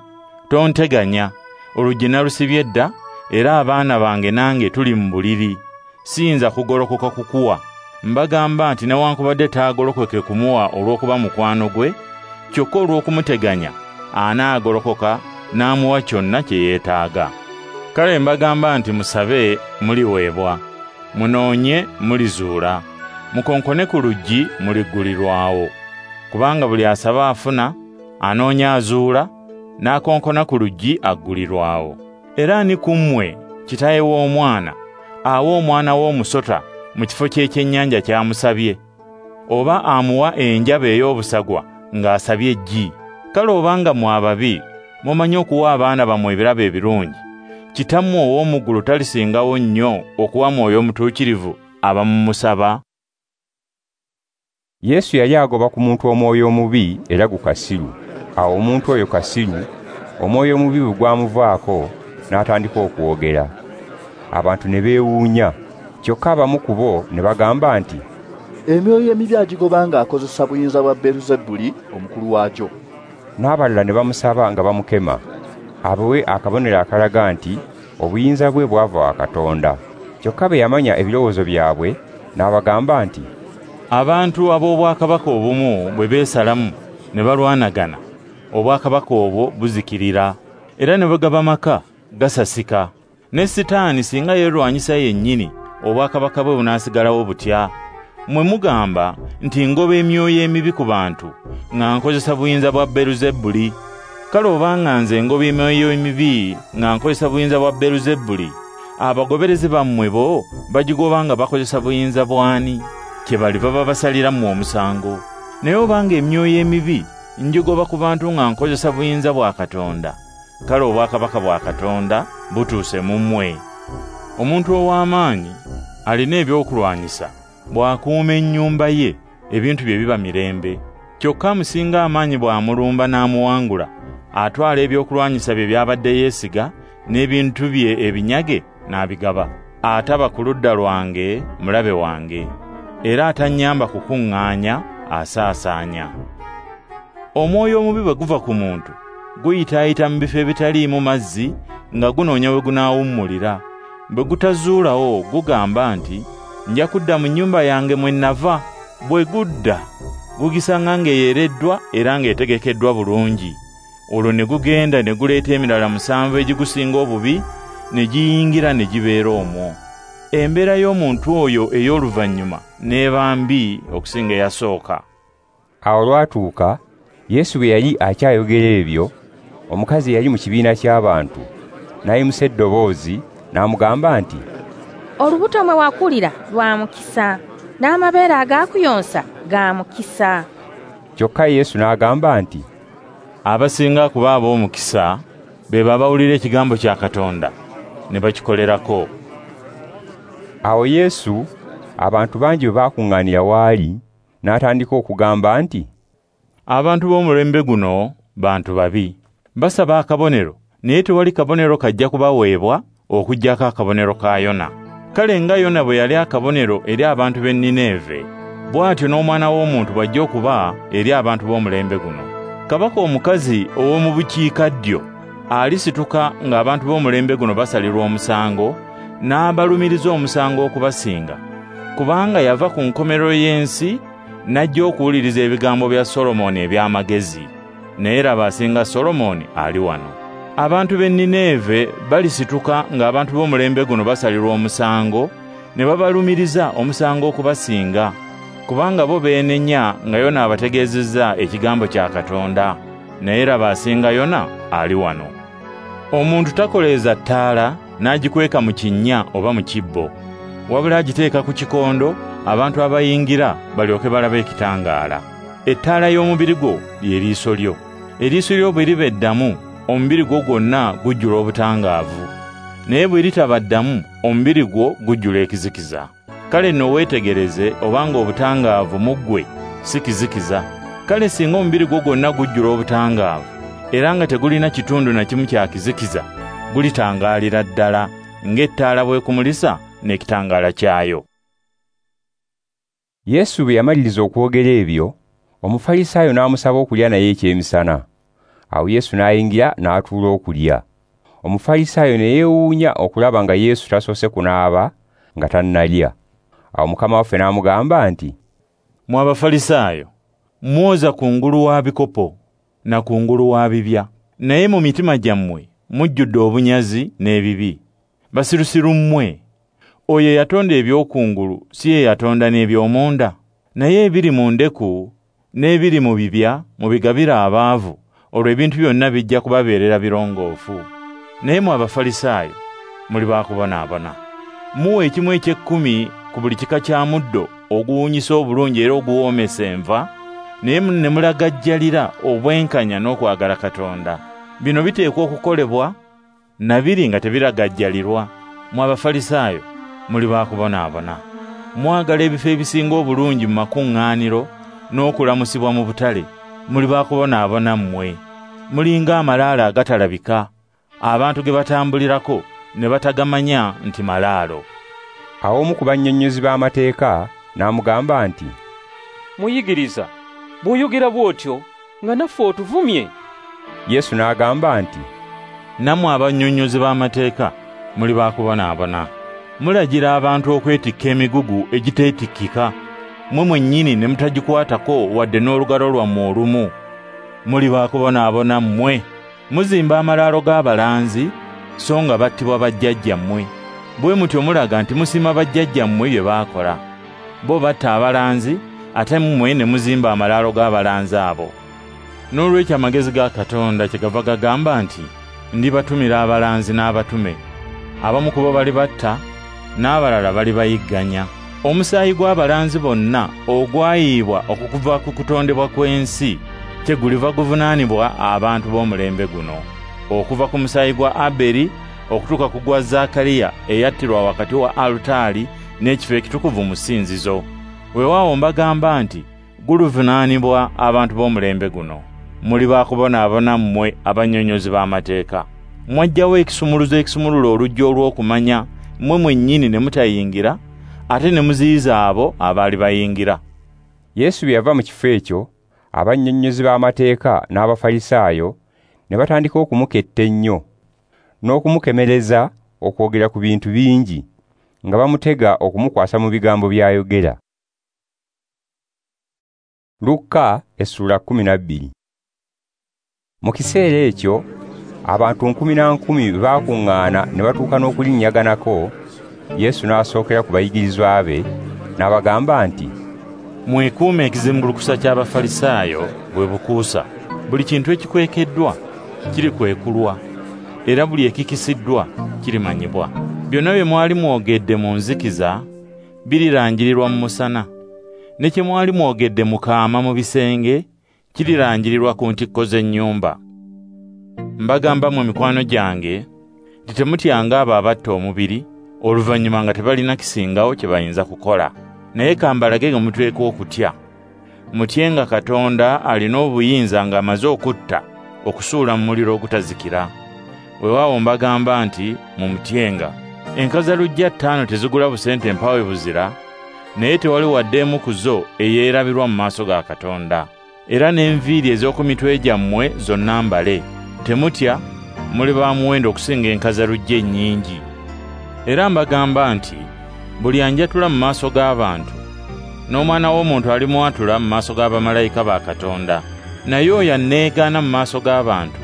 Tonteganya, oluggi nalusibye dda, era abaana bange nange tuli mu buliri. Siyinza kugolokoka kukuwa. Mbagamba nti newankubadde taagolokoke kumuwa olw'okuba mukwano gwe, kyokka olw'okumuteganya anaagolokoka n'amuwa kyonna kye yeetaaga. Kale mbagamba nti musabe muliweebwa, munoonye mulizuula, mukonkone ku luggi muliggulirwawo. Kubanga buli asaba afuna, anoonya azuula, n'akonkona ku luggi aggulirwawo. Era ani ku mmwe kitaawe w'omwana awa omwana w'omusota mu kifo ky'ekyennyanja ky'amusabye, oba amuwa enjaba ey'obusagwa ng'asabye eggi? Kale obanga mmwe ababi mumanyi okuwa abaana bammwe ebirabo ebirungi, Kitammwe ow'omu ggulu talisingawo nnyo okuwa Mwoyo Omutuukirivu abamumusaba? Yesu yali agoba ku muntu omwoyo omubi era gukasiru. Awo omuntu oyo kasiru, omwoyo omubi bwe gwamuvaako, n'atandika okwogera. Abantu ne beewuunya, kyokka abamu ku bo ne bagamba nti, Emyoyo emibi agigoba ng'akozesa buyinza bwa Beeluzebuli omukulu waagyo. N'abalala ne bamusaba nga bamukema, abawe akabonero akalaga nti obuyinza bwe bwava wa Katonda. Kyokka bwe yamanya ebirowoozo byabwe, n'abagamba nti, Abantu ab'obwakabaka obumu bwe beesalamu ne balwanagana, obwakabaka obwo buzikirira, era ne bwe gaba maka gasasika. Ne Sitaani singa yeerwanyisa yennyini, obwakabaka bwe bunaasigalawo butya? Mmwe mugamba nti ngoba emyoyo emibi ku bantu nga nkozesa buyinza bwa Beeluzebuli. Kale obanga nze ngoba emyoyo emibi nga nkozesa buyinza bwa Beeluzebuli, abagoberezi bammwe bo bagigoba nga bakozesa buyinza bw'ani? Kyebaliva babasalira mmwe omusango. Naye obanga emyoyo emibi ngigoba ku bantu nga nkozesa buyinza bwa Katonda, kale obwakabaka bwa Katonda butuuse mu mmwe. Omuntu ow'amaanyi alina ebyokulwanyisa, bw'akuuma ennyumba ye, ebintu bye biba mirembe. Kyokka amusinga amaanyi bw'amulumba n'amuwangula, atwala ebyokulwanyisa bye by'abadde yeesiga n'ebintu bye ebinyage n'abigaba. Ataba ku ludda lwange mulabe wange, era atannyamba kukuŋŋaanya asaasaanya. Omwoyo omubi bwe guva ku muntu, guyitaayita mu bifo ebitaliimu mazzi nga gunoonya we gunaawummulira. Bwe gutazuulawo gugamba nti, Nja kudda mu nnyumba yange mwe nava. Bwe gudda, gugisanga ng'eyereddwa era ng'etegekeddwa bulungi. Olwo ne gugenda ne guleeta emirala 7 egigusinga obubi, ne giyingira ne gibeera omwo. Embeera y'omuntu oyo ey'oluvannyuma n'eba mbi okusinga eyasooka. Awo olwatuuka, Yesu bwe yali akyayogera ebyo, omukazi eyali mu kibiina ky'abantu n'ayimusa eddoboozi n'amugamba nti, Olubuto mwe wakulira lwa mukisa, n'amabeere agaakuyonsa ga mukisa. Kyokka Yesu n'agamba nti, Abasinga kuba ab'omukisa be babawulira ekigambo kya Katonda ne bakikolerako. Awo Yesu abantu bangi bwe baakuŋŋaanira w'ali, n'atandika okugamba nti, Abantu b'omulembe guno bantu babi. Basaba akabonero, naye tewali kabonero kajja kubaweebwa okuggyako akabonero ka Yona. Kale nga Yona bwe yali akabonero eri abantu b'e Nineeve, bw'atyo n'Omwana w'Omuntu bw'ajja okuba eri abantu b'omulembe guno. Kabaka omukazi ow'omu bukiikaddyo alisituka ng'abantu b'omulembe guno basalirwa omusango, n'abalumiriza omusango okubasinga, kubanga yava ku nkomerero y'ensi n'ajja okuwuliriza ebigambo bya Solomoni eby'amagezi. Naye laba asinga Solomoni ali wano. Abantu b'e Nineeve balisituka ng'abantu b'omulembe guno basalirwa omusango, ne babalumiriza omusango okubasinga, kubanga bo beenenya nga Yona abategeezezza ekigambo kya Katonda. Naye laba asinga Yona ali wano. Omuntu takoleeza ttaala n'agikweka mu kinnya oba mu kibbo, wabula agiteeka ku kikondo abantu abayingira balyoke balabe ekitangaala. Ettaala y'omubiri gwo lye liiso lyo. Eriiso lyo bwe liba eddamu, omubiri gwo gwonna gujjula obutangaavu. Naye bwe litaba ddamu, omubiri gwo gujjula ekizikiza. Kale nno weetegereze obanga obutangaavu mu ggwe si kizikiza. Kale singa omubiri gwo gwonna gujjula obutangaavu, era nga tegulina kitundu na kimu kya kizikiza, gulitangaalira ddala ng'ettaala bw'ekumulisa n'ekitangaala kyayo. Yesu bwe yamaliriza okwogera ebyo, Omufalisaayo n'amusaba okulya naye ekyemisana. Awo Yesu n'ayingira n'atuula okulya. Omufalisaayo ne yeewuunya okulaba nga Yesu tasoose kunaaba nga tannalya. Awo Mukama waffe n'amugamba nti, Mmwe Abafalisaayo, mwoza kungulu wa bikopo na kungulu wa bibya, naye mu mitima gyammwe mujjudde obunyazi n'ebibi. Basirusiru mmwe! Oyo eyatonda eby'okungulu si ye yatonda n'eby'omunda? Naye ebiri mu ndeku n'ebiri mu bibya mubigabire abaavu, olwo ebintu byonna bijja kubabeerera birongoofu. Naye mmwe Abafalisaayo muli baakubonaabona. Muwa ekimu eky'ekkumi ku buli kika kya muddo oguwunyisa obulungi era oguwoomesa enva, naye ne mulagajjalira obwenkanya n'okwagala Katonda. Bino biteekwa okukolebwa na biri nga tebiragajjalirwa. Mmwe Abafalisaayo muli baakubonaabona. Mwagala ebifo ebisinga obulungi mu makuŋŋaaniro n'okulamusibwa mu butale. Muli baakubonaabona mmwe, Mulinga amalaalo agatalabika, abantu ge batambulirako ne batagamanya nti malaalo. Awo omu ku bannyonnyozi b'amateeka n'amugamba nti, Muyigiriza, bw'oyogera bw'otyo nga naffe otuvumye. Yesu n'agamba nti, Nammwe abannyonnyozi b'amateeka muli bakubonaabona. Mulagira abantu okwetikka emigugu egiteetikkika, mmwe mwennyini ne mutagikwatako wadde n'olugalo lwammwe olumu. Muli bakubonaabona mmwe. Muzimba amalaalo g'abalanzi, so nga battibwa bajjajjammwe. Bwe mutyo mulaga nti musiima bajjajjammwe bye baakola. Bo batta abalanzi, ate mmwe ne muzimba amalaalo g'abalanzi abo. Noolwekyo amagezi ga Katonda kyegava gagamba nti, ndibatumira abalanzi n'abatume. Abamu ku bo balibatta, n'abalala balibayigganya. Omusaayi gw'abalanzi bonna ogwayiibwa okuva ku kutondebwa kw'ensi kyeguliva guvunaanibwa abantu b'omulembe guno, okuva ku musaayi gwa Aberi okutuuka ku gwa Zaakaliya eyattirwa wakati wa alutaari n'ekifo ekitukuvu mu ssinzizo. Weewaawo mbagamba nti guluvunaanibwa abantu b'omulembe guno. Muli bakubonaabona mmwe abannyonnyozi b'amateeka. Mwaggyawo ekisumuluzo ekisumulula oluggi olw'okumanya, mmwe mwennyini ne mutayingira, ate ne muziyiza abo abaali bayingira. Yesu bwe yava mu kifo ekyo, abannyonnyozi b'amateeka n'Abafalisaayo ne batandika okumuketta ennyo n'okumukemereza okwogera ku bintu bingi, nga bamutega okumukwasa mu bigambo by'ayogera. Lukka essula 12. Mu kiseera ekyo abantu 1,000 na 1,000 baakuŋŋaana ne batuuka n'okulinnyaganako. Yesu n'asookera ku bayigirizwa be n'abagamba nti, Mwekuume ekizimbulukusa ky'Abafalisaayo bwe bukuusa. Buli kintu ekikwekeddwa kirikwekulwa, era buli ekikisiddwa kirimanyibwa. Byonna bye mwali mwogedde mu nzikiza birirangirirwa mu musana, ne kye mwali mwogedde mu kaama mu bisenge kirirangirirwa ku ntikko z'ennyumba. Mbagamba mmwe mikwano gyange nti temutyanga abo abatta omubiri, oluvannyuma nga tebalina kisingawo kye bayinza kukola. Naye kambalage nga muteekwa okutya. Mutyenga Katonda alina obuyinza ng'amaze okutta, okusuula mu muliro ogutazikira. Weewaawo mbagamba nti mumutyenga. Enkazaluggya 5 tezigula busente mpawe buzira, naye tewali wadde emu ku zo eyeerabirwa mu maaso ga Katonda. Era n'enviiri ez'oku mitwe gyammwe zonna mbale. Temutya, muli ba muwendo okusinga enkazaluggya ennyingi. Era mbagamba nti buli anjatula mu maaso g'abantu, n'Omwana w'Omuntu alimwatula mu maaso g'abamalayika ba Katonda. Naye oyo anneegaana mu maaso g'abantu,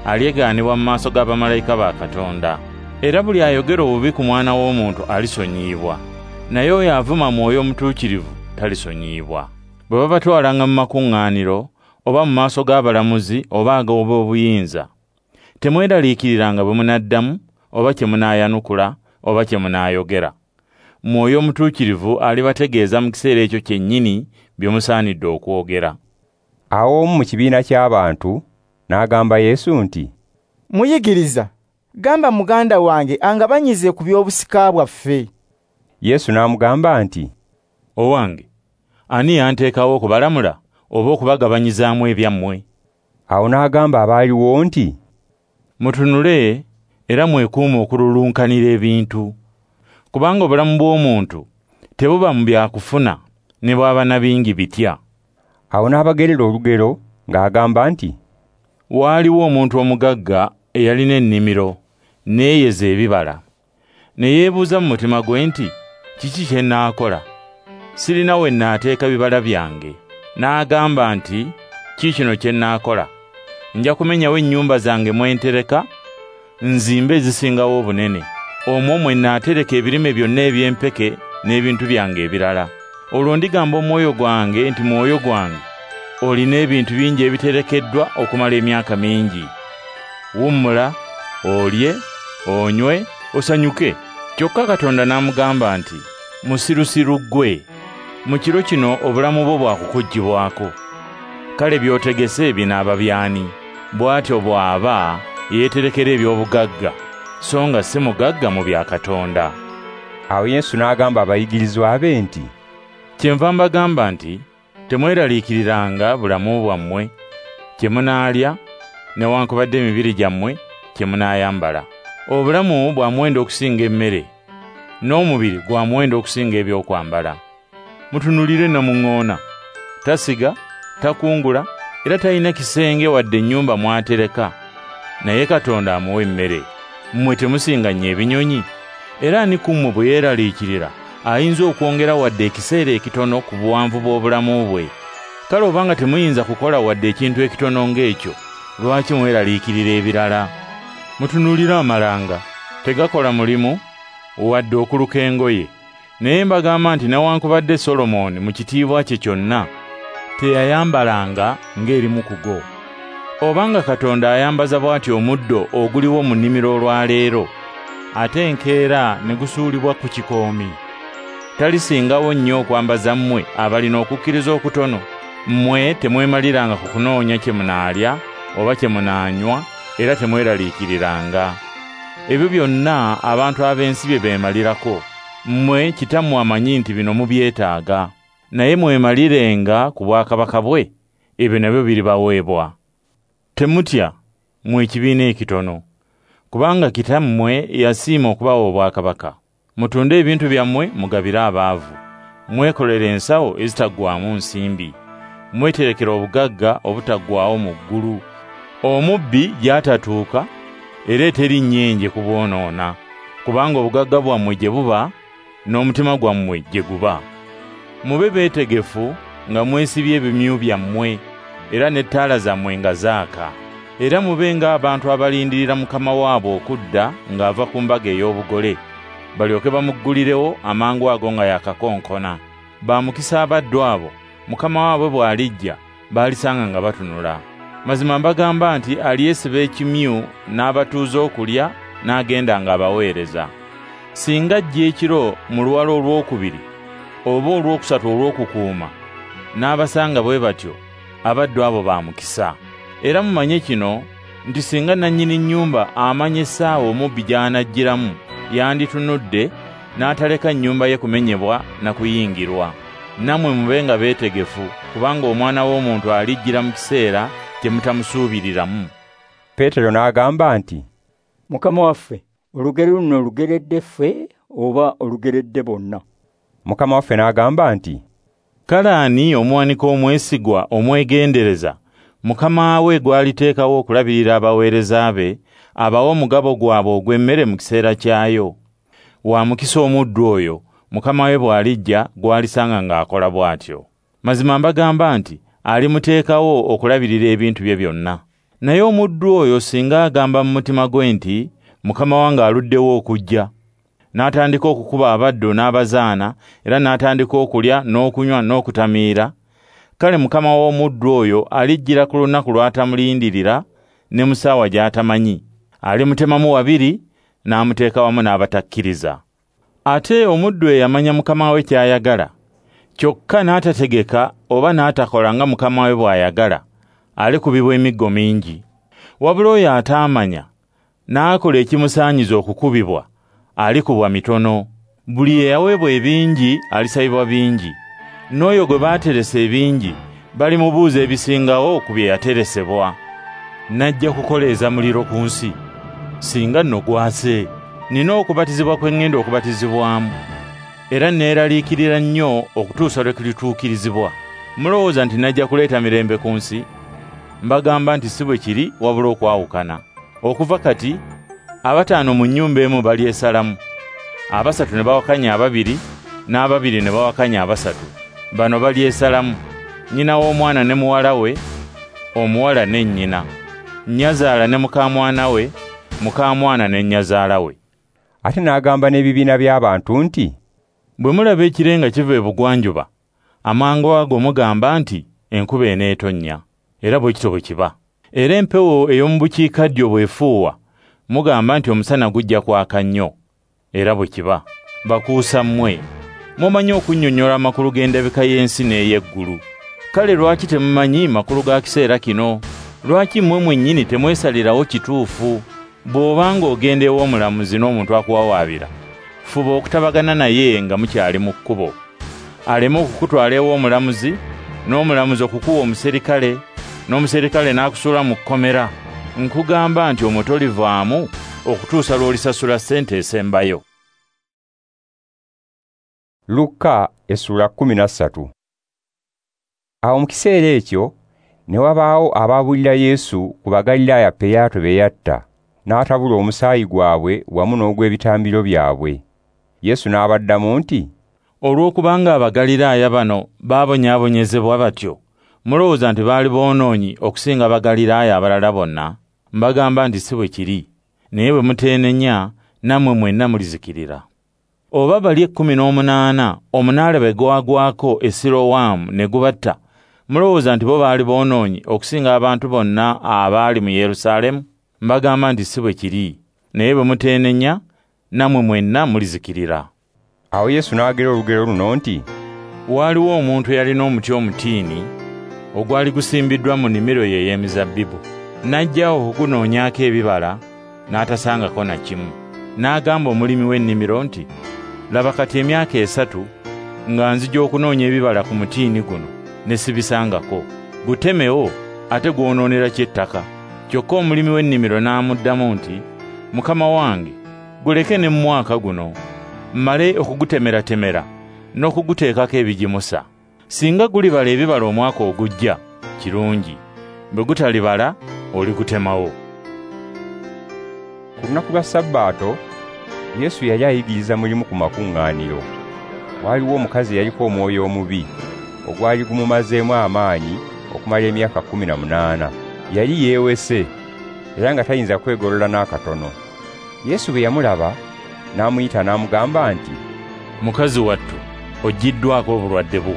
alyegaanibwa mu maaso g'abamalayika ba Katonda. Era buli ayogera obubi ku Mwana w'Omuntu alisonyiyibwa, naye oyo avuma Mwoyo Omutuukirivu talisonyiyibwa. Bwe babatwalanga mu makuŋŋaaniro oba mu maaso g'abalamuzi oba ag'obuyinza, temweraliikiriranga bwe munaddamu oba kye munaayanukula oba kye munaayogera. Mwoyo Omutuukirivu alibategeeza mu kiseera ekyo kyennyini bye musaanidde okwogera. Awo omu mu kibiina ky'abantu n'agamba Yesu nti, Muyigiriza, gamba muganda wange angabanyize ku by'obusika bwaffe. Yesu n'amugamba nti, Owange, ani yanteekawo okubalamula oba okubagabanyizaamu ebyammwe? Awo n'agamba abaaliwo nti, Mutunule era mwekuume okululunkanira ebintu, kubanga obulamu bw'omuntu tebuba mu byakufuna ne bw'aba na bingi bitya. Awo n'abagerera olugero ng'agamba nti, Waaliwo omuntu omugagga eyalina ennimiro n'eyeza ebibala. Ne yeebuuza mu mutima gwe nti, kiki kye nnaakola? Sirina we nnaateeka bibala byange. N'agamba nti, kiikino kye nnaakola. Nja kumenyawo ennyumba zange mwe ntereka, nzimbe ezisingawo obunene. Omwo mwe nnaatereka ebirime byonna eby'empeke n'ebintu byange ebirala. Olwo ndigamba omwoyo gwange nti, mwoyo gwange, olina ebintu bingi ebiterekeddwa okumala emyaka mingi. Wummula, olye, onywe, osanyuke. Kyokka Katonda n'amugamba nti, musirusiru ggwe, mu kiro kino obulamu bwo bwakukuggyibwako. Kale by'otegese binaaba by'ani? Bw'atyo bw'aba yeeterekera eby'obugagga, so nga si mugagga mu bya Katonda. Awo Yesu n'agamba abayigirizwa be nti, Kyenva mbagamba nti temweraliikiriranga bulamu bwammwe, kye munaalya newankubadde emibiri gyammwe kye munaayambala. Obulamu bwa muwendo okusinga emmere, n'omubiri gwa muwendo okusinga ebyokwambala. Mutunuulire namuŋŋoona, tasiga, takungula, era talina kisenge wadde ennyumba mw'atereka, naye Katonda amuwa emmere. Mmwe temusinga nnyo ebinyonyi? Era ani ku mmwe bwe yeeraliikirira ayinza okwongera wadde ekiseera ekitono ku buwanvu bw'obulamu bwe? Kale obanga temuyinza kukola wadde ekintu ekitono ng'ekyo, lwaki mweraliikirira ebirala? Mutunuulire amalanga, tegakola mulimu wadde okuluka engoye. Naye mbagamba nti newankubadde Solomoni mu kitiibwa kye kyonna teyayambalanga ng'erimu ku go. Obanga Katonda ayambaza bw'atyo omuddo oguliwo mu nnimiro olwaleero, ate enkeera ne gusuulibwa ku kikoomi, talisingawo nnyo okwambaza mmwe abalina okukkiriza okutono? Mmwe temwemaliranga ku kunoonya kye munaalya oba kye munaanywa, era temweraliikiriranga. Ebyo byonna abantu ab'ensi bye beemalirako. Mmwe Kitammwe amanyi nti bino mubyetaaga. Naye mwemalirenga ku bwakabaka bwe, ebyo nabyo biribaweebwa. Temutya, mmwe ekibiina ekitono, kubanga Kitammwe yasiima okubawa obwakabaka. Mutunde ebintu byammwe mugabire abaavu. Mwekolere ensawo ezitaggwaamu nsimbi. Mweterekere obugagga obutaggwaawo mu ggulu, omubbi gy'atatuuka era eteri nnyenje kubwonoona, kubanga obugagga bwammwe gye buba, n'omutima gwammwe gye guba. Mube beetegefu nga mwesibye ebimyu byammwe, era n'ettaala zammwe nga zaaka. Era mube ng'abantu abalindirira mukama waabwe okudda ng'ava ku mbaga ey'obugole, balyoke bamuggulirewo amangu ago nga yakakonkona. Ba mukisa abaddu abo, mukama waabwe bw'alijja baalisanga nga batunula. Mazima mbagamba nti alyesiba ekimyu n'abatuuza okulya n'agenda ng'abaweereza. Singa ajja ekiro mu luwalo olwokubiri oba olwokusatu olw'okukuuma, n'abasanga bwe batyo, abaddu abo ba mukisa. Era mumanye kino nti singa nannyini nnyumba amanya essaawa omubbi gy'anajjiramu, yanditunudde n'ataleka nnyumba ye kumenyebwa na kuyingirwa. Nammwe mube nga beetegefu, kubanga Omwana w'Omuntu alijjira mu kiseera kye mutamusuubiriramu. Peetero n'agamba nti, Mukama waffe, olugero luno olugeredde ffe oba olugeredde bonna? Mukama waffe n'agamba nti, Kale ani omuwanika omwesigwa omwegendereza, mukama we gw'aliteekawo okulabirira abaweereza be, abawe omugabo gwabwe ogw'emmere mu kiseera kyayo? Wa mukisa omuddu oyo, mukama we bw'alijja gw'alisanga ng'akola bw'atyo. Mazima mbagamba nti alimuteekawo okulabirira ebintu bye byonna. Naye omuddu oyo singa agamba mu mutima gwe nti, mukama wange aluddewo okujja, n'atandika okukuba abaddu n'abazaana, era n'atandika okulya n'okunywa n'okutamiira, kale mukama w'omuddu oyo alijjira ku lunaku lw'atamulindirira ne mu ssaawa gy'atamanyi. Alimutemamu wabiri n'amuteeka wamu n'abatakkiriza. Ate omuddu eyamanya mukama we ky'ayagala, kyokka n'atategeka oba n'atakola nga mukama we bw'ayagala, alikubibwa emiggo mingi. Wabula oyo ataamanya n'akola ekimusaanyiza okukubibwa, alikubwa mitono. Buli eyaweebwa ebingi alisabibwa bingi, n'oyo gwe baateresa ebingi balimubuuza ebisingawo ku bye yateresebwa. Najja kukoleeza muliro ku nsi, singa nno gwase. Nina okubatizibwa kwe ŋŋenda okubatizibwamu, era neeraliikirira nnyo okutuusa lwe kulituukirizibwa. Mulowooza nti najja kuleeta mirembe ku nsi? Mbagamba nti si bwe kiri, wabula okwawukana. Okuva kati abataano mu nnyumba emu balyesalamu, abasatu ne bawakanya ababiri, n'ababiri ne bawakanya abasatu. Bano balyesalamu, nnyina w'omwana ne muwala we, omuwala ne nnyina, nnyazaala ne mukaamwana we, mukaamwana ne nnyazaala we. Ate n'agamba n'ebibiina by'abantu nti, bwe mulaba ekire nga kiva ebugwanjuba, amangu ago mugamba nti enkuba eneetonnya, era bwe kityo bwe kiba. Era empewo ey'omu bukiikaddyo bw'efuuwa, mugamba nti omusana gujja kwaka nnyo, era bwe kiba. Bakuusa mmwe, mumanyi okunnyonnyola amakulu g'endabika y'ensi n'ey'eggulu. Kale lwaki temumanyi makulu ga kiseera kino? Lwaki mmwe mwennyini temwesalirawo kituufu? Bw'obanga ogenda ew'omulamuzi n'omuntu akuwawaabira, fuba okutabagana naye nga mukyali mu kkubo, aleme okukutwala ew'omulamuzi, n'omulamuzi okukuwa omuserikale, n'omuserikale n'akusuula mu kkomera. Nkugamba nti omwo tolivaamu okutuusa lw'olisasula ssente esembayo. Luka essula 13. Awo mu kiseera ekyo ne wabaawo abaabulira Yesu ku Bagalilaaya Piraato be yatta, n'atabula omusaayi gwabwe wamu n'ogw'ebitambiro byabwe. Yesu n'abaddamu nti, olw'okubanga Abagaliraaya bano baabonyaabonyezebwa batyo, mulowooza nti baali boonoonyi okusinga Abagaliraaya abalala bonna? Mbagamba nti si bwe kiri, naye bwe muteenenya nammwe mwenna mulizikirira. Oba bali 18 omunaala bwe gwagwako e Sirowamu ne gubatta, mulowooza nti bo baali boonoonyi okusinga abantu bonna abaali mu Yerusaalemu? Mbagamba nti si bwe kiri, naye bwe muteenenya nammwe mwenna mulizikirira. Awo Yesu n'agera olugero luno nti, waaliwo omuntu eyalina omuti omutiini ogwali gusimbiddwa mu nnimiro ye ey'emizabbibu. N'ajja okugunoonyaako ebibala, n'atasangako na kimu. N'agamba omulimi w'ennimiro nti, laba kati emyaka 3 nga nzija okunoonya ebibala ku mutiini guno ne sibisangako. Gutemewo ate gwonoonera ki ettaka? Kyokka omulimi w'ennimiro n'amuddamu nti, Mukama wange, guleke ne mu mwaka guno, mmale okugutemeratemera n'okuguteekako ebigimusa. Singa gulibala ebibala omwaka ogujja, kirungi. Bwe gutalibala, oligutemawo. Ku lunaku lwa Sabbaato, Yesu yali ayigiriza mulimu ku makuŋŋaaniro. Waaliwo omukazi eyaliko omwoyo omubi, ogwali gumumazeemu amaanyi okumala emyaka 18. Yali yeewese, era nga tayinza kwegolola n'akatono. Yesu bwe yamulaba, n'amuyita n'amugamba nti, mukazi wattu, oggiddwako obulwadde bwo.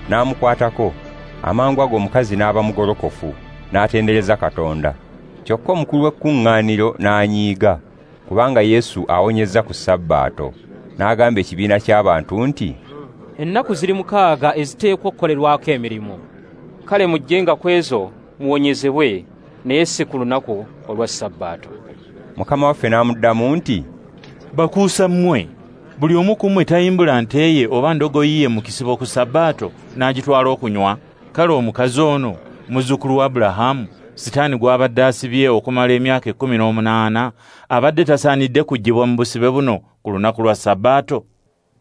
N'amukwatako, amangu ago omukazi n'aba mugolokofu, n'atendereza Katonda. Kyokka omukulu w'ekkuŋŋaaniro n'anyiiga, kubanga Yesu awonyezza ku Sabbaato. N'agamba ekibiina ky'abantu nti, ennaku ziri 6 eziteekwa okukolerwako emirimu. Kale mujjenga ku ezo muwonyezebwe, naye si ku lunaku olwa Sabbaato. Mukama waffe n'amuddamu nti, bakuusa mmwe, buli omu ku mmwe tayimbula nte ye oba ndogoyi ye mu kisibo ku Sabbaato n'agitwala okunywa? Kale omukazi ono, muzzukulu wa Abulahamu, Sitaani gw'abadde asibye okumala emyaka 18, abadde tasaanidde kuggyibwa mu busibe buno ku lunaku lwa Sabbaato?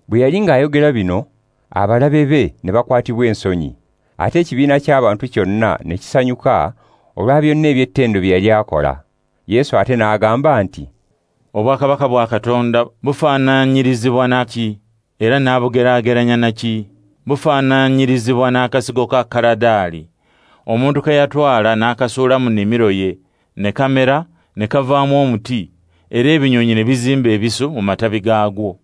Bwe yali ng'ayogera bino, abalabe be ne bakwatibwa ensonyi, ate ekibiina ky'abantu kyonna ne kisanyuka olwa byonna eby'ettendo bye yali akola. Yesu ate n'agamba nti, obwakabaka bwa Katonda bufaananyirizibwa na ki? Era n'abugeraageranya na ki? Bufaananyirizibwa n'akasigo ka kaladaali, omuntu ke yatwala n'akasuula mu nnimiro ye, ne kamera, ne kavaamu omuti, era ebinyonyi ne bizimba ebisu mu matabi gaagwo.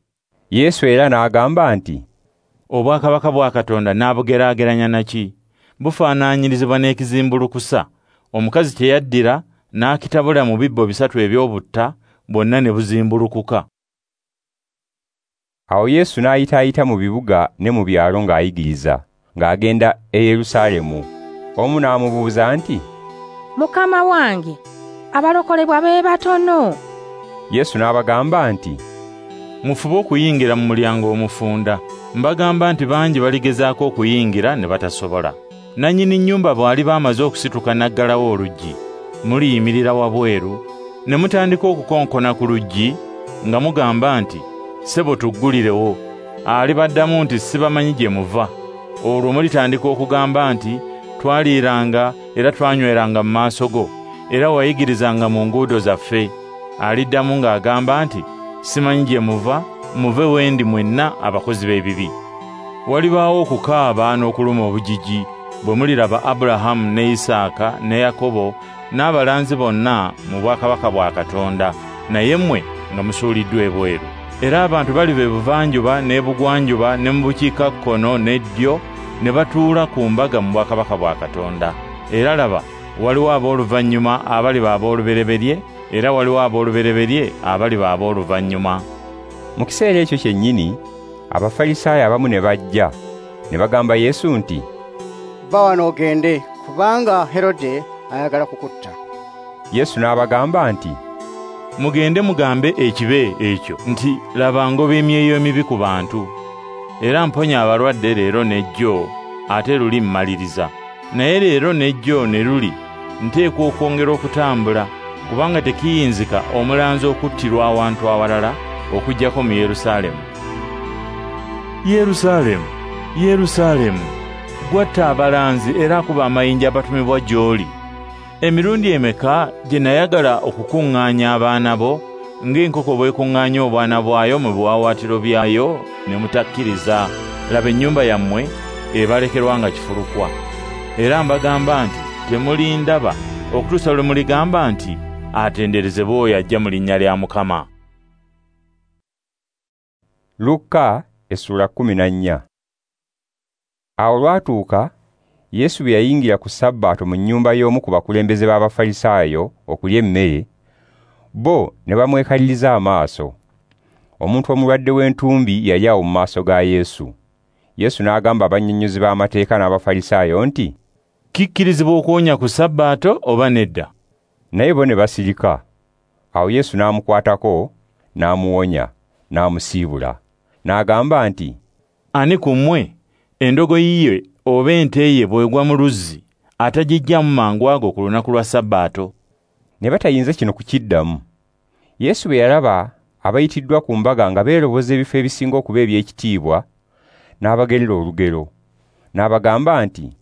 Yesu era n'agamba nti, obwakabaka bwa Katonda n'abugeraageranya na ki? Bufaananyirizibwa n'ekizimbulukusa, omukazi kye yaddira n'akitabula mu bibbo 3 eby'obutta, bwonna ne buzimbulukuka. Awo Yesu n'ayitaayita mu bibuga ne mu byalo ng'ayigiriza, ng'agenda e Yerusaalemu. Omu n'amubuuza nti, Mukama wange, abalokolebwa be batono? Yesu n'abagamba nti, mufube okuyingira mu mulyango omufunda. Mbagamba nti bangi baligezaako okuyingira ne batasobola. Nannyini nnyumba bw'aliba amaze okusituka n'aggalawo oluggi, muliyimirira wabweru ne mutandika okukonkona ku luggi nga mugamba nti, ssebo tuggulirewo. Alibaddamu nti, sibamanyi gye muva. Olwo mulitandika okugamba nti, twaliiranga era twanyweranga mu maaso go, era wayigirizanga mu nguudo zaffe. Aliddamu ng'agamba nti, simanyi gye muva, muve wendi mwenna abakozi b'ebibi. Walibaawo okukaaba n'okuluma obujiji bwe muliraba Abulahamu ne Isaaka ne Yakobo n'abalanzi bonna mu bwakabaka bwa Katonda, naye mmwe nga musuuliddwa ebweru. Era abantu baliva ebuvanjuba n'ebugwanjuba ne mu bukiikakkono n'eddyo ne batuula ku mbaga mu bwakabaka bwa Katonda. Era laba, waliwo ab'oluvannyuma abaliba ab'olubereberye, era waliwo ab'olubereberye abaliba ab'oluvannyuma. Mu kiseera ekyo kyennyini, Abafalisaayo abamu ne bajja, ne bagamba Yesu nti, va wano ogende, kubanga Herode ayagala kukutta. Yesu n'abagamba nti, mugende mugambe ekibe ekyo nti, laba ngoba emyoyo emibi ku bantu, era mponya abalwadde leero n'ejjo, ate luli mmaliriza. Naye leero n'ejjo ne luli Nteekwa okwongera okutambula, kubanga tekiyinzika omulanzi okuttirwa awantu awalala okuggyako mu Yerusaalemu. Yerusaalemu, Yerusaalemu, gwatta abalanzi era akuba amayinja abatumibwa gy'oli. Emirundi emeka gye nayagala okukuŋŋaanya abaana bo ng'enkoko bw'ekuŋŋaanya obwana bwayo mu biwaawaatiro byayo ne mutakkiriza. Laba ennyumba yammwe ebalekerwa nga kifulukwa. Era mbagamba nti temulindaba okutuusa lwe muligamba nti atenderezebwe oyo ajja mu linnya lya Mukama. Luka essula 14. Awo olwatuuka Yesu bwe yayingira ku Sabbaato mu nnyumba y'omu ku bakulembeze b'Abafalisaayo okulya emmere, bo ne bamwekaliriza amaaso. Omuntu omulwadde w'entumbi yali awo mu maaso ga Yesu. Yesu n'agamba abannyonnyozi b'amateeka n'Abafalisaayo nti, Kikkirizibwa okuwonya ku Sabbaato oba nedda? Naye bo ne basirika. Awo Yesu n'amukwatako, n'amuwonya, n'amusiibula. N'agamba nti, Ani ku mmwe endogoyi ye oba ente ye bw'egwa mu luzzi atagiggyamu mangu ago ku lunaku lwa Sabbaato? Ne batayinza kino kukiddamu. Yesu bwe yalaba abayitiddwa ku mbaga nga beeroboza ebifo ebisinga okuba eby'ekitiibwa, n'abagerera olugero. N'abagamba nti,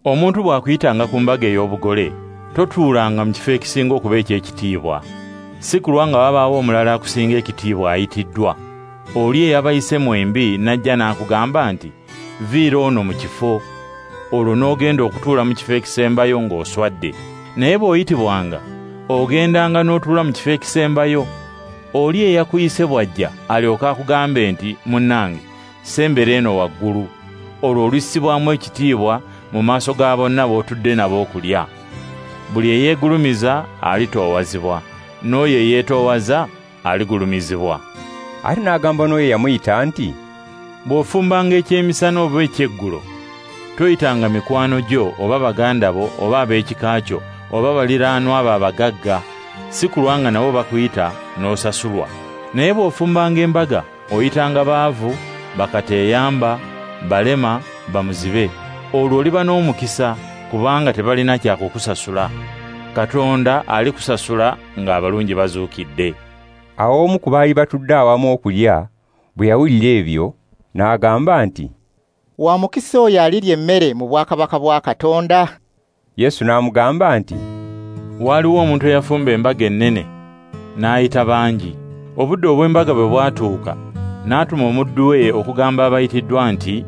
Omuntu bw'akuyitanga ku mbaga ey'obugole, totuulanga mu kifo ekisinga okuba eky'ekitiibwa. Si kulwa nga wabaawo omulala akusinga ekitiibwa ayitiddwa. Oli eyabayise mwembi n'ajja n'akugamba nti, Viira ono mu kifo, olwo n'ogenda okutuula mu kifo ekisembayo ng'oswadde. Naye bw'oyitibwanga, ogendanga n'otuula mu kifo ekisembayo. Oli eyakuyise bw'ajja alyoke akugambe nti, Munnange, sembera eno waggulu. Olwo olissibwamu ekitiibwa mu maaso ga bonna b'otudde nabo okulya. Buli eyeegulumiza alitoowazibwa, n'oyo eyeetoowaza aligulumizibwa. Ate n'agamba n'oyo eyamuyita nti, Bw'ofumbanga ekyemisana oba ekyeggulo, toyitanga mikwano gyo oba baganda bo oba ab'ekika kyo oba baliraanwa abo abagagga, si kulwa nga nabo bakuyita n'osasulwa. Naye bw'ofumbanga embaga, oyitanga baavu, bakateeyamba, balema, bamuzibe. Olwo oliba n'omukisa kubanga tebalina kya kukusasula. Katonda alikusasula ng'abalungi bazuukidde. Awo omu ku baali batudde awamu okulya bwe yawulira ebyo, n'agamba nti, Wa mukisa oyo alirya emmere mu bwakabaka bwa Katonda. Yesu n'amugamba nti, Waaliwo omuntu eyafumba embaga ennene, n'ayita bangi. Obudde obw'embaga bwe bwatuuka, n'atuma omuddu we okugamba abayitiddwa nti,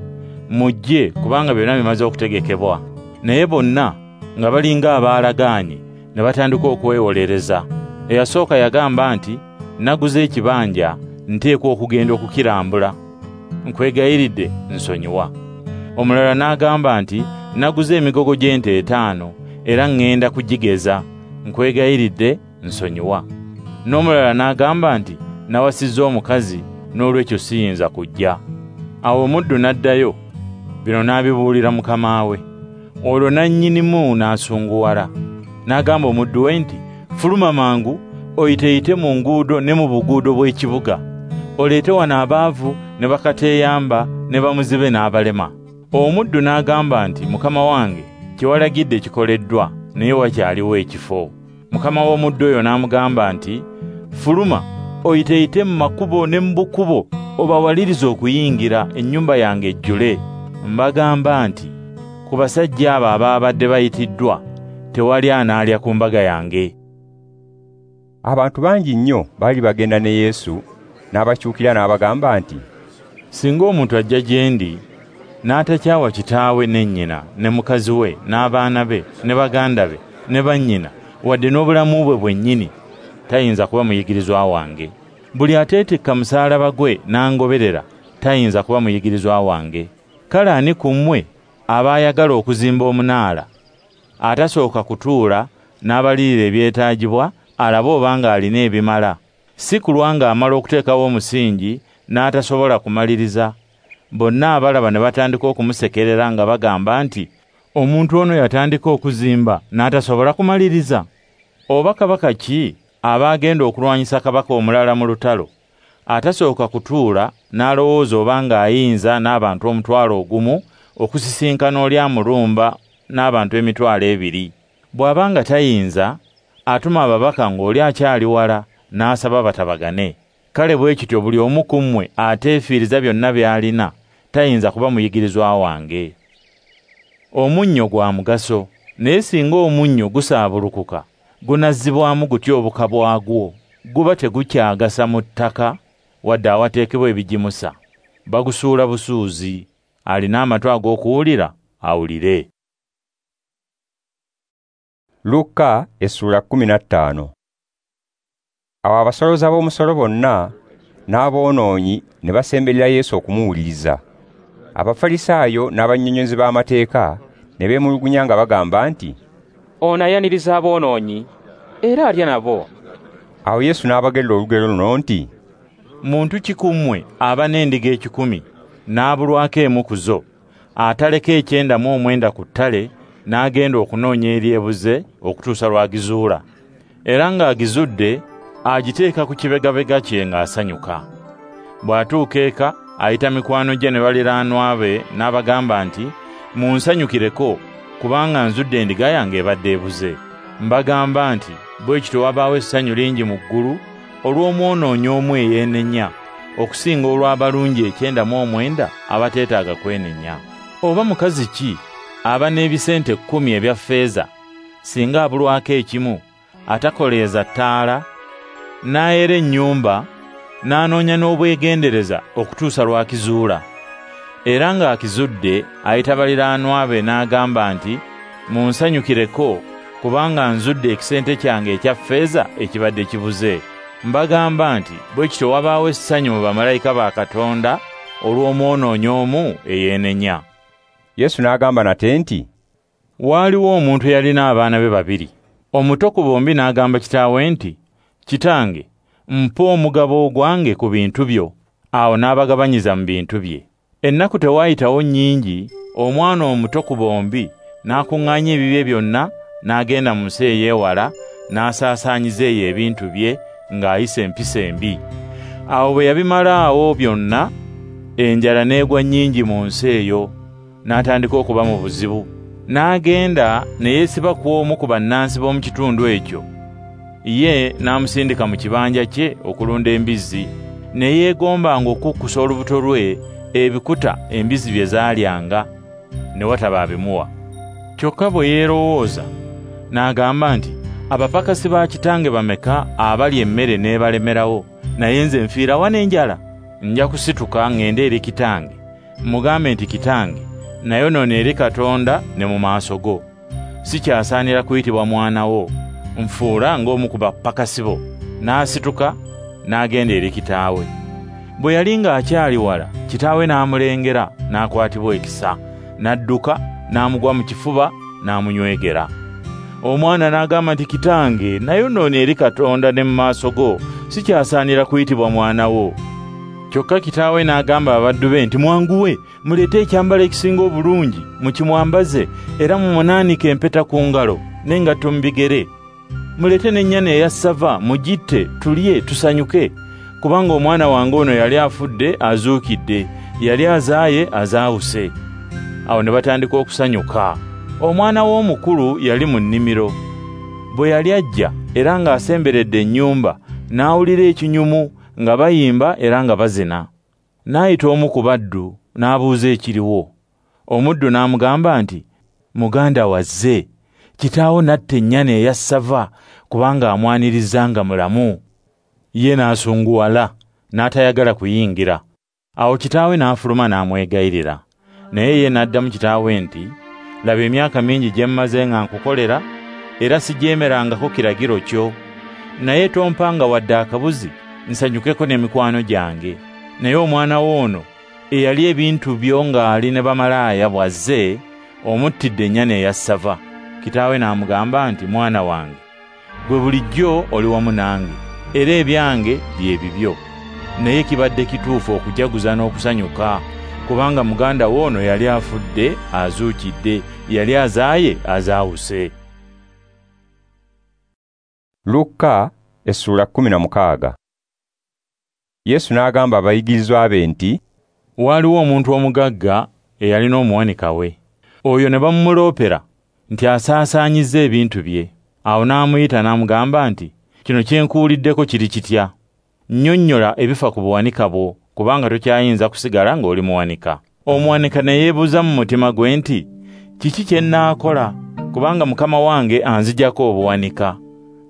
Mujje kubanga byonna bimaze okutegekebwa. Naye bonna nga balinga abaalagaanye ne batandika okwewolereza. Eyasooka yagamba nti, Naguze ekibanja, nteekwa okugenda okukirambula. Nkwegayiridde nsonyiwa. Omulala n'agamba nti, Naguze emigogo gy'ente 5 era ŋŋenda kugigeza. Nkwegayiridde nsonyiwa. N'omulala n'agamba nti, Nawasizza omukazi, n'olwekyo siyinza kujja. Awo omuddu n'addayo, bino n'abibuulira mukama we. Olwo nannyinimu n'asunguwala. N'agamba omuddu we nti, Fuluma mangu, oyiteyite mu nguudo ne mu buguudo bw'ekibuga. Oleete wano abaavu ne bakateeyamba ne bamuzibe n'abalema. Omuddu n'agamba nti, Mukama wange, kye walagidde kikoleddwa, naye wakyaliwo ekifo. Mukama w'omuddu oyo n'amugamba nti, Fuluma, oyiteyite mu makubo ne mu bukubo, obawalirize okuyingira ennyumba yange ejjule. Mbagamba nti, ku basajja abo abaabadde bayitiddwa, tewali anaalya ku mbaga yange. Abantu bangi nnyo baali bagenda ne Yesu, n'abakyukira n'abagamba nti, Singa omuntu ajja gye ndi, n'atakyawa kitaawe ne nnyina, ne mukazi we, n'abaana be, ne baganda be, ne bannyina, wadde n'obulamu bwe bwennyini, tayinza kuba muyigirizwa wange. Buli ateetikka musaalaba gwe n'angoberera, tayinza kuba muyigirizwa wange. Kale ani ku mmwe aba ayagala okuzimba omunaala, atasooka kutuula n'abalirira ebyetaagibwa, alabe obanga alina ebimala, si kulwa ng'amala okuteekawo omusingi n'atasobola kumaliriza. Bonna abalaba ne batandika okumusekerera nga bagamba nti, Omuntu ono yatandika okuzimba n'atasobola kumaliriza. Oba kabaka ki aba agenda okulwanyisa kabaka omulala mu lutalo, atasooka kutuula n'alowooza obanga ayinza n'abantu 1,000 okusisinkana oli amulumba n'abantu 20,000? Bw'aba nga tayinza, atuma ababaka ng'oli akyali wala n'asaba batabagane. Kale bwe kityo buli omu ku mmwe ateefiiriza byonna by'alina tayinza kuba muyigirizwa wange. Omunnyo gwa mugaso, naye singa omunnyo gusaabulukuka, gunazzibwamu gutya obuka bwagwo? Guba tegukyagasa mu ttaka wadde awateekebwa ebigimusa. Bagusuula busuuzi. Alina amatu ag'okuwulira awulire. Luka essula 15. Awo abasolooza b'omusolo bonna n'aboonoonyi ne basemberera Yesu okumuwuliriza. Abafalisaayo n'abannyonnyozi b'amateeka ne beemulugunya nga bagamba nti, "Ono ayaniriza aboonoonyi era alya nabo." Awo Yesu n'abagerera olugero luno nti, "Muntu ki ku mmwe aba n'endiga 100 n'abulwako emu ku zo, ataleka 99 ku ttale n'agenda okunoonya eri ebuze okutuusa lw'agizuula? Era ng'agizudde agiteeka ku kibegabega kye ng'asanyuka. Bw'atuuka eka ayita mikwano gye ne baliraanwa be n'abagamba nti, 'Munsanyukireko, kubanga nzudde endiga yange ebadde ebuze.' Mbagamba nti bwe kityo wabaawo essanyu lingi mu ggulu olw'omwonoonyi omu eyeenenya, okusinga olw'abalungi 99 abateetaaga kwenenya. Oba mukazi ki aba n'ebisente 10 ebya ffeeza, singa abulwako ekimu, atakoleeza ttaala, n'ayera ennyumba, n'anoonya n'obwegendereza okutuusa lw'akizuula? Era ng'akizudde ayita baliraanwa be n'agamba nti, 'Munsanyukireko, kubanga nzudde ekisente kyange ekya ffeeza ekibadde kibuze.' Mbagamba nti bwe kityo wabaawo essanyu mu bamalayika ba Katonda olw'omwonoonyi omu eyeenenya." Yesu n'agamba nate nti, "Waaliwo omuntu eyalina abaana be babiri. Omuto ku bombi n'agamba kitaawe nti, 'Kitange, mpa omugabo ogwange ku bintu byo.' Awo n'abagabanyiza mu bintu bye. Ennaku tewaayitawo nnyingi, omwana omuto ku bombi n'akuŋŋaanya ebibye byonna n'agenda mu nsi ey'ewala n'asaasaanyiza eyo ebintu bye ng'ayisa empisa embi. Awo bwe yabimalaawo byonna, enjala n'egwa nnyingi mu nsi eyo, n'atandika okuba mu buzibu. N'agenda ne yeesiba ku omu ku bannansi b'omu kitundu ekyo. Ye n'amusindika mu kibanja kye okulunda embizzi. Ne yeegombanga okukkusa olubuto lwe ebikuta embizzi bye zaalyanga, ne wataba abimuwa. Kyokka bwe yeerowooza n'agamba nti, 'Abapakasi ba kitange bameka abalya emmere n'ebalemerawo, naye nze nfiirawa n'enjala? Nja kusituka ŋŋende eri kitange, mugambe nti, Kitange, nayonoona eri Katonda ne mu maaso go. Sikyasaanira kuyitibwa mwana wo, nfuula ng'omu ku bapakasi bo.' N'asituka n'agenda eri kitaawe. Bwe yali ng'akyali wala, kitaawe n'amulengera n'akwatibwa ekisa, n'adduka n'amugwa mu kifuba n'amunywegera. Omwana n'agamba nti, 'Kitange, nayonoona eri Katonda ne mu maaso go, sikyasaanira kuyitibwa mwana wo.' Kyokka kitaawe n'agamba abaddu be nti, 'Mwanguwe, muleete ekyambalo ekisinga obulungi, mukimwambaze, era mumunaanike empeta ku ngalo n'engatto mu bigere. Muleete n'ennyana eya ssava, mugitte, tulye, tusanyuke, kubanga omwana wange ono yali afudde azuukidde, yali azaaye azaawuse.' Awo ne batandika okusanyuka. Omwana w'omukulu yali mu nnimiro. Bwe yali ajja era ng'asemberedde ennyumba, n'awulira ekinyumu nga bayimba era nga bazina. N'ayita omu ku baddu n'abuuza ekiriwo. Omuddu n'amugamba nti, 'Muganda wazze, kitaawo n'atta ennyana eya ssava kubanga amwaniriza nga mulamu.' Ye n'asunguwala, n'atayagala kuyingira. Awo kitaawe n'afuluma n'amwegayirira. Naye ye n'addamu kitaawe nti, 'Laba emyaka mingi gye mmaze nga nkukolera, era sijeemerangako kiragiro kyo. Naye tompanga wadde akabuzi nsanyukeko n'emikwano gyange. Naye omwana wo ono eyali ebintu byo ng'ali ne bamalaaya bw'azze, omuttidde ennyana eya ssava.' Kitaawe n'amugamba nti, 'Mwana wange, gwe bulijjo oli wamu nange, era ebyange bye bibyo. Naye kibadde kituufu okujaguza n'okusanyuka, kubanga muganda wo ono yali afudde azuukidde, yali azaaye azaawuse." Luka essula 16. Yesu n'agamba abayigirizwa be nti, "Waaliwo omuntu omugagga eyalina omuwanika we. Oyo ne bamumuloopera nti asaasaanyizza ebintu bye. Awo n'amuyita n'amugamba nti, "Kino kye nkuwuliddeko kiri kitya? Nnyonnyola ebifa ku buwanika bwo, kubanga tokyayinza kusigala ng'oli muwanika." Omuwanika ne yeebuuza mu mutima gwe nti, "Kiki kye nnaakola? Kubanga mukama wange anzigyako obuwanika.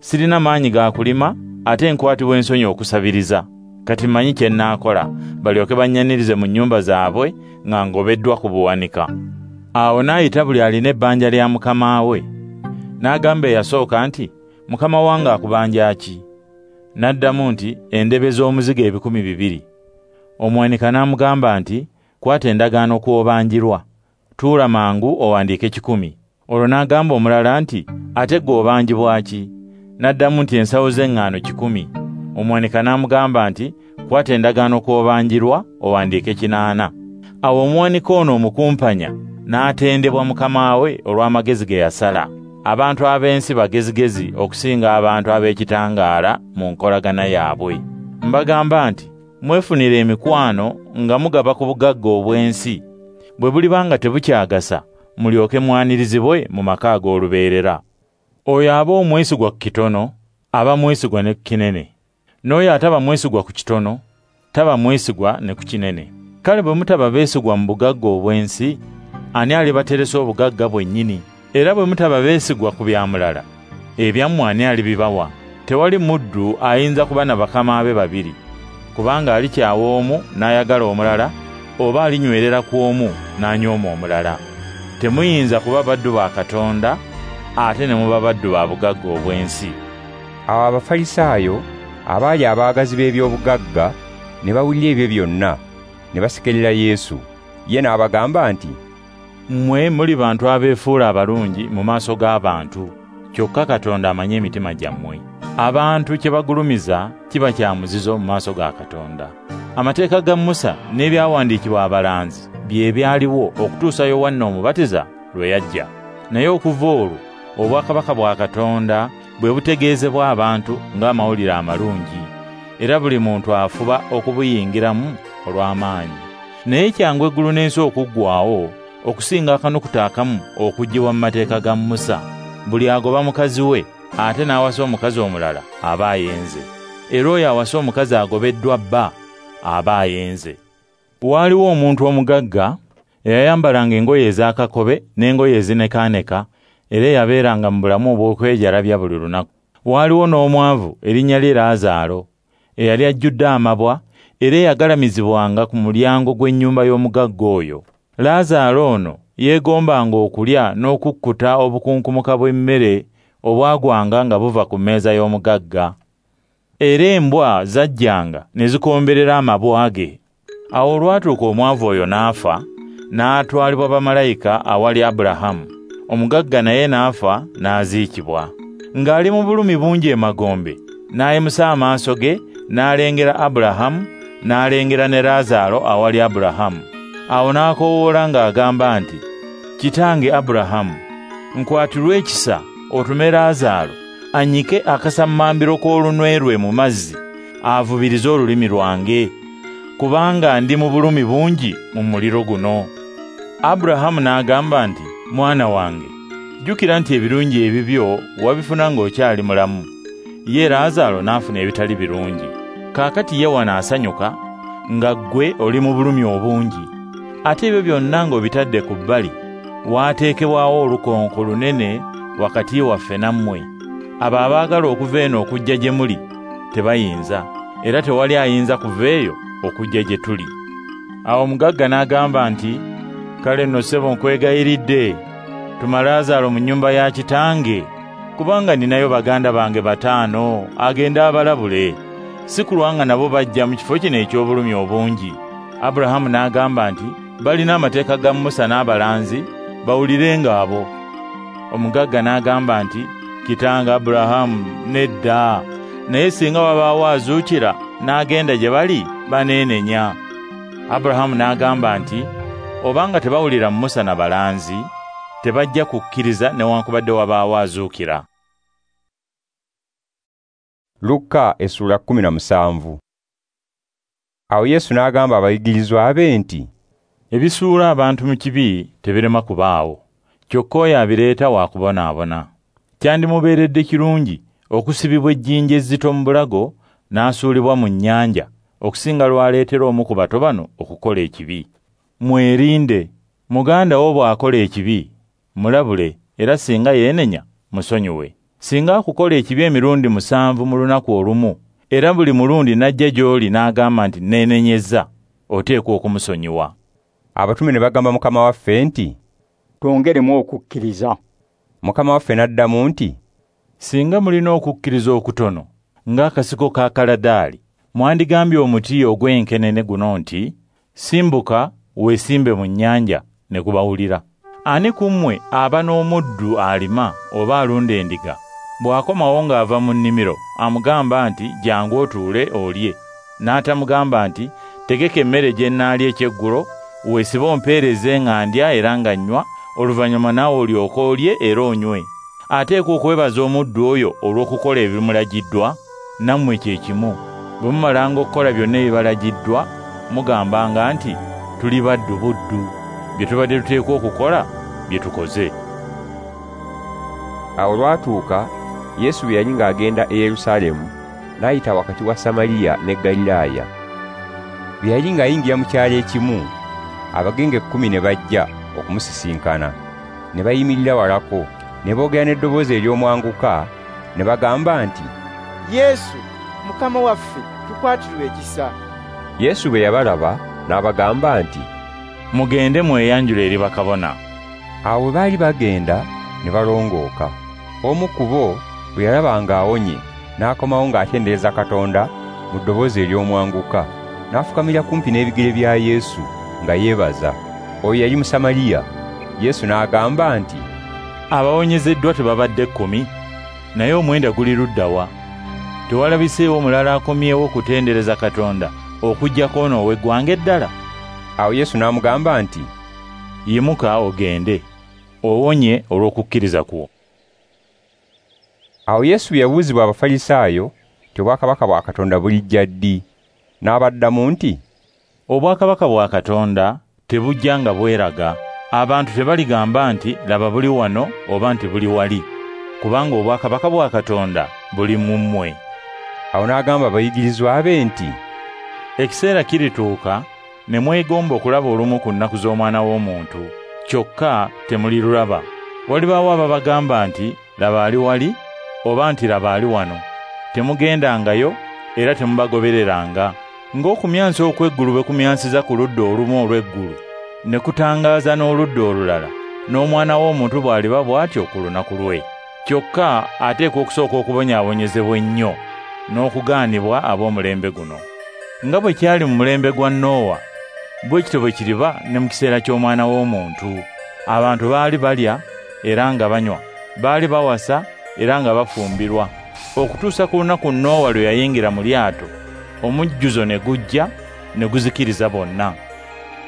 Sirina maanyi ga kulima, ate nkwatibwa ensonyi okusabiriza. Kati mmanyi kye nnaakola, balyoke bannyanirize mu nnyumba zaabwe nga ngobeddwa ku buwanika." Awo n'ayita buli alina ebbanja lya mukama we. N'agamba eyasooka nti, "Mukama wange akubanja ki?" N'addamu nti, "Endebe z'omuzigo 2,000." Omuwanika n'amugamba nti, "Kwata endagaano kw'obanjirwa, tuula mangu owandiike 100." Olwo n'agamba omulala nti, "Ate ggwe obanjibwa ki?" N'addamu nti, "Ensawo z'eŋŋaano 100." Omuwanika n'amugamba nti, "Kwata endagaano kw'obanjirwa owandiike 800." Awo omuwanika ono omukumpanya n'atendebwa mukama we olw'amagezi ge yasala. Abantu ab'ensi bagezigezi okusinga abantu ab'ekitangaala mu nkolagana yaabwe. Mbagamba nti, mwefunire emikwano nga mugaba ku bugagga obw'ensi. Bwe buliba nga tebukyagasa, mulyoke mwanirizibwe mu maka ag'olubeerera. Oyo aba omwesigwa ku kitono, aba mwesigwa ne ku kinene. N'oyo ataba mwesigwa ku kitono, taba mwesigwa ne ku kinene. Kale bwe mutaba beesigwa mu bugagga obw'ensi, ani alibateresa obugagga bwennyini? Era bwe mutaba beesigwa ku bya mulala, ebyammwe ani alibibawa? Tewali muddu ayinza kuba na bakama be babiri, kubanga alikyawa omu n'ayagala omulala, oba alinywerera ku omu n'anyooma omulala. Temuyinza kuba baddu ba Katonda ate ne muba baddu ba bugagga obw'ensi. Awo Abafalisaayo abaali abaagazi b'ebyobugagga ne bawulira ebyo byonna, ne basekerera Yesu. Ye n'abagamba nti, "Mmwe muli bantu abeefuula abalungi mu maaso g'abantu, kyokka Katonda amanyi emitima gyammwe. Abantu kye bagulumiza kiba kya muzizo mu maaso ga Katonda. Amateeka ga Musa n'ebyawandiikibwa abalanzi bye byaliwo okutuusa Yowanna Omubatiza lwe yajja. Naye okuva olwo obwakabaka bwa Katonda bwe butegeezebwa abantu ng'amawulire amalungi, era buli muntu afuba okubuyingiramu olw'amaanyi. Naye kyangu eggulu n'ensi okuggwaawo okusinga akanukuta akamu okuggyibwa mu mateeka ga Musa. Buli agoba mukazi we ate n'awasa omukazi omulala aba ayenze, era oyo awasa omukazi agobeddwa bba aba ayenze. Waaliwo omuntu omugagga eyayambalanga engoye ez'akakobe n'engoye ezinekaaneka, era eyabeeranga mu bulamu obw'okwejalabya buli lunaku. Waaliwo n'omwavu erinnya lye Laazaalo, eyali ajjudde amabwa era eyagalamizibwanga ku mulyango gw'ennyumba y'omugagga oyo. Laazaalo ono yeegombanga okulya n'okukkuta obukunkumuka bw'emmere obwagwanga nga buva ku mmeeza y'omugagga. Era embwa zajjanga ne zikomberera amabwa ge. Awo olwatuuka omwavu oyo n'afa, n'atwalibwa bamalayika awali Abulahamu. Omugagga naye n'afa n'aziikibwa. Ng'ali mu bulumi bungi emagombe, n'ayimusa amaaso ge n'alengera Abulahamu, n'alengera ne Laazaalo awali Abulahamu. Awo n'akoowoola ng'agamba nti, "Kitange Abulahamu, nkwatirwe ekisa otume Laazaalo annyike akasammambiro k'olunwe lwe mu mazzi, avubirize olulimi lwange, kubanga ndi mu bulumi bungi mu muliro guno." Abulahamu n'agamba nti, "Mwana wange, jjukira nti ebirungi ebibyo wabifuna ng'okyali mulamu, ye Laazaalo n'afuna ebitali birungi. Kaakati ye wano asanyuka nga ggwe oli mu bulumi obungi. Ate ebyo byonna ng'obitadde ku bbali, waateekebwawo olukonko lunene wakati waffe nammwe. Abo abaagala okuva eno okujja gye muli tebayinza, era tewali ayinza kuva eyo okujja gye tuli." Awo omugagga n'agamba nti, "Kale nno ssebo nkwegayiridde, tuma Laazaalo mu nnyumba ya kitange, kubanga nninayo baganda bange 5, agende abalabule, si kulwa nga nabo bajja mu kifo kino eky'obulumi obungi." Abulahamu n'agamba nti, "Balina amateeka ga Musa n'abalanzi, bawulirenga abo." Omugagga n'agamba nti, "Kitange Abulahamu, nedda, naye singa wabaawo azuukira n'agenda gye bali, baneenenya." Abulahamu n'agamba nti, "Obanga tebawulira Musa na balanzi, tebajja kukkiriza newankubadde wabaawo azuukira." Luka essula 17. Awo Yesu n'agamba abayigirizwa be nti, ebisuula abantu mu kibi tebirema kubaawo, Kyokka oyo abireeta wa kubonaabona. Kyandimubeeredde kirungi okusibibwa ejjinja ezzito mu bulago n'asuulibwa mu nnyanja, okusinga lw'aleetera omu ku bato bano okukola ekibi. Mwerinde, muganda wo bw'akola ekibi, mulabule, era singa yeenenya, musonyiwe. Singa akukola ekibi emirundi 7 mu lunaku olumu, era buli mulundi n'ajja gy'oli n'agamba nti neenenyezza, oteekwa okumusonyiwa. Abatume ne bagamba Mukama waffe nti, "Twongeremu okukkiriza." Mukama waffe n'addamu nti, "Singa mulina okukkiriza okutono ng'akasiko ka kaladaali, mwandigambye omuti ogw'enkenene guno nti, 'Simbuka weesimbe mu nnyanja,' ne gubawulira. Ani ku mmwe aba n'omuddu alima oba alunda endiga, bw'akomawo ng'ava mu nnimiro amugamba nti, 'Jjangu otuule olye,' n'atamugamba nti, 'Tegeka emmere gye nnaalya ekyeggulo, weesibe ompeereze nga ndya era nga nnywa, oluvannyuma naawe olyoke olye era onywe.' Ateekwa okwebaza omuddu oyo olw'okukola ebimulagiddwa. Nammwe kye kimu, bwe mumalanga okukola byonna ebibalagiddwa, mugambanga nti, 'Tuli baddu buddu, bye tubadde tuteekwa okukola bye tukoze.'" Awo lwatuuka Yesu bwe yali ng'agenda e Yerusaalemu, n'ayita wakati wa Samaliya ne Ggaliraaya. Bwe yali ng'ayingira mu kyalo ekimu, abagenge 10 ne bajja okumusisinkana, ne bayimirira walako, ne boogera n'eddoboozi ery'omwanguka, ne bagamba nti, "Yesu, Mukama waffe, tukwatirwe ekisa." Yesu bwe yabalaba n'abagamba nti, "Mugende mweyanjule eri bakabona." Awo bwe baali bagenda ne balongooka. Omu ku bo bwe yalaba ng'awonye, n'akomawo ng'atendereza Katonda mu ddoboozi ery'omwanguka, n'afukamira kumpi n'ebigere bya Yesu nga yeebaza. Oyo yali Musamaliya. Yesu n'agamba nti, "Abawonyezeddwa tebabadde 10, naye 9 guli ludda wa? Tewalabiseewo mulala akomyewo okutendereza Katonda okuggyako ono ow'eggwanga eddala?" Awo Yesu n'amugamba nti, "Yimuka ogende, owonye olw'okukkiriza kwo." Awo Yesu bwe yabuuzibwa Abafalisaayo nti obwakabaka bwa Katonda bulijja ddi, n'abaddamu nti, "Obwakabaka bwa Katonda tebujja nga bweraga. Abantu tebaligamba nti, 'Laba buli wano,' oba nti buli wali, kubanga obwakabaka bwa Katonda buli mu mmwe." Awo n'agamba abayigirizwa be nti, "Ekiseera kirituuka ne mwegomba okulaba olumu ku nnaku z'Omwana w'Omuntu, kyokka temulirulaba. Walibaawo ababagamba nti, 'Laba ali wali,' oba nti, 'Laba ali wano.' Temugendangayo era temubagobereranga. Ng'okumyansa okw'eggulu bwe kumyansiza ku ludda olumu olw'eggulu, ne kutangaaza n'oludda olulala, n'Omwana w'Omuntu bw'aliba bw'atyo ku lunaku lwe. Kyokka ateekwa okusooka okubonyaabonyezebwa ennyo n'okugaanibwa ab'omulembe guno. Nga bwe kyali mu mulembe gwa Nowa, bwe kityo bwe kiriba ne mu kiseera ky'Omwana w'Omuntu. Abantu baali balya era nga banywa, baali bawasa era nga bafumbirwa, okutuusa ku lunaku Nowa lwe yayingira mu lyato, omujjuzo ne gujja ne guzikiriza bonna.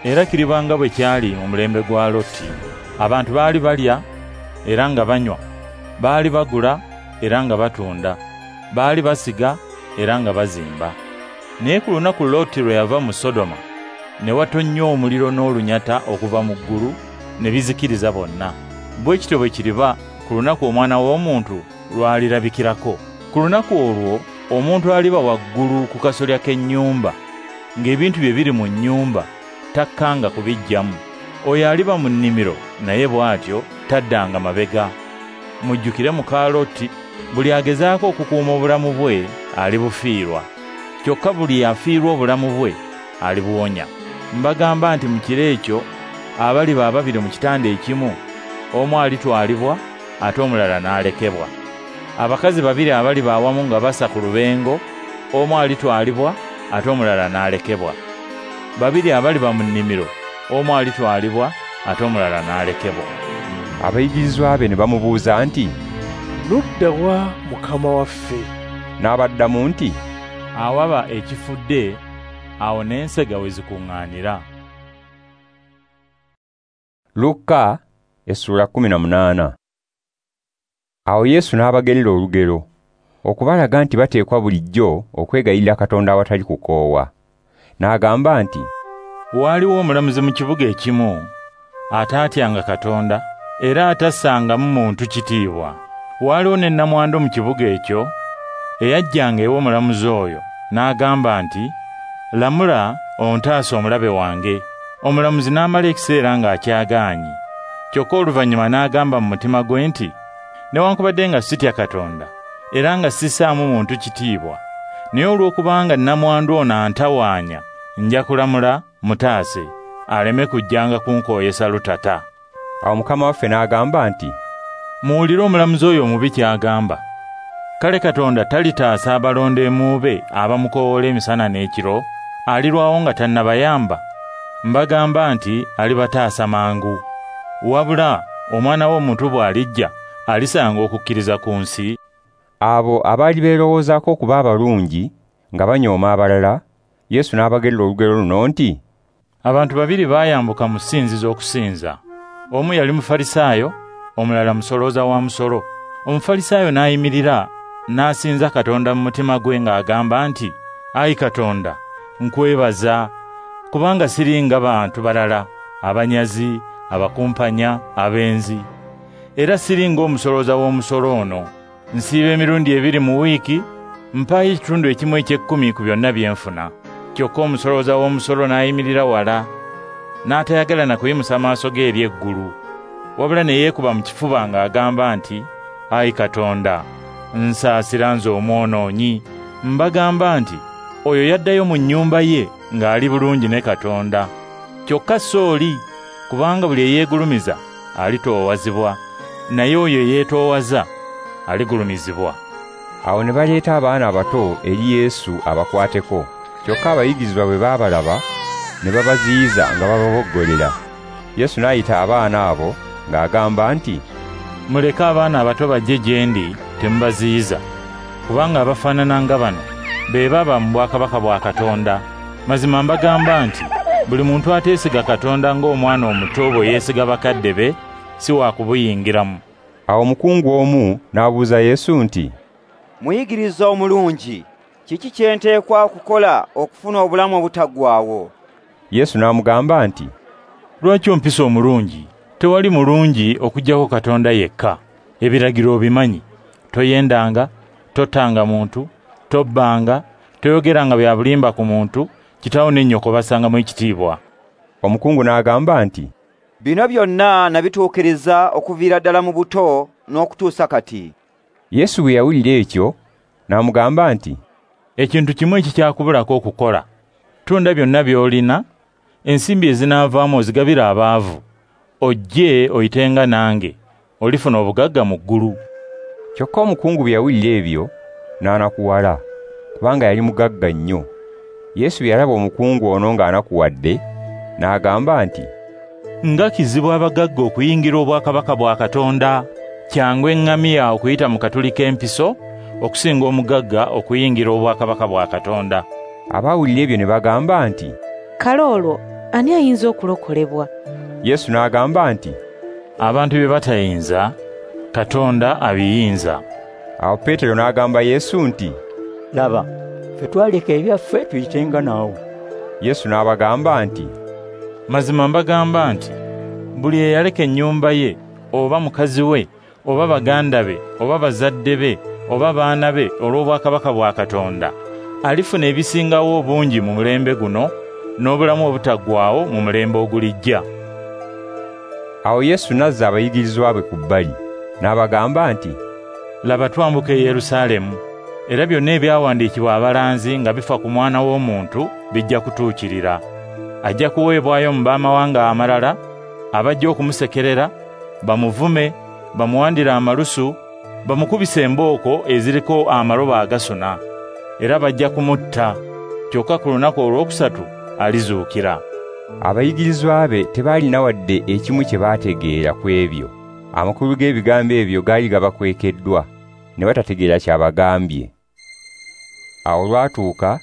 Era kiriba nga bwe kyali mu mulembe gwa Loti. Abantu baali balya era nga banywa, baali bagula era nga batunda, baali basiga era nga bazimba. Naye ku lunaku Loti lwe yava mu Sodoma, ne watonnya omuliro n'olunyata okuva mu ggulu ne bizikiriza bonna. Bwe kityo bwe kiriba ku lunaku Omwana w'Omuntu lw'alirabikirako. Ku lunaku olwo omuntu aliba waggulu ku kasolya k'ennyumba, ng'ebintu bye biri mu nnyumba, takkanga kubiggyamu. Oyo aliba mu nnimiro naye bw'atyo taddanga mabega. Mujjukire muka Loti. Buli agezaako okukuuma obulamu bwe alibufiirwa, kyokka buli afiirwa obulamu bwe alibuwonya. Mbagamba nti mu kiro ekyo abaliba ababiri mu kitanda ekimu, omu alitwalibwa ate omulala n'alekebwa. Abakazi babiri abaliba awamu nga basa ku lubengo, omu alitwalibwa ate omulala n'alekebwa. Babiri abaliba mu nnimiro, omu alitwalibwa ate omulala n'alekebwa. Abayigirizwa be ne bamubuuza nti, "Ludda wa Mukama waffe?" N'abaddamu nti, "Awaba ekifudde, awo n'ensega we zikuŋŋaanira." Luka essula 18. Awo Yesu n'abagerera olugero okubalaga nti bateekwa bulijjo okwegayirira Katonda awatali kukoowa. N'agamba nti, "Waaliwo omulamuzi mu kibuga ekimu ataatyanga Katonda era atassangamu muntu kitiibwa. Waaliwo ne nnamwandu mu kibuga ekyo eyajjanga ew'omulamuzi oyo n'agamba nti, "Lamula ontaase omulabe wange." Omulamuzi n'amala ekiseera ng'akyagaanyi. Kyokka oluvannyuma n'agamba mu mutima gwe nti, "Newankubadde nga sitya Katonda era nga sissaamu muntu kitiibwa, naye olw'okubanga nnamwandu ono antawaanya, nja kulamula mutaase, aleme kujjanga kunkooyesa lutata." Awo Mukama waffe n'agamba nti, "Muwulire omulamuzi oyo omubi ky'agamba. Kale Katonda talitaasa abalondeemu be abamukoowoola emisana n'ekiro? Alirwawo nga tannabayamba? Mbagamba nti alibataasa mangu. Wabula Omwana w'Omuntu bw'alijja, alisanga okukkiriza ku nsi?" Abo abaali beerowoozaako okuba abalungi nga banyooma abalala, Yesu n'abagerera olugero luno nti, Abantu babiri baayambuka mu ssinzizo okusinza. Omu yali Mufalisaayo, omulala musolooza wa musolo. Omufalisaayo n'ayimirira n'asinza Katonda mu mutima gwe ng'agamba nti, "Ayi Katonda, nkwebaza kubanga siri nga bantu balala, abanyazi, abakumpanya, abenzi. Era siri ng'omusolooza w'omusolo ono. Nsiiba emirundi 2 mu wiiki, mpaayo ekitundu ekimu eky'ekkumi ku byonna bye nfuna." Kyokka omusolooza w'omusolo n'ayimirira wala, n'atayagala na kuyimusa maaso ge eri eggulu, wabula ne yeekuba mu kifuba ng'agamba nti, "Ayi Katonda, nsaasira nze omwonoonyi." Mbagamba nti oyo yaddayo mu nnyumba ye ng'ali bulungi ne Katonda. Kyokka so oli, kubanga buli eyeegulumiza alitoowazibwa, naye oyo eyeetoowaza aligulumizibwa. Awo ne baleeta abaana abato eri Yesu abakwateko. Kyokka abayigirizwa bwe baabalaba ne babaziyiza nga bababoggolera. Yesu n'ayita abaana abo ng'agamba nti, "Muleke abaana abato bajje gye ndi, temubaziyiza, kubanga abafaanana nga bano be baba mu bwakabaka bwa Katonda. Mazima mbagamba nti buli muntu ateesiga Katonda ng'omwana omuto bwe yeesiga bakadde be, si wa kubuyingiramu." Awo omukungu omu n'abuuza Yesu nti, "Muyigiriza omulungi, kiki kye nteekwa okukola okufuna obulamu obutaggwaawo?" Yesu n'amugamba nti, "Lwaki ompisa omulungi? Tewali mulungi okuggyako Katonda yekka. Ebiragiro obimanyi: toyendanga, tottanga muntu, tobbanga, toyogeranga bya bulimba ku muntu, kitaawo ne nnyoko bassangamu ekitiibwa." Omukungu n'agamba nti, "Bino byonna nabituukiriza okuviira ddala mu buto n'okutuusa kati." Yesu bwe yawulira ekyo n'amugamba nti, "Ekintu kimu ekikyakubulako okukola. Tunda byonna by'olina, ensimbi ezinaavaamu ozigabire abaavu, ojje oyitenga nange, olifuna obugagga mu ggulu." Kyokka omukungu bwe yawulira ebyo n'anakuwala, kubanga yali mugagga nnyo. Yesu bwe yalaba omukungu ono ng'anakuwadde, n'agamba nti, "Nga kizibu abagagga okuyingira obwakabaka bwa Katonda! Kyangu eŋŋamiya okuyita mu katuli k'empiso okusinga omugagga okuyingira obwakabaka bwa Katonda." Abaawulira ebyo ne bagamba nti, "Kale olwo ani ayinza okulokolebwa?" Yesu n'agamba nti, "Abantu bye batayinza, Katonda abiyinza." Awo Peetero n'agamba Yesu nti, "Laba, ffe twaleka ebyaffe tuyitenga naawe." Yesu n'abagamba nti, "Mazima mbagamba nti buli eyaleka ennyumba ye, oba mukazi we, oba baganda be, oba bazadde be, oba baana be olw'obwakabaka bwa Katonda, alifuna ebisingawo obungi mu mulembe guno, n'obulamu obutaggwaawo mu mulembe ogulijja." Awo Yesu n'azza abayigirizwa be ku bbali, n'abagamba nti, "Laba, twambuka e Yerusaalemu, era byonna ebyawandiikibwa abalanzi nga bifa ku Mwana w'Omuntu bijja kutuukirira. Ajja kuweebwayo mu b'amawanga amalala, abajja okumusekerera, bamuvume, bamuwandire amalusu, bamukubise embooko eziriko amalobo agasuna, era bajja kumutta. Kyokka ku lunaku olwokusatu alizuukira." Abayigirizwa be tebaalina wadde ekimu kye baategeera ku ebyo. Amakulu g'ebigambo ebyo gaali gabakwekeddwa, ne batategeera ky'abagambye. Awo olwatuuka,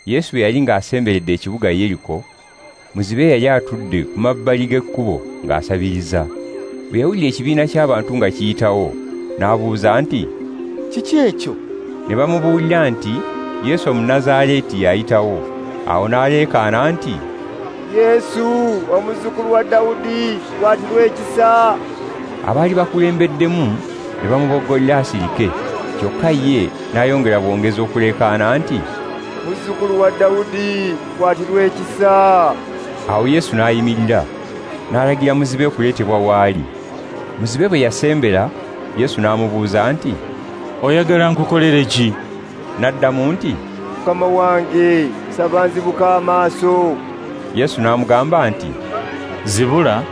Yesu bwe yali ng'asemberedde ekibuga Yeriko, muzibe yali atudde ku mabbali g'ekkubo ng'asabiriza. Bwe yawulira ekibiina ky'abantu nga kiyitawo, n'abuuza nti, "Kiki ekyo?" Ne bamubuulira nti Yesu Omunnazaaleeti y'ayitawo. Awo n'aleekaana nti, "Yesu, omuzzukulu wa Dawudi, nkwatirwa ekisa!" Abaali bakulembeddemu ne bamuboggolera asirike, kyokka ye n'ayongera bwongezi okuleekaana nti, "Muzzukulu wa Dawudi, nkwatirwa ekisa!" Awo Yesu n'ayimirira, n'alagira muzibe okuleetebwa w'ali. Muzibe bwe yasembera, Yesu n'amubuuza nti, "Oyagala nkukolere ki?" N'addamu nti, "Mukama wange, nsaba nzibuke amaaso." Yesu n'amugamba nti, "Zibula,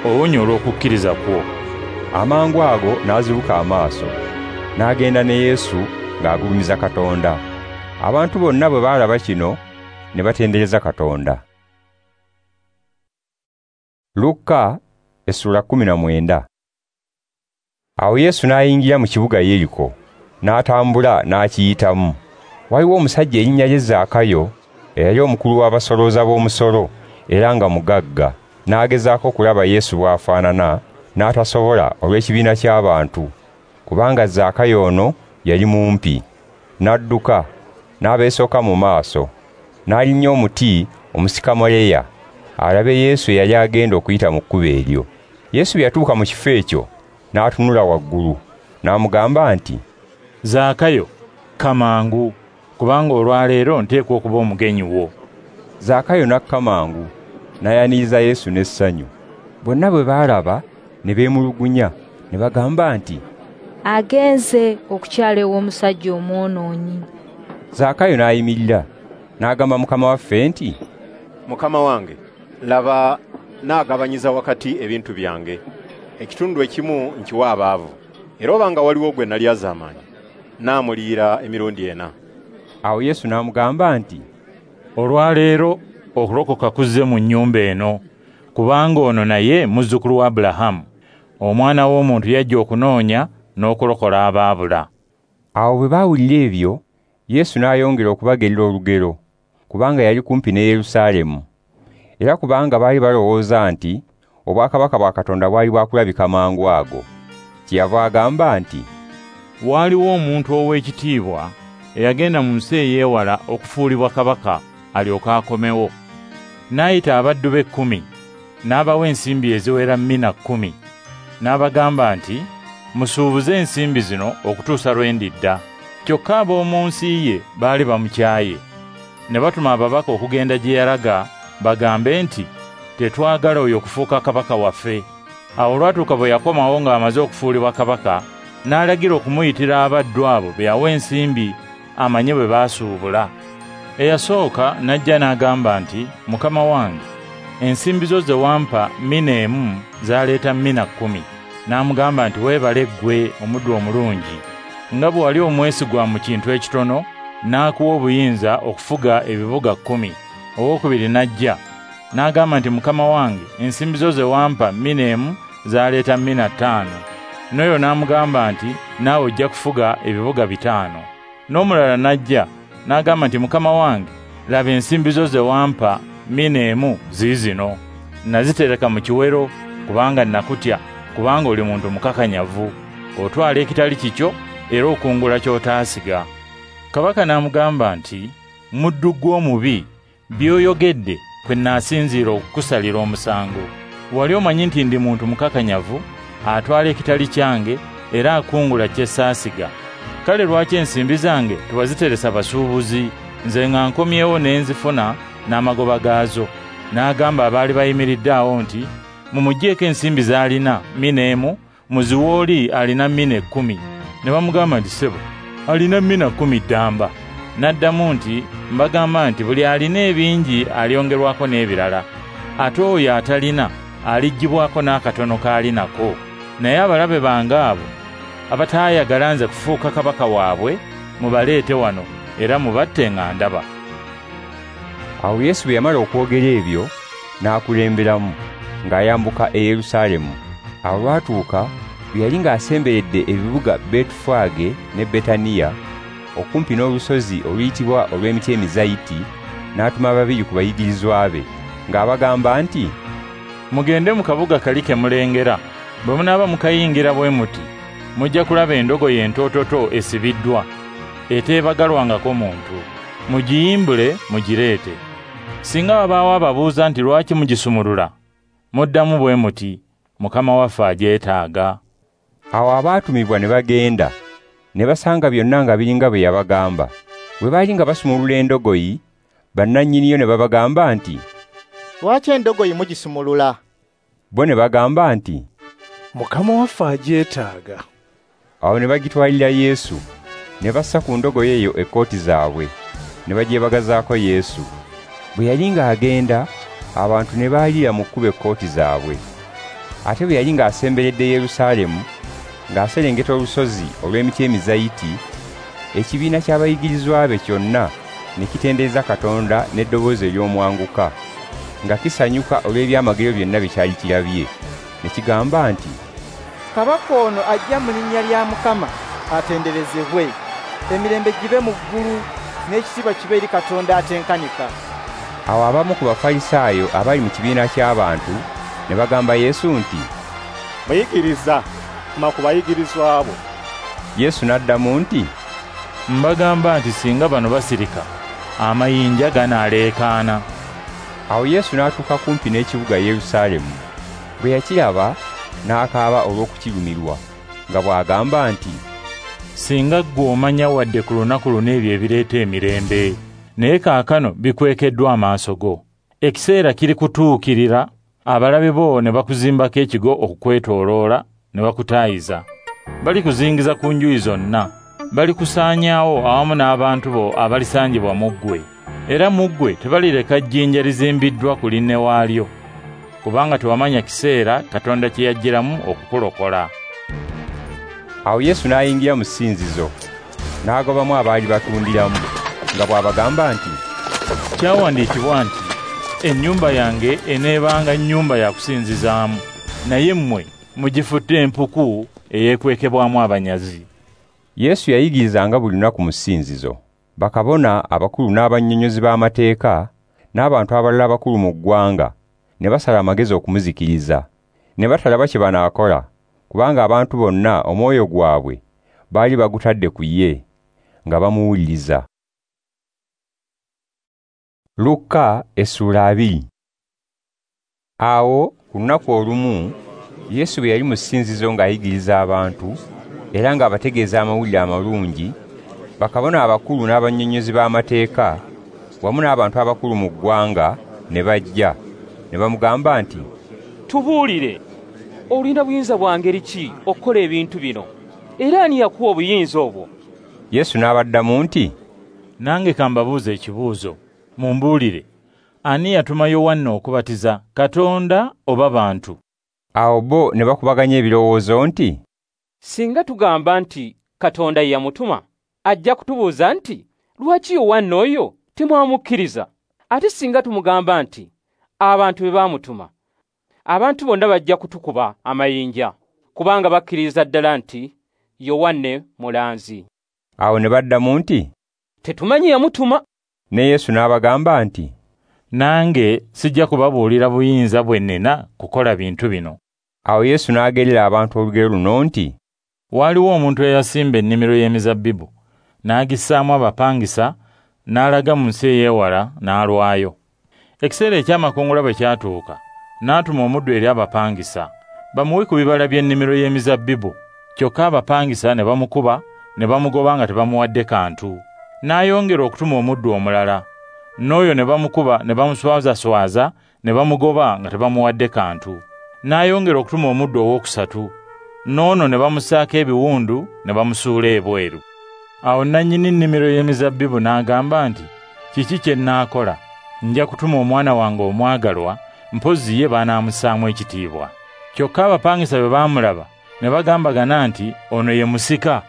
owonye olw'okukkiriza kwo." Amangu ago n'azibuka amaaso, n'agenda ne Yesu ng'agulumiza Katonda. Abantu bonna bwe baalaba kino ne batendereza Katonda. Luka essula 19. Awo Yesu n'ayingira mu kibuga Yeriko, n'atambula n'akiyitamu. Waliwo omusajja erinnya lye Zaakayo, eyali omukulu w'abasolooza b'omusolo era nga mugagga, n'agezaako okulaba Yesu bw'afaanana, n'atasobola olw'ekibiina ky'abantu, kubanga Zaakayo ono yali mumpi. N'adduka, n'abeesooka mu maaso, n'alinnya omuti omusikamoleya, alabe Yesu eyali agenda okuyita mu kkubo eryo. Yesu bwe yatuuka mu kifo ekyo, n'atunula waggulu, n'amugamba nti, "Zaakayo, kka mangu, kubanga olwaleero nteekwa okuba omugenyi wo." Zaakayo n'akka mangu, n'ayaniriza Yesu n'essanyu. Bonna bwe baalaba ne beemulugunya, ne bagamba nti, "Agenze okukyala ew'omusajja omwonoonyi." Zaakayo n'ayimirira, n'agamba Mukama waffe nti, "Mukama wange, laba naagabanyiza wakati ebintu byange. Ekitundu ekimu nkiwa abaavu, era obanga waliwo gwe nalyazaamaanya, naamuliira emirundi 4. Awo Yesu n'amugamba nti, "Olwaleero okulokoka kuzze mu nnyumba eno, kubanga ono naye muzzukulu wa Abulahamu. Omwana w'omuntu yajja okunoonya n'okulokola abaabula." Awo bwe baawulira ebyo, Yesu n'ayongera okubagerera olugero, kubanga yali kumpi ne Yerusaalemu, era kubanga baali balowooza nti obwakabaka bwa Katonda bwali bwakulabika mangu ago. Kyeyava agamba nti, "Waaliwo omuntu ow'ekitiibwa eyagenda mu nsi eyeewala okufuulibwa kabaka alyoke akomewo. N'ayita abaddu be 10, n'abawa ensimbi eziwera mina 10, n'abagamba nti, 'Musuubuze ensimbi zino okutuusa lwe ndidda.' Kyokka ab'omu nsi ye baali bamukyaye. Ne batuma ababaka okugenda gye yalaga bagambe nti, 'Tetwagala oyo okufuuka kabaka waffe.' Awo olwatuuka bwe yakomawo ng'amaze okufuulibwa kabaka, n'alagira okumuyitira abaddu abo be yawa ensimbi amanye bwe baasuubula. Eyasooka n'ajja n'agamba nti, 'Mukama wange, ensimbi zo ze wampa mina 1 zaaleeta mina 10. N'amugamba nti, 'Weebale ggwe omuddu omulungi, nga bwe wali omwesigwa mu kintu ekitono, n'akuwa obuyinza okufuga ebibuga 10. Owookubiri n'ajja n'agamba nti, 'Mukama wange, ensimbi zo ze wampa mina 1 zaaleeta mina 5. N'oyo n'amugamba nti, 'Naawe ojja kufuga ebibuga 5. N'omulala n'ajja n'agamba nti, 'Mukama wange, laba ensimbi zo ze wampa mina 1 ziizino. Nazitereka mu kiwero kubanga nakutya, kubanga oli muntu mukakanyavu, otwala ekitali kikyo era okungula ky'otaasiga.' Kabaka n'amugamba nti, 'Muddu ggwe omubi, by'oyogedde kwe naasinziira okukusalira omusango. Wali omanyi nti ndi muntu mukakanyavu, atwala ekitali kyange era akungula kye saasiga. Kale lwaki ensimbi zange tewaziteresa basuubuzi, nze nga nkomyewo ne nzifuna n'amagoba gaazo?' N'agamba abaali bayimiridde awo nti, 'Mumuggyeeko ensimbi z'alina mina 1, muziwe oli alina mina 10. Ne bamugamba nti, 'Ssebo, alina mina 10 ddamba.' N'addamu nti, 'Mbagamba nti buli alina ebingi alyongerwako n'ebirala, ate oyo atalina aliggyibwako n'akatono k'ali nako. Naye abalabe bange abo abataayagala nze kufuuka kabaka waabwe, mubaleete wano era mubatte nga ndaba." Awo Yesu bwe yamala okwogera ebyo, n'akulemberamu ng'ayambuka e Yerusaalemu. Awo lwatuuka bwe yali ng'asemberedde ebibuga Betufaage ne Betaniya, okumpi n'olusozi oluyitibwa olw'emiti emizayiti, n'atuma 2 ku bayigirizwa be, ng'abagamba nti, "Mugende mu kabuga kali ke mulengera. Bwe munaaba mukayingira bwe muti, mujja kulaba endogoyi entoototo esibiddwa, eteebagalwangako muntu. Mugiyimbule mugireete. Singa wabaawo ababuuza nti lwaki mugisumulula, muddamu bwe muti, Mukama waffe agyetaaga. Awo abaatumibwa ne bagenda, ne basanga byonna nga biringa bwe yabagamba. Bwe baali nga basumulula endogoyi, bannannyiniyo ne babagamba nti, "Lwaki endogoyi mugisumulula?" Bo ne bagamba nti, "Mukama waffe agyetaaga." Awo ne bagitwalira Yesu, ne bassa ku ndogoyi eyo ekkooti zaabwe, ne bagyebagazaako Yesu. Bwe yali ng'agenda, abantu ne baalira mu kkubo ekkooti zaabwe. Ate bwe yali ng'asemberedde Yerusaalemu, ng'aserengeta olusozi olw'emiti emizayiti, ekibiina ky'abayigirizwa be kyonna ne kitendereza Katonda n'eddoboozi ery'omwanguka, nga kisanyuka olw'ebyamagero byonna bye kyali kirabye. Ne kigamba nti, "Kabaka ono ajja mu linnya lya Mukama atenderezebwe. Emirembe gibe mu ggulu n'ekitiibwa kibe eri Katonda atenkanika." Awo abamu ku Bafalisaayo abali mu kibiina ky'abantu ne bagamba Yesu nti, "Muyigiriza, tuma ku bayigirizwa bo." Yesu n'addamu nti, "Mbagamba nti singa bano basirika, amayinja ganaaleekaana." Awo Yesu n'atuuka kumpi n'ekibuga Yerusaalemu. Bwe yakiraba, n'akaaba olw'okukirumirwa, nga bw'agamba nti, "Singa ggwe omanya wadde ku lunaku luno ebyo ebireeta emirembe, naye kaakano bikwekeddwa amaaso go. Ekiseera kiri kutuukirira, abalabe bo ne bakuzimbako ekigo okukwetooloola ne bakutaayiza. Balikuzingiza ku njuyi zonna, balikusaanyaawo awamu n'abantu bo abalisangibwa mu ggwe. Era mu ggwe tebalireka jjinja lizimbiddwa ku linne waalyo, kubanga tewamanya kiseera Katonda kye yajjiramu okukulokola." Awo Yesu n'ayingira mu ssinzizo, n'agobamu abaali batundiramu, nga bw'abagamba nti, "Kyawandiikibwa nti, ennyumba yange eneebanga nnyumba ya kusinzizaamu, naye mmwe mugifudde empuku eyeekwekebwamu abanyazi." Yesu yayigirizanga buli lunaku mu ssinzizo. Bakabona abakulu n'abannyonnyozi b'amateeka n'abantu abalala abakulu mu ggwanga ne basala amagezi okumuzikiriza. Ne batalaba kye banaakola, kubanga abantu bonna omwoyo gwabwe baali bagutadde ku ye, nga bamuwuliriza. Luka essula 2. Awo ku lunaku olumu Yesu bwe yali mu ssinzizo ng'ayigiriza abantu era ng'abategeeza amawulire amalungi, bakabona abakulu n'abannyonnyozi b'amateeka wamu n'abantu abakulu mu ggwanga ne bajja ne bamugamba nti, "Tubuulire, olina buyinza bwa ngeri ki okukola ebintu bino? Era ani yakuwa obuyinza obwo?" Yesu n'abaddamu nti, "Nange ka mbabuuze ekibuuzo, mumbuulire, ani yatuma Yowanna okubatiza, Katonda oba bantu?" Awo bo ne bakubaganya ebirowoozo nti, "Singa tugamba nti Katonda ye yamutuma, ajja kutubuuza nti, lwaki Yowanna oyo temwamukkiriza? Ate singa tumugamba nti abantu be baamutuma, abantu bonna bajja kutukuba amayinja, kubanga bakkiriza ddala nti Yowanne mulanzi." Awo ne baddamu nti, "Tetumanyi yamutuma." Ne Yesu n'abagamba nti, "Nange sijja kubabuulira buyinza bwe nnina kukola bintu bino." Awo Yesu n'agerera abantu olugero luno nti, "Waaliwo omuntu eyasimba ennimiro y'emizabbibu, n'agissaamu abapangisa, n'alaga mu nsi ey'ewala n'alwayo. Ekiseera eky'amakungula bwe kyatuuka, n'atuma omuddu eri abapangisa, bamuwe ku bibala by'ennimiro y'emizabbibu. Kyokka abapangisa ne bamukuba, ne bamugoba nga tebamuwadde kantu. N'ayongera okutuma omuddu omulala, n'oyo ne bamukuba ne bamuswazaswaza, ne bamugoba nga tebamuwadde kantu. N'ayongera okutuma omuddu owookusatu, n'ono ne bamusaako ebiwundu ne bamusuula ebweru. Awo nannyini nnimiro y'emizabbibu n'agamba nti, kiki kye nnaakola? Nja kutuma omwana wange omwagalwa, mpozzi ye banaamussaamu ekitiibwa." Kyokka abapangisa bwe baamulaba ne bagambagana nti, "Ono ye musika,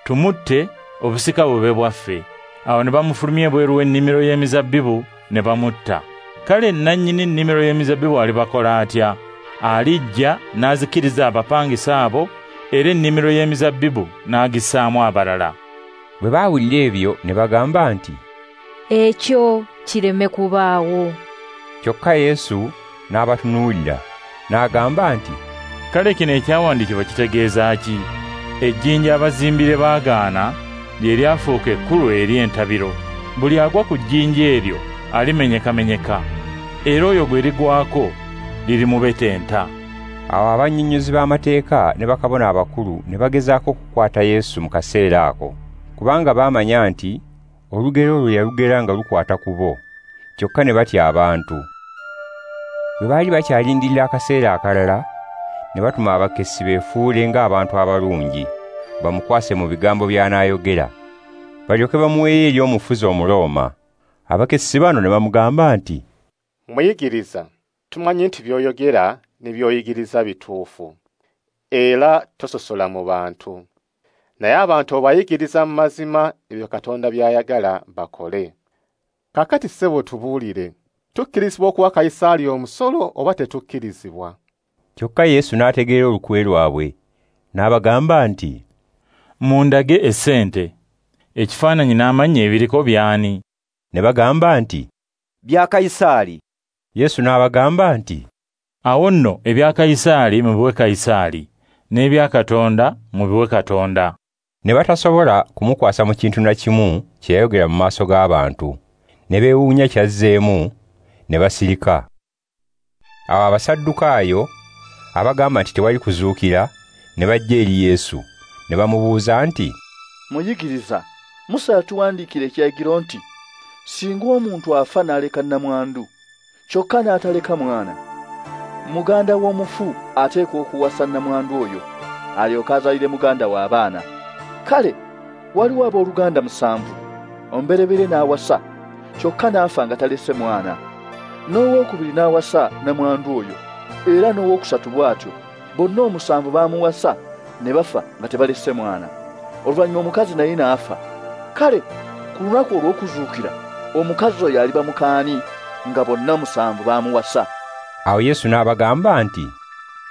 tumutte, obusika bube bwaffe." Awo ne bamufulumya ebweru w'ennimiro y'emizabbibu ne bamutta. Kale nannyini nnimiro y'emizabbibu alibakola atya? Alijja n'azikiriza abapangisa abo, era ennimiro y'emizabbibu n'agissaamu abalala. Bwe baawulira ebyo ne bagamba nti, "Ekyo kireme kubaawo." Kyokka Yesu n'abatunuulira n'agamba nti, "Kale kino ekyawandiikibwa kitegeeza ki? Ejjinja abazimbire baagaana lye lyafuuka ekkulu eri entabiro. Buli agwa ku jjinja eryo alimenyekamenyeka, era oyo gwe ligwako lirimubetenta." Awo abannyonnyozi b'amateeka ne bakabona abakulu ne bagezaako okukwata Yesu mu kaseera ako, kubanga baamanya nti olugero olwo yalugera nga lukwata ku bo, kyokka ne batya abantu. Bwe baali bakyalindirira akaseera akalala, ne batuma abakessi beefuule ng'abantu abalungi, bamukwase mu bigambo by'anaayogera, balyoke bamuweeyo eri omufuzi Omurooma. Abakessi bano ne bamugamba nti, Muyigiriza, tumanyi nti by'oyogera ne by'oyigiriza bituufu, era tososola mu bantu. Naye abantu obayigiriza mu mazima ebyo Katonda by'ayagala bakole. Kaakati ssebo tubuulire, tukkirizibwa okuwa Kayisaali omusolo oba tetukkirizibwa? Kyokka Yesu n'ategeera olukwe lwabwe, n'abagamba nti, Mundage essente, ekifaananyi n'amannya ebiriko by'ani? Ne bagamba nti, Bya Kayisaali. Yesu n'abagamba nti, Awo nno ebya Kayisaali mubiwe Kayisaali, n'ebya Katonda mubiwe Katonda. Ne batasobola kumukwasa mu kintu na kimu kye yayogera mu maaso g'abantu, ne beewuunya ky'azzeemu, ne basirika. Awo Abasaddukaayo abagamba nti tewali kuzuukira ne bajja eri Yesu, ne bamubuuza nti, Muyigiriza, Musa yatuwandiikira ekiragiro nti, singa omuntu afa n'aleka nnamwandu, kyokka n'ataleka mwana, muganda w'omufu ateekwa okuwasa nnamwandu oyo, alyoke azaalire muganda we abaana. Kale waliwo abooluganda 7, omubereberye n'awasa, kyokka n'afa nga talese mwana. N'owookubiri n'awasa nnamwandu oyo, era n'owookusatu bw'atyo. Bonna 7 baamuwasa ne bafa nga tebalese mwana. Oluvannyuma omukazi naye n'afa. Kale ku lunaku olw'okuzuukira omukazi oyo aliba mukaani nga bonna 7 baamuwasa? Awo Yesu n'abagamba nti,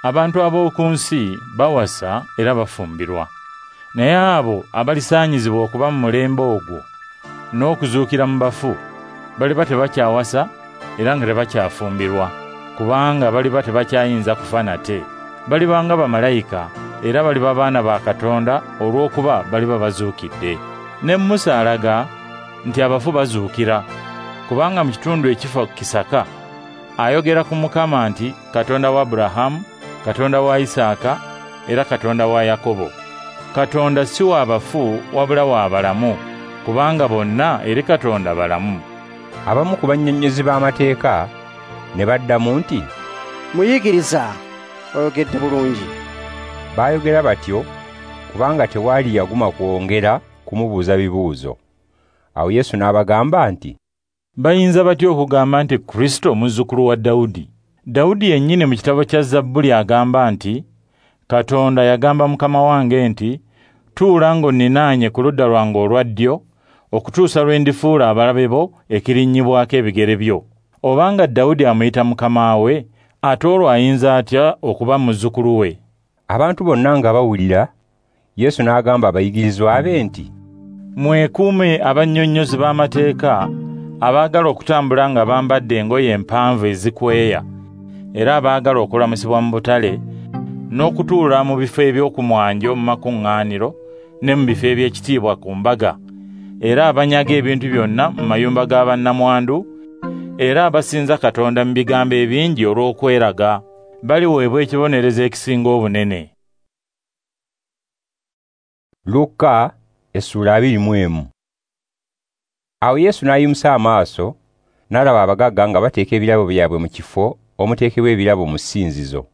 Abantu ab'oku nsi bawasa era bafumbirwa, naye abo abalisaanyizibwa okuba mu mulembe ogwo n'okuzuukira mu bafu baliba tebakyawasa era nga tebakyafumbirwa, kubanga baliba tebakyayinza kufa nate. Baliba nga bamalayika era baliba baana ba Katonda olw'okuba baliba bazuukidde. Ne Musa alaga nti abafu bazuukira, kubanga mu kitundu ekifo Kisaka ayogera ku Mukama nti Katonda wa Aburahamu, Katonda wa Isaaka, era Katonda wa Yakobo. Katonda si wa bafu wabula wa balamu, kubanga bonna eri Katonda balamu. Abamu ku bannyonnyozi b'amateeka ne baddamu nti, Muyigiriza, oyogedde bulungi. Baayogera batyo kubanga tewaali yaguma kwongera kumubuuza bibuuzo. Awo Yesu n'abagamba nti, Bayinza batya okugamba nti Kristo muzzukulu wa Dawudi? Dawudi yennyini mu kitabo kya Zabbuli agamba nti, Katonda yagamba Mukama wange nti, tuula ng'onninaanye ku ludda lwange olwa ddyo, okutuusa lwe ndifuula abalabe bo ekirinnyibwako ebigere byo. Obanga Dawudi amuyita Mukama we, ate olwo ayinza atya okuba muzzukulu we? Abantu bonna nga bawulira, Yesu n'agamba abayigirizwa be nti, Mwekuume abannyonnyozi b'amateeka abaagala okutambula nga bambadde engoye empanvu ezikweya, era abaagala okulamusibwa mu butale, n'okutuula mu bifo eby'okumwanjo mu makuŋŋaaniro ne mu bifo eby'ekitiibwa ku mbaga, era abanyaga ebintu byonna mu mayumba ga bannamwandu, era abasinza Katonda mu bigambo ebingi olw'okweraga, baliweebwa ekibonerezo ekisinga obunene. Luka essula 21. Awo Yesu n'ayimusa amaaso n'alaba abagagga nga bateeka ebirabo byabwe mu kifo omuteekebwa ebirabo mu ssinzizo.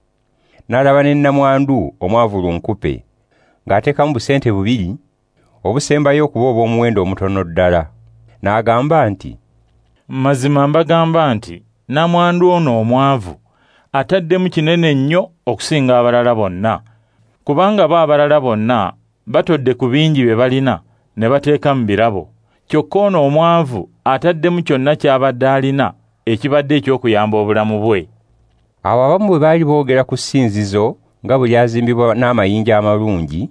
N'alaba ne nnamwandu omwavu lunkupe ng'ateekamu busente 2 obusembayo okuba obw'omuwendo omutono ddala. N'agamba nti, Mazima mbagamba nti nnamwandu ono omwavu ataddemu kinene nnyo okusinga abalala bonna, kubanga bo abalala bonna batodde ku bingi bye balina ne bateeka mu birabo. Kyokka ono omwavu ataddemu kyonna ky'abadde alina ekibadde eky'okuyamba obulamu bwe. Awo abamu bwe baali boogera ku ssinzizo nga bwe lyazimbibwa n'amayinja amalungi,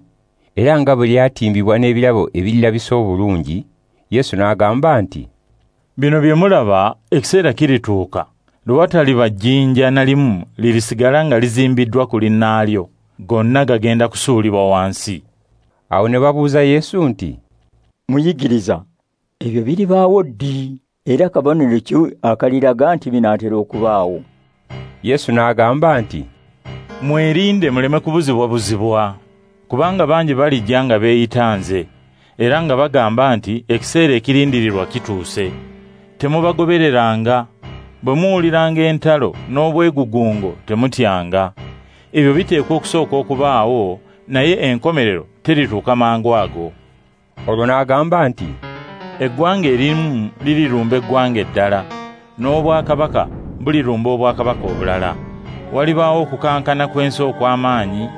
era nga bwe lyatimbibwa n'ebirabo ebirirabisa obulungi, Yesu n'agamba nti, Bino bye mulaba ekiseera kirituuka lwe wataliba jjinja na limu lirisigala nga lizimbiddwa ku linnaalyo, gonna gagenda kusuulibwa wansi. Awo ne babuuza Yesu nti, Muyigiriza, ebyo biribaawo ddi? Era kabonero ki akaliraga nti binaatera okubaawo? Yesu n'agamba nti, Mwerinde muleme kubuzibwabuzibwa, kubanga bangi balijja nga beeyita nze, era nga bagamba nti ekiseera ekirindirirwa kituuse. Temubagobereranga. Bwe muwuliranga entalo n'obwegugungo temutyanga. Ebyo biteekwa okusooka okubaawo, naye enkomerero terituuka mangu ago. Olwo n'agamba nti, eggwanga erimu lirirumba eggwanga eddala, n'obwakabaka bulirumba obwakabaka obulala. Walibaawo okukankana kw'ensi okw'amaanyi,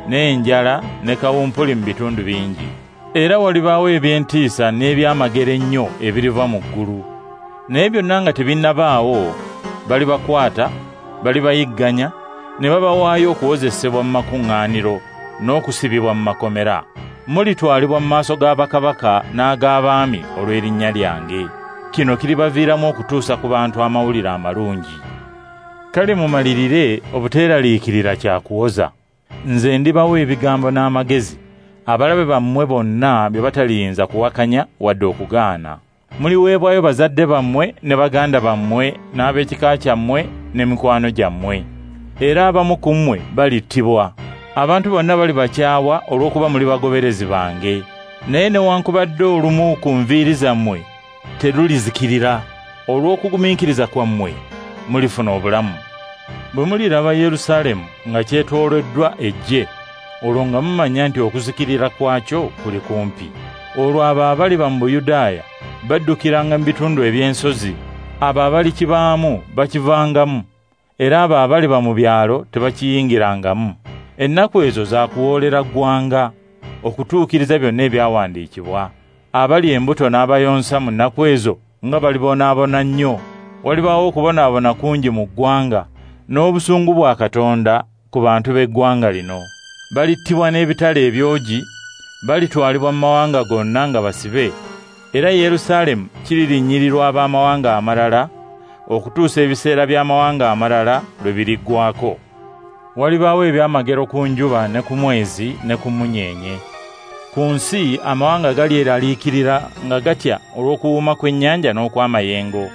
n'enjala ne kawumpuli mu bitundu bingi. Era walibaawo eby'entiisa n'ebyamagero ennyo ebiriva mu ggulu. Naye byonna nga tebinnabaawo, balibakwata, balibayigganya, ne babawaayo okuwozesebwa mu makuŋŋaaniro n'okusibibwa mu makomera. Mulitwalibwa mu maaso ga bakabaka n'ag'abaami olw'erinnya lyange. Kino kiribaviiramu okutuusa ku bantu amawulire amalungi. Kale mumalirire obuteeraliikirira kya kuwoza. Nze ndibawa ebigambo n'amagezi, abalabe bammwe bonna bye bataliyinza kuwakanya wadde okugaana. Muliweebwayo bazadde bammwe ne baganda bammwe n'ab'ekika kyammwe ne mikwano gyammwe. Era abamu ku mmwe balittibwa. Abantu bonna balibakyawa olw'okuba muli bagoberezi bange. Naye newankubadde olumu ku nviiri zammwe terulizikirira, olw'okugumiikiriza kwammwe mulifuna obulamu. Bwe muliraba Yerusaalemu nga kyetooloddwa eggye, olwo nga mumanya nti okuzikirira kwakyo kuli kumpi. Olwo abo abaliba mu Buyudaaya baddukiranga mu bitundu eby'ensozi, abo abalikibaamu bakivangamu, era abo abaliba mu byalo tebakiyingirangamu. Ennaku ezo za kuwoolera ggwanga okutuukiriza byonna ebyawandiikibwa. Abali embuto n'abayonsa mu nnaku ezo nga balibonaabona nnyo. Walibaawo okubonaabona kungi mu ggwanga n'obusungu bwa Katonda ku bantu b'eggwanga lino. Balittibwa n'ebitala ebyogi, balitwalibwa mu mawanga gonna nga basibe, era Yerusaalemu kiririnnyirirwa ab'amawanga amalala okutuusa ebiseera by'amawanga amalala lwe biriggwaako. Walibaawo ebyamagero ku njuba ne ku mwezi ne ku mmunyeenye. Ku nsi amawanga galyeraliikirira nga gatya olw'okuwuuma kw'ennyanja n'okw'amayengo.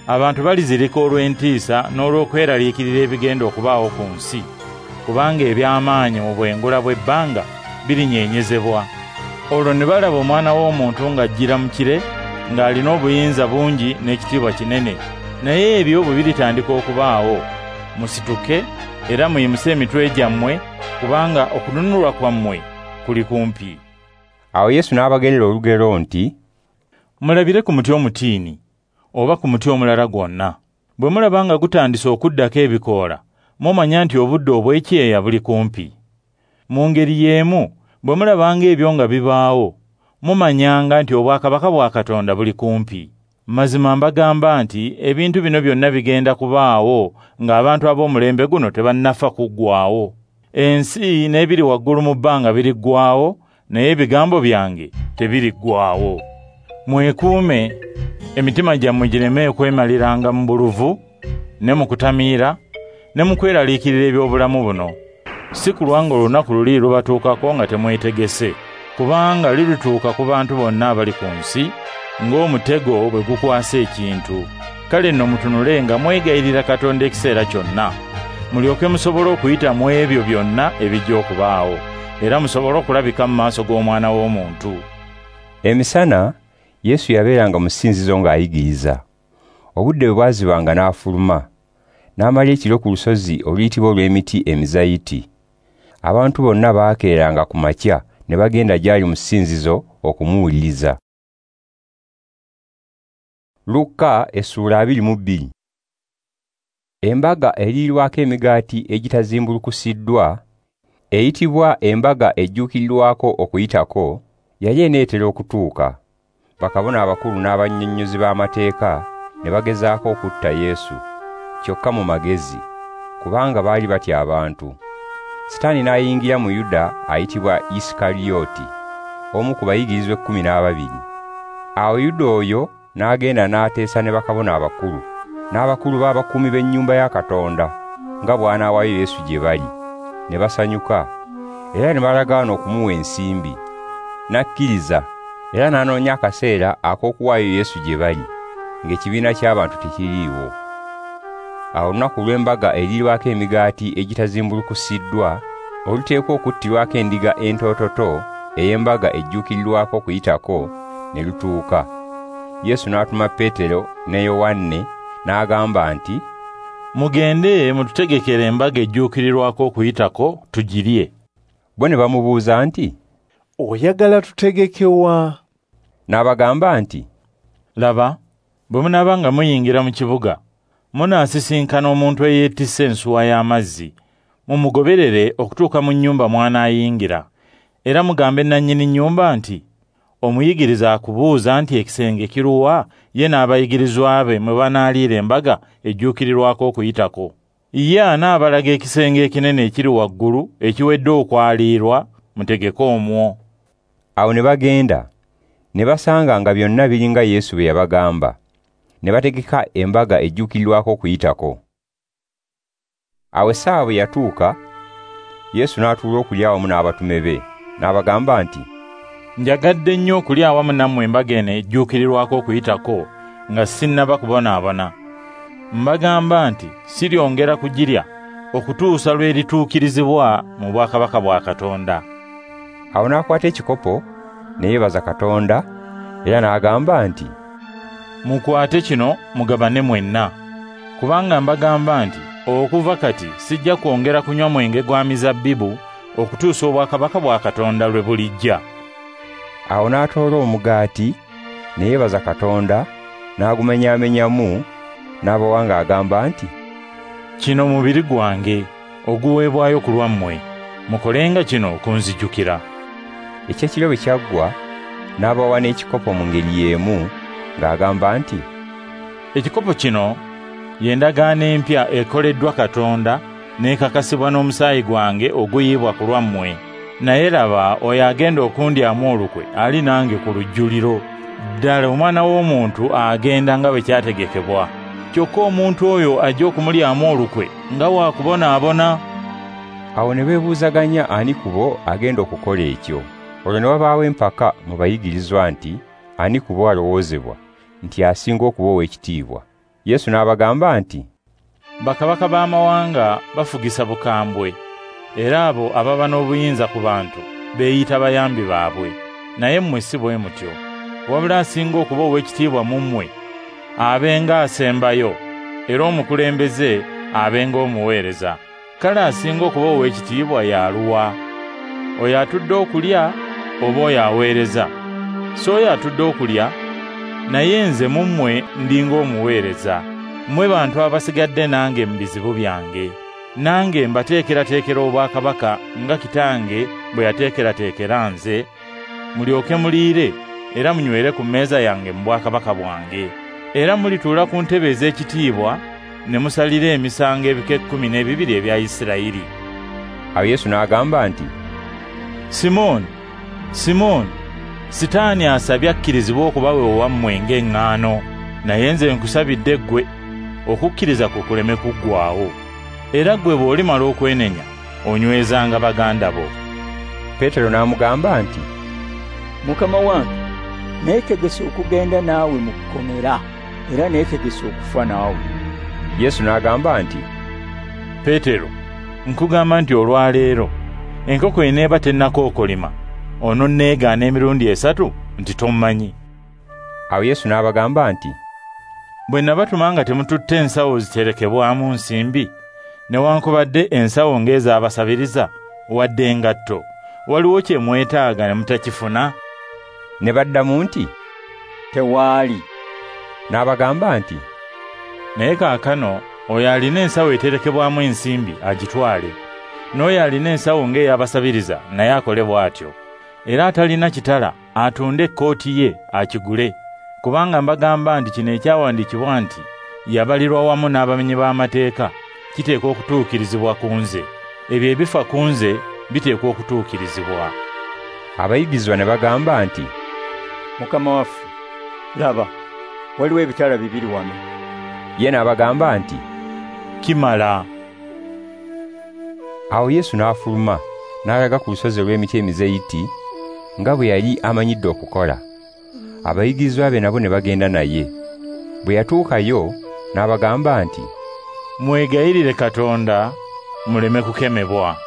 Abantu balizirika olw'entiisa n'olw'okweraliikirira ebigenda okubaawo ku nsi, kubanga eby'amaanyi mu bwengula bw'ebbanga birinyeenyezebwa. Olwo ne balaba Omwana w'Omuntu ng'ajjira mu kire, ng'alina obuyinza bungi n'ekitiibwa kinene. Naye ebyo bwe biritandika okubaawo, musituke era muyimuse emitwe gyammwe, kubanga okununulwa kwammwe kuli kumpi. Awo Yesu n'abagerera olugero nti, mulabire ku muti omutiini oba ku muti omulala gwonna. Bwe mulaba nga gutandise okuddako ebikoola, mumanya nti obudde obw'ekyeya buli kumpi. Mu ngeri y'emu, bwe mulabanga ebyo nga bibaawo, mumanyanga nti obwakabaka bwa Katonda buli kumpi. Mazima mbagamba nti ebintu bino byonna bigenda kubaawo ng'abantu ab'omulembe guno tebannafa kuggwaawo. Ensi n'ebiri waggulu mu bbanga biriggwaawo, naye ebigambo byange tebiriggwaawo. Mwekuume, emitima gyammwe gireme okwemaliranga mu buluvu ne mu kutamiira ne mu kweraliikirira eby'obulamu buno. Si kulwa ng'olunaku luli lubatuukako nga temwetegese, kubanga lirituuka ku bantu bonna abali ku nsi ng'omutego bwe gukwasa ekintu. Kale nno mutunule nga mwegayirira Katonda ekiseera kyonna, mulyoke musobole okuyita mu ebyo byonna ebijja okubaawo, era musobole okulabika mu maaso g'Omwana w'Omuntu. Emisana Yesu yabeeranga mu ssinzizo ng'ayigiriza. Obudde bwe bwazibanga n'afuluma, n'amala ekiro ku lusozi oluyitibwa olw'emiti emizayiti. Abantu bonna baakeeranga ku makya ne bagenda gy'ali mu ssinzizo okumuwuliriza. Luka essuula 22. Embaga eriirwako emigaati egitazimbulukusiddwa, eyitibwa embaga ejjuukirirwako okuyitako, yali eneetera okutuuka. Bakabona abakulu n'abannyonnyozi b'amateeka ne bagezaako okutta Yesu, kyokka mu magezi, kubanga baali batya abantu. Sitaani n'ayingira mu Yuda ayitibwa Isikariyoti, omu ku bayigirizwa 12. Awo Yuda oyo n'agenda n'ateesa ne bakabona abakulu n'abakulu b'abakuumi b'ennyumba ya Katonda nga bw'anaawaayo Yesu gye bali. Ne basanyuka era ne balagaana okumuwa ensimbi. N'akkiriza era n'anoonya akaseera ak'okuwaayo Yesu gye bali, ng'ekibiina ky'abantu tekiriiwo. Awo olunaku lw'embaga eriirwako emigaati egitazimbulukusiddwa, oluteekwa okuttirwako endiga entoototo ey'embaga ejjuukirirwako Okuyitako, ne lutuuka. Yesu n'atuma Peetero ne Yowanne n'agamba nti, "Mugende mututegekere embaga ejjuukirirwako Okuyitako tugirye." Bo ne bamubuuza nti, "Oyagala tutegeke wa?" N'abagamba nti, "Laba, bwe munaaba nga muyingira mu kibuga, munaasisinkana omuntu eyeetisse ensuwa y'amazzi. Mumugoberere okutuuka mu nnyumba mw'anaayingira. Era mugambe nannyini nnyumba nti, Omuyigiriza akubuuza nti ekisenge kiruwa ye n'abayigirizwa be mwe banaaliira embaga ejjuukirirwako Okuyitako. Ye anaabalaga ekisenge ekinene ekiri waggulu ekiwedde okwaliirwa, mutegeke omwo." Awo ne bagenda, ne basanga nga byonna biri nga Yesu bwe yabagamba. Ne bategeka embaga ejjuukirirwako Okuyitako. Awo essaawa bwe yatuuka, Yesu n'atuula okulya awamu n'abatume be, n'abagamba nti, "Njagadde nnyo okulya awamu nammwe embaga eno ejjuukirirwako Okuyitako nga sinnaba kubonaabona. Mbagamba nti siryongera kugirya okutuusa lw'erituukirizibwa mu bwakabaka bwa Katonda." Awo n'akwata ekikopo ne yeebaza Katonda, era n'agamba nti, "Mukwate kino mugabane mwenna, kubanga mbagamba nti okuva kati sijja kwongera kunywa mwenge gwa mizabbibu okutuusa obwakabaka bwa Katonda lwe bulijja." Awo n'atoola omugaati ne yeebaza Katonda, n'agumenyaamenyamu, n'abawa ng'agamba nti, "Kino mubiri gwange oguweebwayo ku lwammwe, mukolenga kino okunzijukira." Ekyekiro bwe kyaggwa, n'abawa n'ekikopo mu ngeri y'emu ng'agamba nti, "Ekikopo kino ye ndagaano empya ekoleddwa Katonda n'ekakasibwa n'omusaayi gwange oguyiibwa ku lwammwe. Naye laba, oyo agenda okundyamu olukwe ali nange ku lujjuliro. Ddala Omwana w'Omuntu agenda nga bwe kyategekebwa. Kyokka omuntu oyo ajja okumulyamu olukwe nga waakubonaabona." Awo ne beebuuzaganya ani ku bo agenda okukola ekyo. Olwo ne wabaawo empaka mu bayigirizwa nti ani ku bo alowoozebwa nti asinga okuba ow'ekitiibwa. Yesu n'abagamba nti, "Bakabaka b'amawanga bafugisa bukambwe, era abo ababa n'obuyinza ku bantu beeyita bayambi baabwe. Naye mmwe si bwe mutyo. Wabula asinga okuba ow'ekitiibwa mu mmwe abenga asembayo, era omukulembeze abenga omuweereza. Kale asinga okuba ow'ekitiibwa y'aluwa? Oyo atudde okulya oba oyo aweereza? Si oyo atudde okulya? Naye nze mu mmwe ndi ng'omuweereza. Mmwe bantu abasigadde nange mu bizibu byange. Nange mbateekerateekera obwakabaka nga Kitange bwe yateekerateekera nze, mulyoke muliire era munywere ku mmeeza yange mu bwakabaka bwange. Era mulituula ku ntebe ez'ekitiibwa ne musalira emisango ebika 12 ebya Isirayiri." Awo Yesu n'agamba nti, "Simooni, Simooni, Sitaani asabye akkirizibwe okubawa owammwe ng'eŋŋaano, naye nze nkusabidde ggwe okukkiriza kwo kuleme kuggwaawo. Era ggwe bw'olimala okwenenya, onywezanga baganda bo." Peetero n'amugamba nti, "Mukama wange, neetegese okugenda naawe mu kkomera, era neetegese okufa naawe." Yesu n'agamba nti, "Peetero, nkugamba nti olwaleero enkoko eneeba tennakookolima, ononneegaana emirundi 3 nti tommanyi." Awo Yesu n'abagamba nti, "Bwe nabatuma nga temututte ensawo ziterekebwamu nsimbi, newankubadde ensawo ng'ez'abasabiriza, wadde engatto, waliwo kye mwetaaga ne mutakifuna?" Ne baddamu nti, "Tewaali." N'abagamba nti, "Naye kaakano oyo alina ensawo eterekebwamu ensimbi agitwale, n'oyo alina ensawo ng'ey'abasabiriza naye akole bw'atyo. Era atalina kitala atunde ekkooti ye akigule. Kubanga mbagamba nti kino ekyawandiikibwa nti yabalirwa wamu n'abamenyi b'amateeka kiteekwa okutuukirizibwa ku nze. Ebyo ebifa ku nze biteekwa okutuukirizibwa." Abayigirizwa ne bagamba nti, "Mukama waffe, laba, waliwo ebitala 2 wano." Ye n'abagamba nti, "Kimala." Awo Yesu n'afuluma n'alaga ku lusozi olw'emiti emizeyiti nga bwe yali amanyidde okukola. Abayigirizwa be nabo ne bagenda naye. Bwe yatuukayo n'abagamba nti, Mwegayirire Katonda muleme kukemebwa.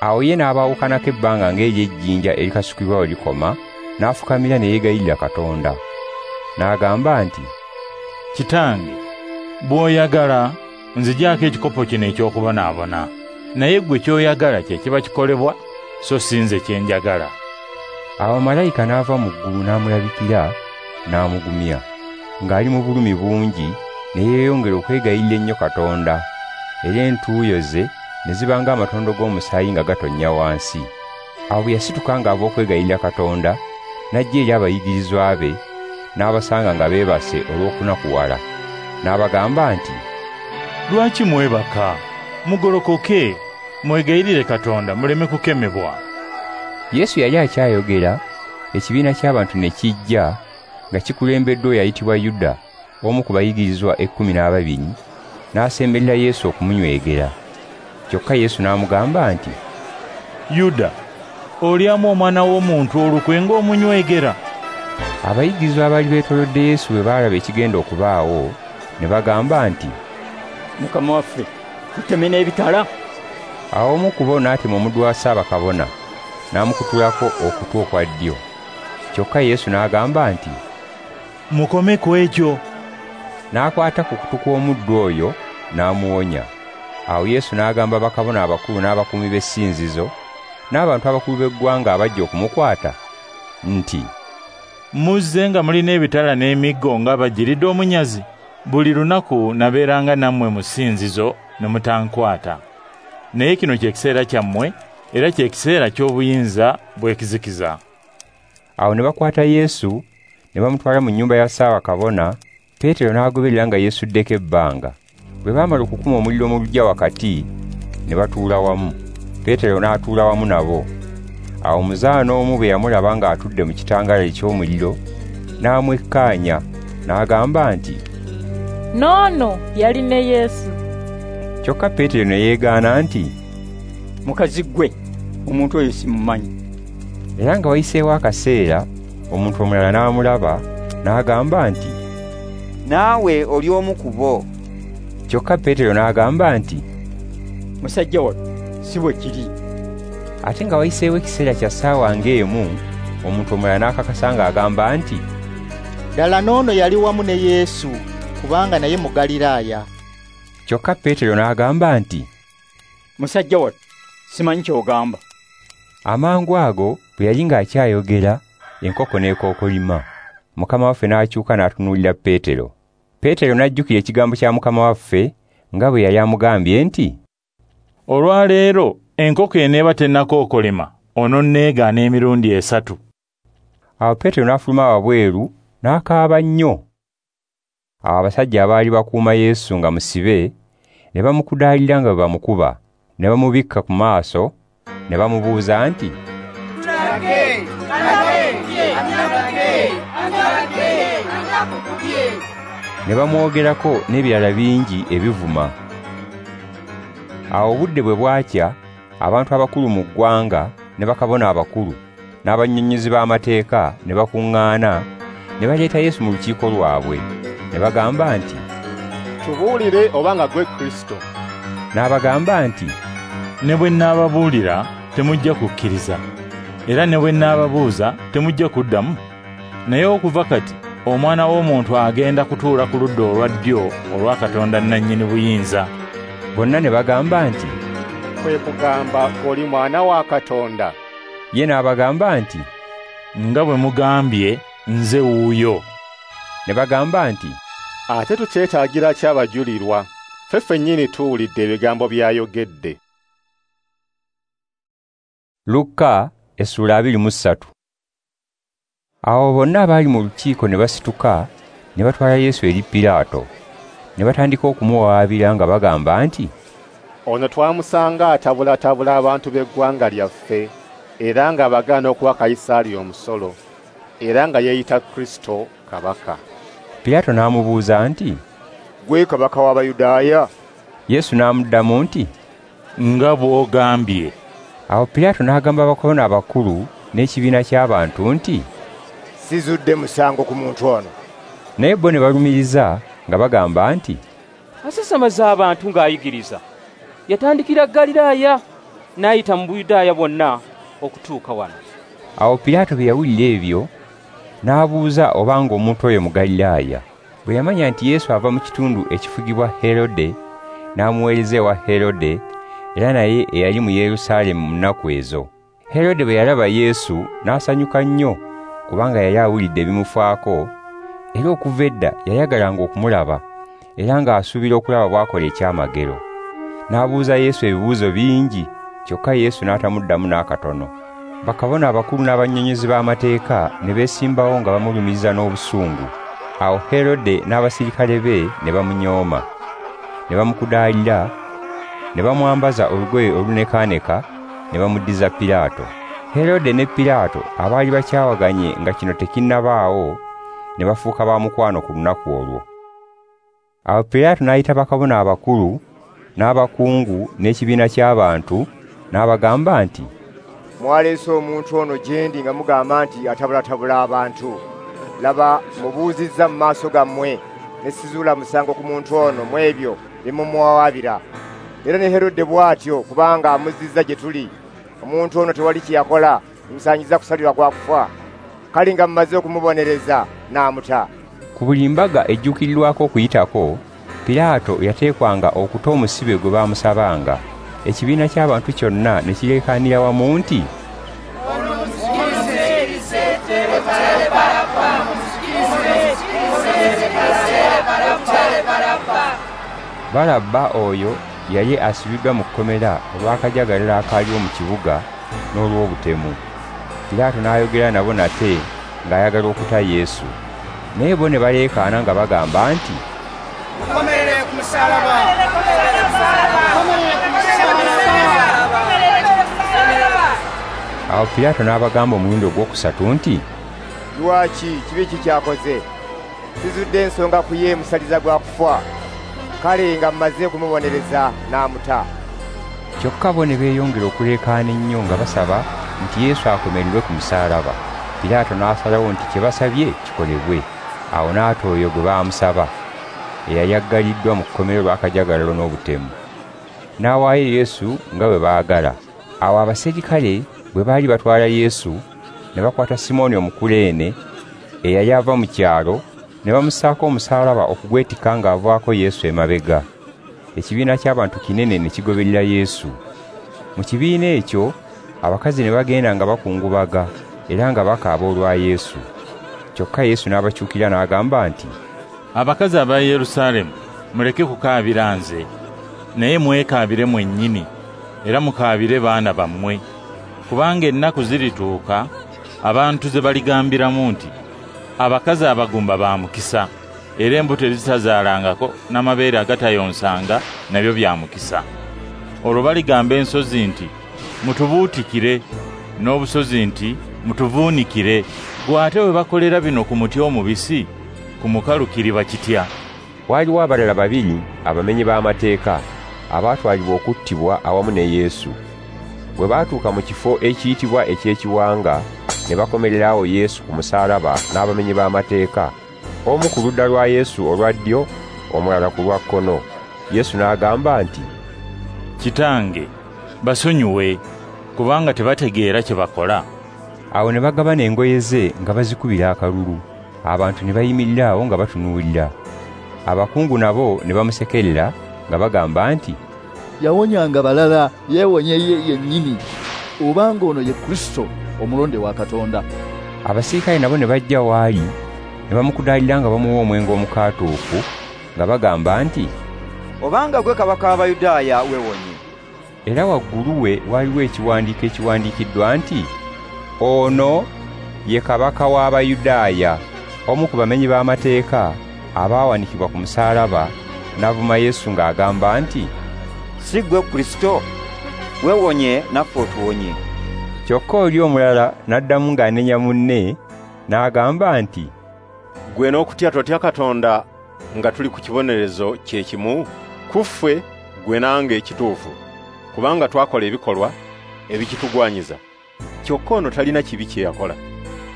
Awo ye n'abaawukanako ebbanga ng'ery'ejjinja erikasukibwa we likoma, n'afukamira ne yeegayirira Katonda. N'agamba nti, Kitange, bw'oyagala nzigyako ekikopo kino eky'okubonaabona, naye ggwe ky'oyagala kye kiba kikolebwa, so si nze kye njagala. Awo malayika n'ava mu ggulu n'amulabikira n'amugumya, ng'ali mu bulumi bungi, ne yeeyongera okwegayirira ennyo Katonda, era entuuyo ze ne ziba ng'amatondo g'omusaayi nga gatonnya wansi. Awo bwe yasituka ng'ava okwegayirira Katonda, n'ajja eri abayigirizwa be, n'abasanga nga beebase olw'okunakuwala. N'abagamba nti, Lwaki mwebaka? Mugolokoke, mwegayirire Katonda muleme kukemebwa. Yesu yali akyayogera, ekibiina ky'abantu ne kijja nga kikulembeddwa oyo ayitibwa Yuda, omu ku bayigirizwa 12, n'asemberera Yesu okumunywegera. Kyokka Yesu n'amugamba nti, Yuda, olyamu omwana w'omuntu olukwe ng'omunywegera? Abayigirizwa abaali beetoolodde Yesu bwe baalaba ekigenda okubaawo, ne bagamba nti, Mukama waffe, tuteme n'ebitala? Awo omu ku bo n'atema omuddu wa Ssaabakabona, n'amukutulako okutu okwa ddyo. Kyokka Yesu n'agamba nti, Mukome ku ekyo. N'akwata ku kutu kw'omuddu oyo n'amuwonya. Awo Yesu n'agamba bakabona abakulu n'abakuumi b'essinzizo n'abantu abakulu b'eggwanga abajja okumukwata nti, Muzze nga mulina ebitala n'emiggo ng'abajiridde omunyazi. Buli lunaku nabeeranga nammwe mu ssinzizo ne mutankwata. Naye kino kye kiseera kyammwe, era kye kiseera ky'obuyinza bw'ekizikiza. Awo ne bakwata Yesu ne bamutwala mu nnyumba ya Ssaabakabona. Peetero n'agoberera nga yeesuddeko ebbanga. Bwe baamala okukuma omuliro mu luggya wakati, ne batuula wamu. Peetero n'atuula wamu nabo. Awo omuzaana omu bwe yamulaba ng'atudde mu kitangaala eky'omuliro, n'amwekkaanya, n'agamba nti, N'ono yali ne Yesu. Kyokka Peetero ne yeegaana nti, Mukazi ggwe, omuntu oyo simumanyi. Era nga wayiseewo akaseera, omuntu omulala n'amulaba, n'agamba nti, Naawe oli omu ku bo. Kyokka Peetero n'agamba nti, Musajja wattu, si bwe kiri. Ate nga wayiseewo ekiseera kya ssaawa ng'emu, omuntu omulala n'akakasa ng'agamba nti, Ddala n'ono yali wamu ne Yesu, kubanga naye Mugaliraaya. Kyokka Peetero n'agamba nti, Musajja wattu, simanyi ky'ogamba. Amangu ago bwe yali ng'akyayogera, enkoko n'ekookolima. Mukama waffe n'akyuka n'atunuulira Peetero. Peetero n'ajjukira ekigambo kya Mukama waffe nga bwe yali amugambye nti, Olwaleero enkoko eneeba tennakookolima, ononneegaana emirundi 3. Awo Peetero n'afuluma wabweru n'akaaba nnyo. Awo abasajja abaali bakuuma Yesu nga musibe ne bamukudaalira nga bwe bamukuba, ne bamubikka ku maaso, ne bamubuuza nti, Ne bamwogerako n'ebirala bingi ebivuma. Awo obudde bwe bwakya, abantu abakulu mu ggwanga ne bakabona abakulu n'abannyonnyozi b'amateeka ne bakuŋŋaana ne baleeta Yesu mu lukiiko lwabwe. Ne bagamba nti, Tubuulire obanga ggwe Kristo. N'abagamba nti, Ne bwe nnaababuulira temujja kukkiriza, era ne bwe nnaababuuza temujja kuddamu. Naye okuva kati Omwana w'omuntu agenda kutuula ku ludda olwa ddyo olwa Katonda nnannyini buyinza. Bonna ne bagamba nti, Kwe kugamba oli mwana wa Katonda. Ye n'abagamba nti, Nga bwe mugambye, nze wuuyo. Ne bagamba nti, Ate tukyetaagira ki abajulirwa? Ffe ffennyini tuwulidde ebigambo by'ayogedde. Lukka essula 23. Awo bonna abaali mu lukiiko ne basituka ne batwala Yesu eri Piraato. Ne batandika okumuwawaabira nga bagamba nti, Ono twamusanga atabulatabula abantu b'eggwanga lyaffe, era ng'abagaana okuwa Kayisaali omusolo, era nga yeeyita Kristo kabaka. Piraato n'amubuuza nti, Ggwe kabaka w'Abayudaaya? Yesu n'amuddamu nti, Nga bw'ogambye. Awo Piraato n'agamba bakabona abakulu n'ekibiina ky'abantu nti, Sizudde musango ku muntu ono. Naye bo ne balumiriza nga bagamba nti, Asasamaza abantu ng'ayigiriza. Yatandikira Ggaliraaya n'ayita mu Buyudaaya bwonna okutuuka wano. Awo Piraato bwe yawulira ebyo, n'abuuza obanga omuntu oyo Mugaliraaya. Bwe yamanya nti Yesu ava mu kitundu ekifugibwa Herode, n'amuweereza ewa Herode, era naye eyali mu Yerusaalemu mu nnaku ezo. Herode bwe yalaba Yesu n'asanyuka nnyo, kubanga yali awulidde ebimufaako, era okuva edda yayagalanga okumulaba, era ng'asuubira okulaba bw'akola ekyamagero. N'abuuza Yesu ebibuuzo bingi, kyokka Yesu n'atamuddamu n'akatono. Bakabona abakulu n'abannyonnyozi b'amateeka ne beesimbawo nga bamulumiriza n'obusungu. Awo Herode n'abasirikale be ne bamunyooma, ne bamukudaalira, ne bamwambaza olugoye olunekaaneka, ne bamuddiza Piraato. Herode ne Piraato abaali bakyawaganye nga kino tekinnabaawo, ne bafuuka ba mukwano ku lunaku olwo. Awo Piraato n'ayita bakabona abakulu n'abakungu n'ekibiina ky'abantu, n'abagamba nti, "Mwaleese omuntu ono gye ndi nga mugamba nti atabulatabula abantu. Laba mubuuzizza mu maaso gammwe, ne sizuula musango ku muntu ono mu ebyo bye mumuwawaabira. Era ne Herode bw'atyo, kubanga amuzzizza gye tuli. Omuntu ono tewali kye yakola kimusaanyiza kusalirwa gwa kufa. Kale nga mumaze okumubonereza, n'amuta." Ku buli mbaga ejjuukirirwako Okuyitako, Piraato yateekwanga okuta omusibe gwe baamusabanga. Ekibiina ky'abantu kyonna ne kireekaanira wamu nti, Balabba oyo yali asibiddwa mu kkomera olw'akajagalalo akaaliwo mu kibuga n'olw'obutemu. Piraato n'ayogera nabo nate ng'ayagala okuta Yesu. Naye bo ne baleekaana nga bagamba nti, "Mukomerere ku musaalaba! Awo Piraato n'abagamba omulundi ogwokusatu nti, "Lwaki kibi ki ky'akoze? Sizudde ensonga ku ye musaliza gwa kufa. Kale nga mmaze okumubonereza n'amuta." Kyokka bo ne beeyongera okuleekaana ennyo nga basaba nti Yesu akomererwe ku musaalaba. Piraato n'asalawo nti kye basabye kikolebwe. Awo n'ata oyo gwe baamusaba, eyali aggaliddwa mu kkomera olw'akajagalalo n'obutemu. N'awaayo Yesu nga bwe baagala. Awo abaserikale bwe baali batwala Yesu, ne bakwata Simooni Omukuleene, eyali ava mu kyalo, ne bamussaako omusaalaba okugwetikka ng'avaako Yesu emabega. Ekibiina ky'abantu kinene ne kigoberera Yesu. Mu kibiina ekyo abakazi ne bagenda nga bakungubaga era nga bakaaba olwa Yesu. Kyokka Yesu n'abakyukira n'agamba nti, "Abakazi aba Yerusaalemu, muleke kukaabira nze, naye mwekaabire mwennyini, era mukaabire baana bammwe. Kubanga ennaku zirituuka abantu ze baligambiramu nti, abakazi abagumba ba mukisa, era embuto ezitazaalangako n'amabeere agatayonsanga nabyo bya mukisa. Olwo baligamba ensozi nti, mutubuutikire, n'obusozi nti, mutuvuunikire. Ggwe ate bwe bakolera bino ku muti omubisi, ku mukalu kiriba kitya?" Waaliwo abalala babiri abamenyi b'amateeka abaatwalibwa okuttibwa awamu ne Yesu. Bwe baatuuka mu kifo ekiyitibwa eky'Ekiwanga, ne bakomerera awo Yesu ku musaalaba n'abamenyi b'amateeka, omu ku ludda lwa Yesu olwa ddyo, omulala ku lwa kkono. Yesu n'agamba nti, "Kitange, basonyiwe, kubanga tebategeera kye bakola." Awo ne bagabana engoye ze nga bazikubira akalulu. Abantu ne bayimirira awo nga batunuulira. Abakungu nabo ne bamusekerera nga bagamba nti, "Yawonyanga balala, yeewonye ye yennyini, obanga ono ye Kristo omulonde wa Katonda." Abasirikale nabo ne bajja w'ali, ne bamukudaalira nga bamuwa omwenge omukaatuufu, nga bagamba nti, "Obanga gwe kabaka w'Abayudaaya, weewonye." Era waggulu we waaliwo ekiwandiiko ekiwandiikiddwa nti, "Ono ye kabaka w'Abayudaaya." Omu ku bamenyi b'amateeka abaawanikibwa ku musaalaba n'avuma Yesu ng'agamba nti, "Si ggwe Kristo? Weewonye naffe otuwonye." Kyokka oli omulala n'addamu ng'anenya munne n'agamba nti, "Ggwe n'okutya totya Katonda nga tuli ku kibonerezo kye kimu? Ku ffe ggwe nange ekituufu, kubanga twakola ebikolwa ebikitugwanyiza. Kyokka ono talina kibi kye yakola."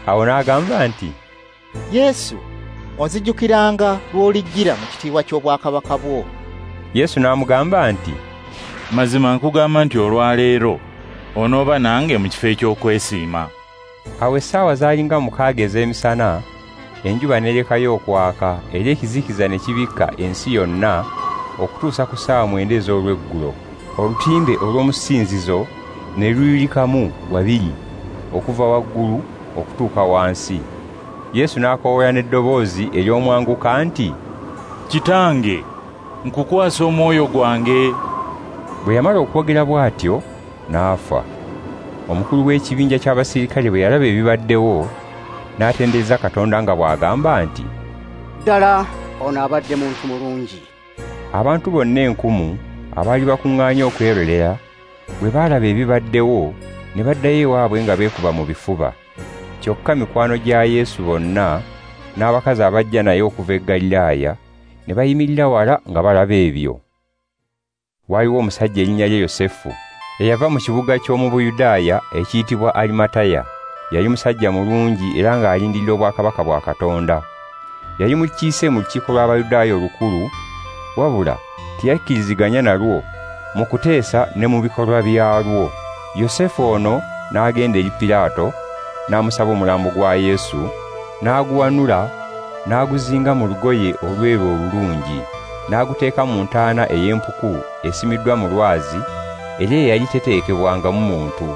Awo n'agamba nti, "Yesu, onzijjukiranga lw'olijjira mu kitiibwa ky'obwakabaka bwo." Yesu n'amugamba nti, "Mazima nkugamba nti olwaleero onooba nange mu kifo eky'okwesiima." Awo essaawa zaali nga 6 ez'emisana, enjuba n'erekayo okwaka era ekizikiza ne kibikka ensi yonna okutuusa ku ssaawa 9 ez'olweggulo. Olutimbe olw'omusinzizo ne luyulikamu wabiri okuva waggulu okutuuka wansi. Yesu n'akoowoola n'eddoboozi ery'omwanguka nti, "Kitange, nkukwasa omwoyo gwange." Bwe yamala okwogera bw'atyo n'afa. Omukulu w'ekibinja ky'abasirikale bwe yalaba ebibaddewo, n'atendereza Katonda nga bw'agamba nti, "Ddala ono abadde muntu mulungi." Abantu bonna enkumu abaali bakuŋŋaanye okwerolera bwe baalaba ebibaddewo ne baddayo ewaabwe nga beekuba mu bifuba. Kyokka mikwano gya Yesu bonna n'abakazi abajja naye okuva e Galilaaya ne bayimirira wala nga balaba ebyo. Waaliwo omusajja erinnya lye Yosefu, eyava mu kibuga ky'omu Buyudaaya ekiyitibwa Arimataya. Yali musajja mulungi era ng'alindirira obwakabaka bwa Katonda. Yali mukiise mu lukiiko lw'Abayudaaya olukulu, wabula teyakkiriziganya nalwo mu kuteesa ne mu bikolwa byalwo. Yosefu ono n'agenda eri Piraato n'amusaba omulambo gwa Yesu, n'aguwanula n'aguzinga mu lugoye olweru olulungi, n'aguteeka mu ntaana ey'empuku esimiddwa mu lwazi era eyali teteekebwangamu muntu.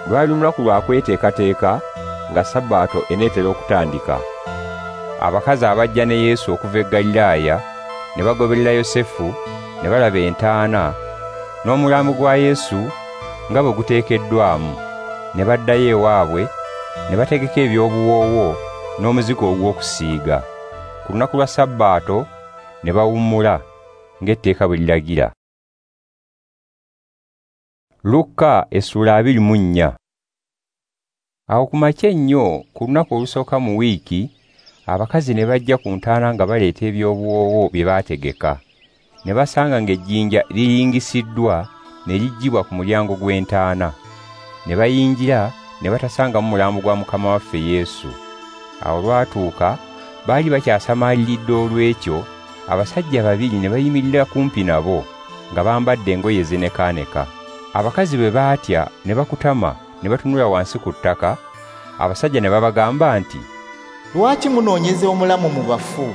Lwali lunaku lwa kweteekateeka nga Sabbaato eneetera okutandika. Abakazi abajja ne Yesu okuva e Galilaaya ne bagoberera Yosefu ne balaba entaana n'omulambo gwa Yesu nga bwe guteekeddwamu, ne baddayo ewaabwe ne bategeka eby'obuwoowo n'omuzigo ogw'okusiiga. Ku lunaku lwa Sabbaato ne bawummula ng'etteeka bwe liragira. Lukka essula 24. Awo ku makya ennyo ku lunaku olusooka mu wiiki, abakazi ne bajja ku ntaana nga baleeta eby'obuwoowo bye baategeka. Ne basanga ng'ejjinja liyingisiddwa ne liggyibwa ku mulyango gw'entaana. Ne bayingira ne batasangamu mulambo gwa Mukama waffe Yesu. Awo lwatuuka baali bakyasamaaliridde olw'ekyo, abasajja babiri ne bayimirira kumpi nabo nga bambadde engoye ezinekaaneka. Abakazi bwe baatya ne bakutama ne batunula wansi ku ttaka, abasajja ne babagamba nti, "Lwaki munoonyeza omulamu mu bafu?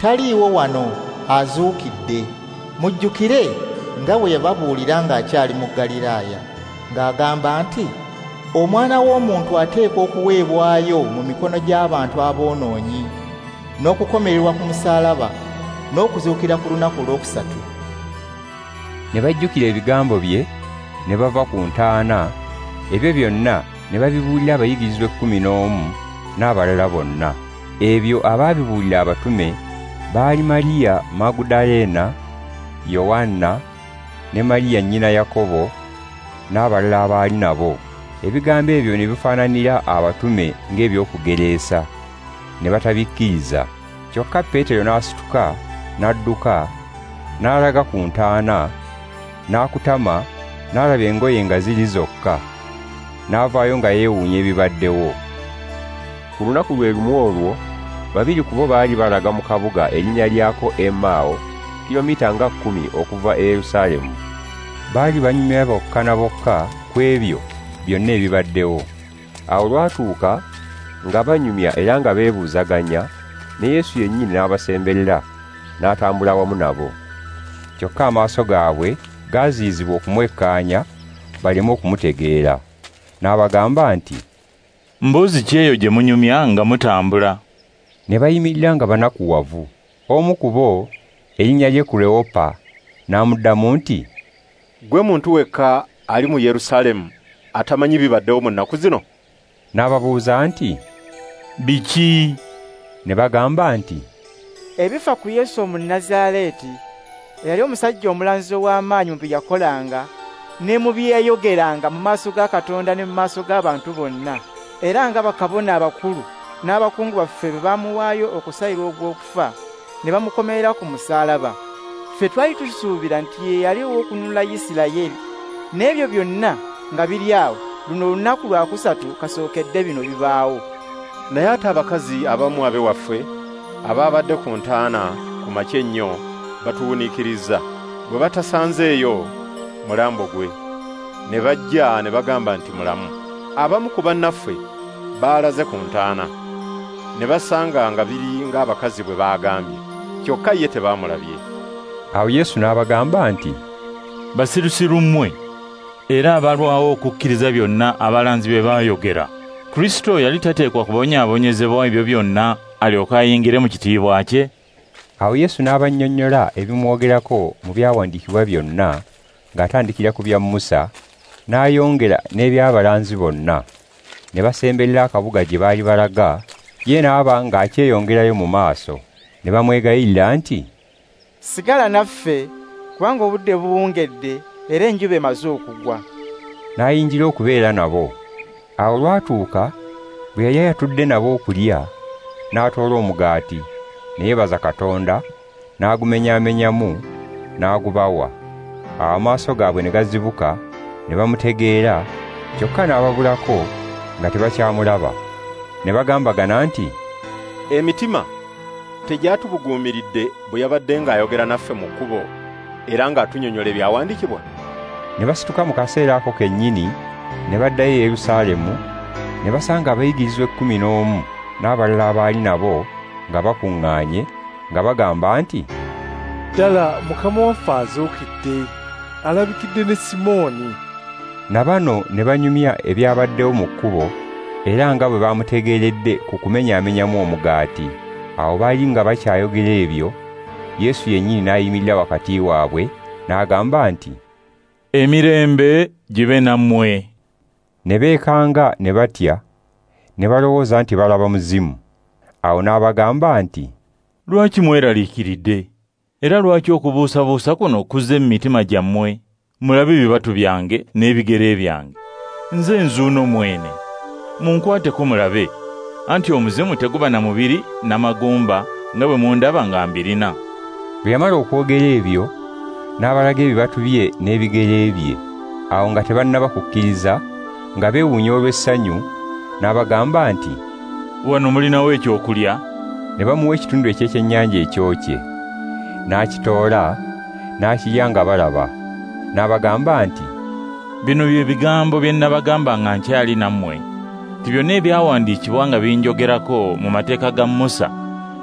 Taliiwo wano, azuukidde. Mujjukire nga bwe yababuulira ng'akyali mu Galilaaya, ng'agamba nti, Omwana w'omuntu ateekwa okuweebwayo mu mikono gy'abantu aboonoonyi, n'okukomererwa ku musaalaba, n'okuzuukira ku lunaku olwokusatu." Ne bajjukira ebigambo bye, ne bava ku ntaana, ebyo byonna ne babibuulira abayigirizwa 11 n'abalala bonna. Ebyo abaabibuulira abatume baali Mariya Magudalena, Yowanna ne Mariya nnyina Yakobo n'abalala abaali nabo. Ebigambo ebyo ne bifaananira abatume ng'ebyokugereesa, ne batabikkiriza. Kyokka Peetero n'asituka n'adduka n'alaga ku ntaana, n'akutama n'alaba engoye nga ziri zokka, n'avaayo nga yeewuunya ebibaddewo. Ku lunaku lwe lumu olwo, babiri ku bo baali balaga mu kabuga erinnya lyako Emmaawo, kilomita nga 10 okuva e Yerusaalemu. Baali banyumya bokka na bokka ku ebyo byonna ebibaddewo. Awo lwatuuka nga banyumya era nga beebuuzaganya, ne Yesu yennyini n'abasemberera n'atambula wamu nabo. Kyokka amaaso gaabwe gaaziyizibwa okumwekkaanya baleme okumutegeera. N'abagamba nti, "Mbuzi ki eyo gye munyumya nga mutambula?" Ne bayimirira nga banakuwavu. Omu ku bo, erinnya lye Kuleopa, n'amuddamu nti, "Ggwe muntu wekka ali mu Yerusaalemu atamanyi bibaddewo mu nnaku zino?" N'ababuuza nti, "Biki?" Ne bagamba nti, "Ebifa ku Yesu Omunnazaaleeti, eyali omusajja omulanzi ow'amaanyi mu bye yakolanga ne mu bye yayogeranga mu maaso ga Katonda ne mu maaso g'abantu bonna, era nga bakabona abakulu n'abakungu baffe bwe baamuwaayo okusalirwa ogw'okufa ne bamukomerera ku musaalaba. Ffe twali tusuubira nti ye yali ow'okununula Isirayiri, n'ebyo byonna nga biri awo, luno lunaku lwakusatu kasookedde bino bibaawo." Naye ate abakazi abamu ab'ewaffe abaabadde ku ntaana ku makya ennyo batuwuniikirizza bwe batasanzeeyo mulambo gwe, ne bajja ne bagamba nti mulamu. Abamu ku bannaffe baalaze ku ntaana, ne basanga nga biri ng'abakazi bwe baagambye, kyokka ye tebaamulabye. Awo Yesu n'abagamba nti, Basirusiru mmwe, era abalwawo okukkiriza byonna abalanzi bye baayogera. Kristo yali tateekwa kubonyaabonyezebwa ebyo byonna alyoke ayingire mu kitiibwa kye? Awo Yesu n'abannyonnyola ebimwogerako mu byawandiikibwa byonna, ng'atandikira ku bya Musa, n'ayongera n'eby'abalanzi bonna. Ne basemberera akabuga gye baali balaga, ye n'aba ng'akyeyongerayo mu maaso. Ne bamwegayirira nti, Sigala naffe, kubanga obudde buwungedde era enjuba emaze okugwa. N'ayingira okubeera nabo. Awo olwatuuka, bwe yali atudde nabo okulya, n'atoola omugaati, ne yeebaza Katonda, n'agumenyaamenyamu, n'agubawa. Awo amaaso gaabwe ne gazibuka, ne bamutegeera, kyokka n'ababulako nga tebakyamulaba. Ne bagambagana nti, Emitima tegyatubuguumiridde bwe yabadde ng'ayogera naffe mu kkubo era ng'atunnyonnyola ebyawandiikibwa? Ne basituka mu kaseera ako kennyini, ne baddayo e Yerusaalemu, ne basanga abayigirizwa 11 n'abalala abaali nabo nga bakuŋŋaanye, nga bagamba nti, Ddala Mukama waffe azuukidde, alabikidde ne Simooni. Na bano ne banyumya ebyabaddewo mu kkubo, era nga bwe bamutegeeredde ku kumenyaamenyamu omugaati. Awo baali nga bakyayogera ebyo, Yesu yennyini n'ayimirira wakati waabwe, n'agamba nti, Emirembe gibe nammwe. Ne beekanga ne batya, ne balowooza nti balaba muzimu. Awo n'abagamba nti, Lwaki mweraliikiridde? Era lwaki okubuusabuusa kuno kuzze mu mitima gyammwe? Mulabe ebibatu byange n'ebigere byange. Nze nzuuno mwene. Munkwateko mulabe, anti omuzimu teguba na mubiri n'amagumba nga bwe mundaba nga mbirina. Bwe yamala okwogera ebyo, n'abalaga ebibatu bye n'ebigere bye. Awo nga tebannaba kukkiriza, nga beewuunya olw'essanyu, n'abagamba nti, Wano mulinawo ekyokulya? Ne bamuwa ekitundu eky'ekyennyanja ekyokye. N'akitoola, n'akirya nga balaba. N'abagamba nti, Bino bye bigambo bye nabagamba nga nkyali nammwe, nti byonna ebyawandiikibwa nga binjogerako mu mateeka ga Musa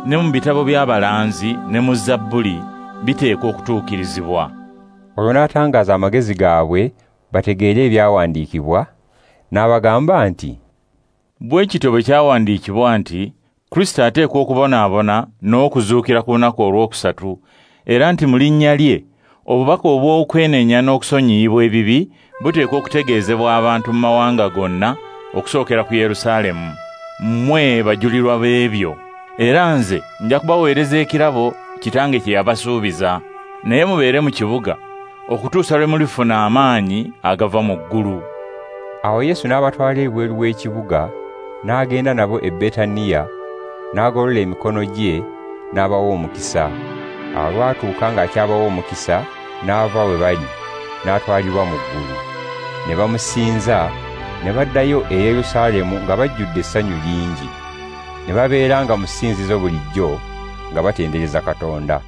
ne mu bitabo by'abalanzi ne mu Zabbuli biteekwa okutuukirizibwa. Olwo n'atangaaza amagezi gaabwe bategeere ebyawandiikibwa, n'abagamba nti, Bwe kityo bwe kyawandiikibwa nti Kristo ateekwa okubonaabona n'okuzuukira ku lunaku olwokusatu, era nti mu linnya lye obubaka obw'okwenenya n'okusonyiyibwa ebibi buteekwa okutegeezebwa abantu mu mawanga gonna okusookera ku Yerusaalemu. Mmwe bajulirwa b'ebyo. Era nze nja kubaweereza ekirabo Kitange kye yabasuubiza. Naye mubeere mu kibuga okutuusa lwe mulifuna amaanyi agava mu ggulu. Awo Yesu n'abatwala ebweru w'ekibuga, n'agenda nabo e Betaniya, n'agolola emikono gye n'abawa omukisa. Awo lwatuuka ng'akyabawa omukisa, n'ava we bali, n'atwalibwa mu ggulu. Ne bamusinza, ne baddayo e Yerusaalemu nga bajjudde essanyu lingi. Ne babeeranga mu ssinzizo bulijjo nga batendereza Katonda.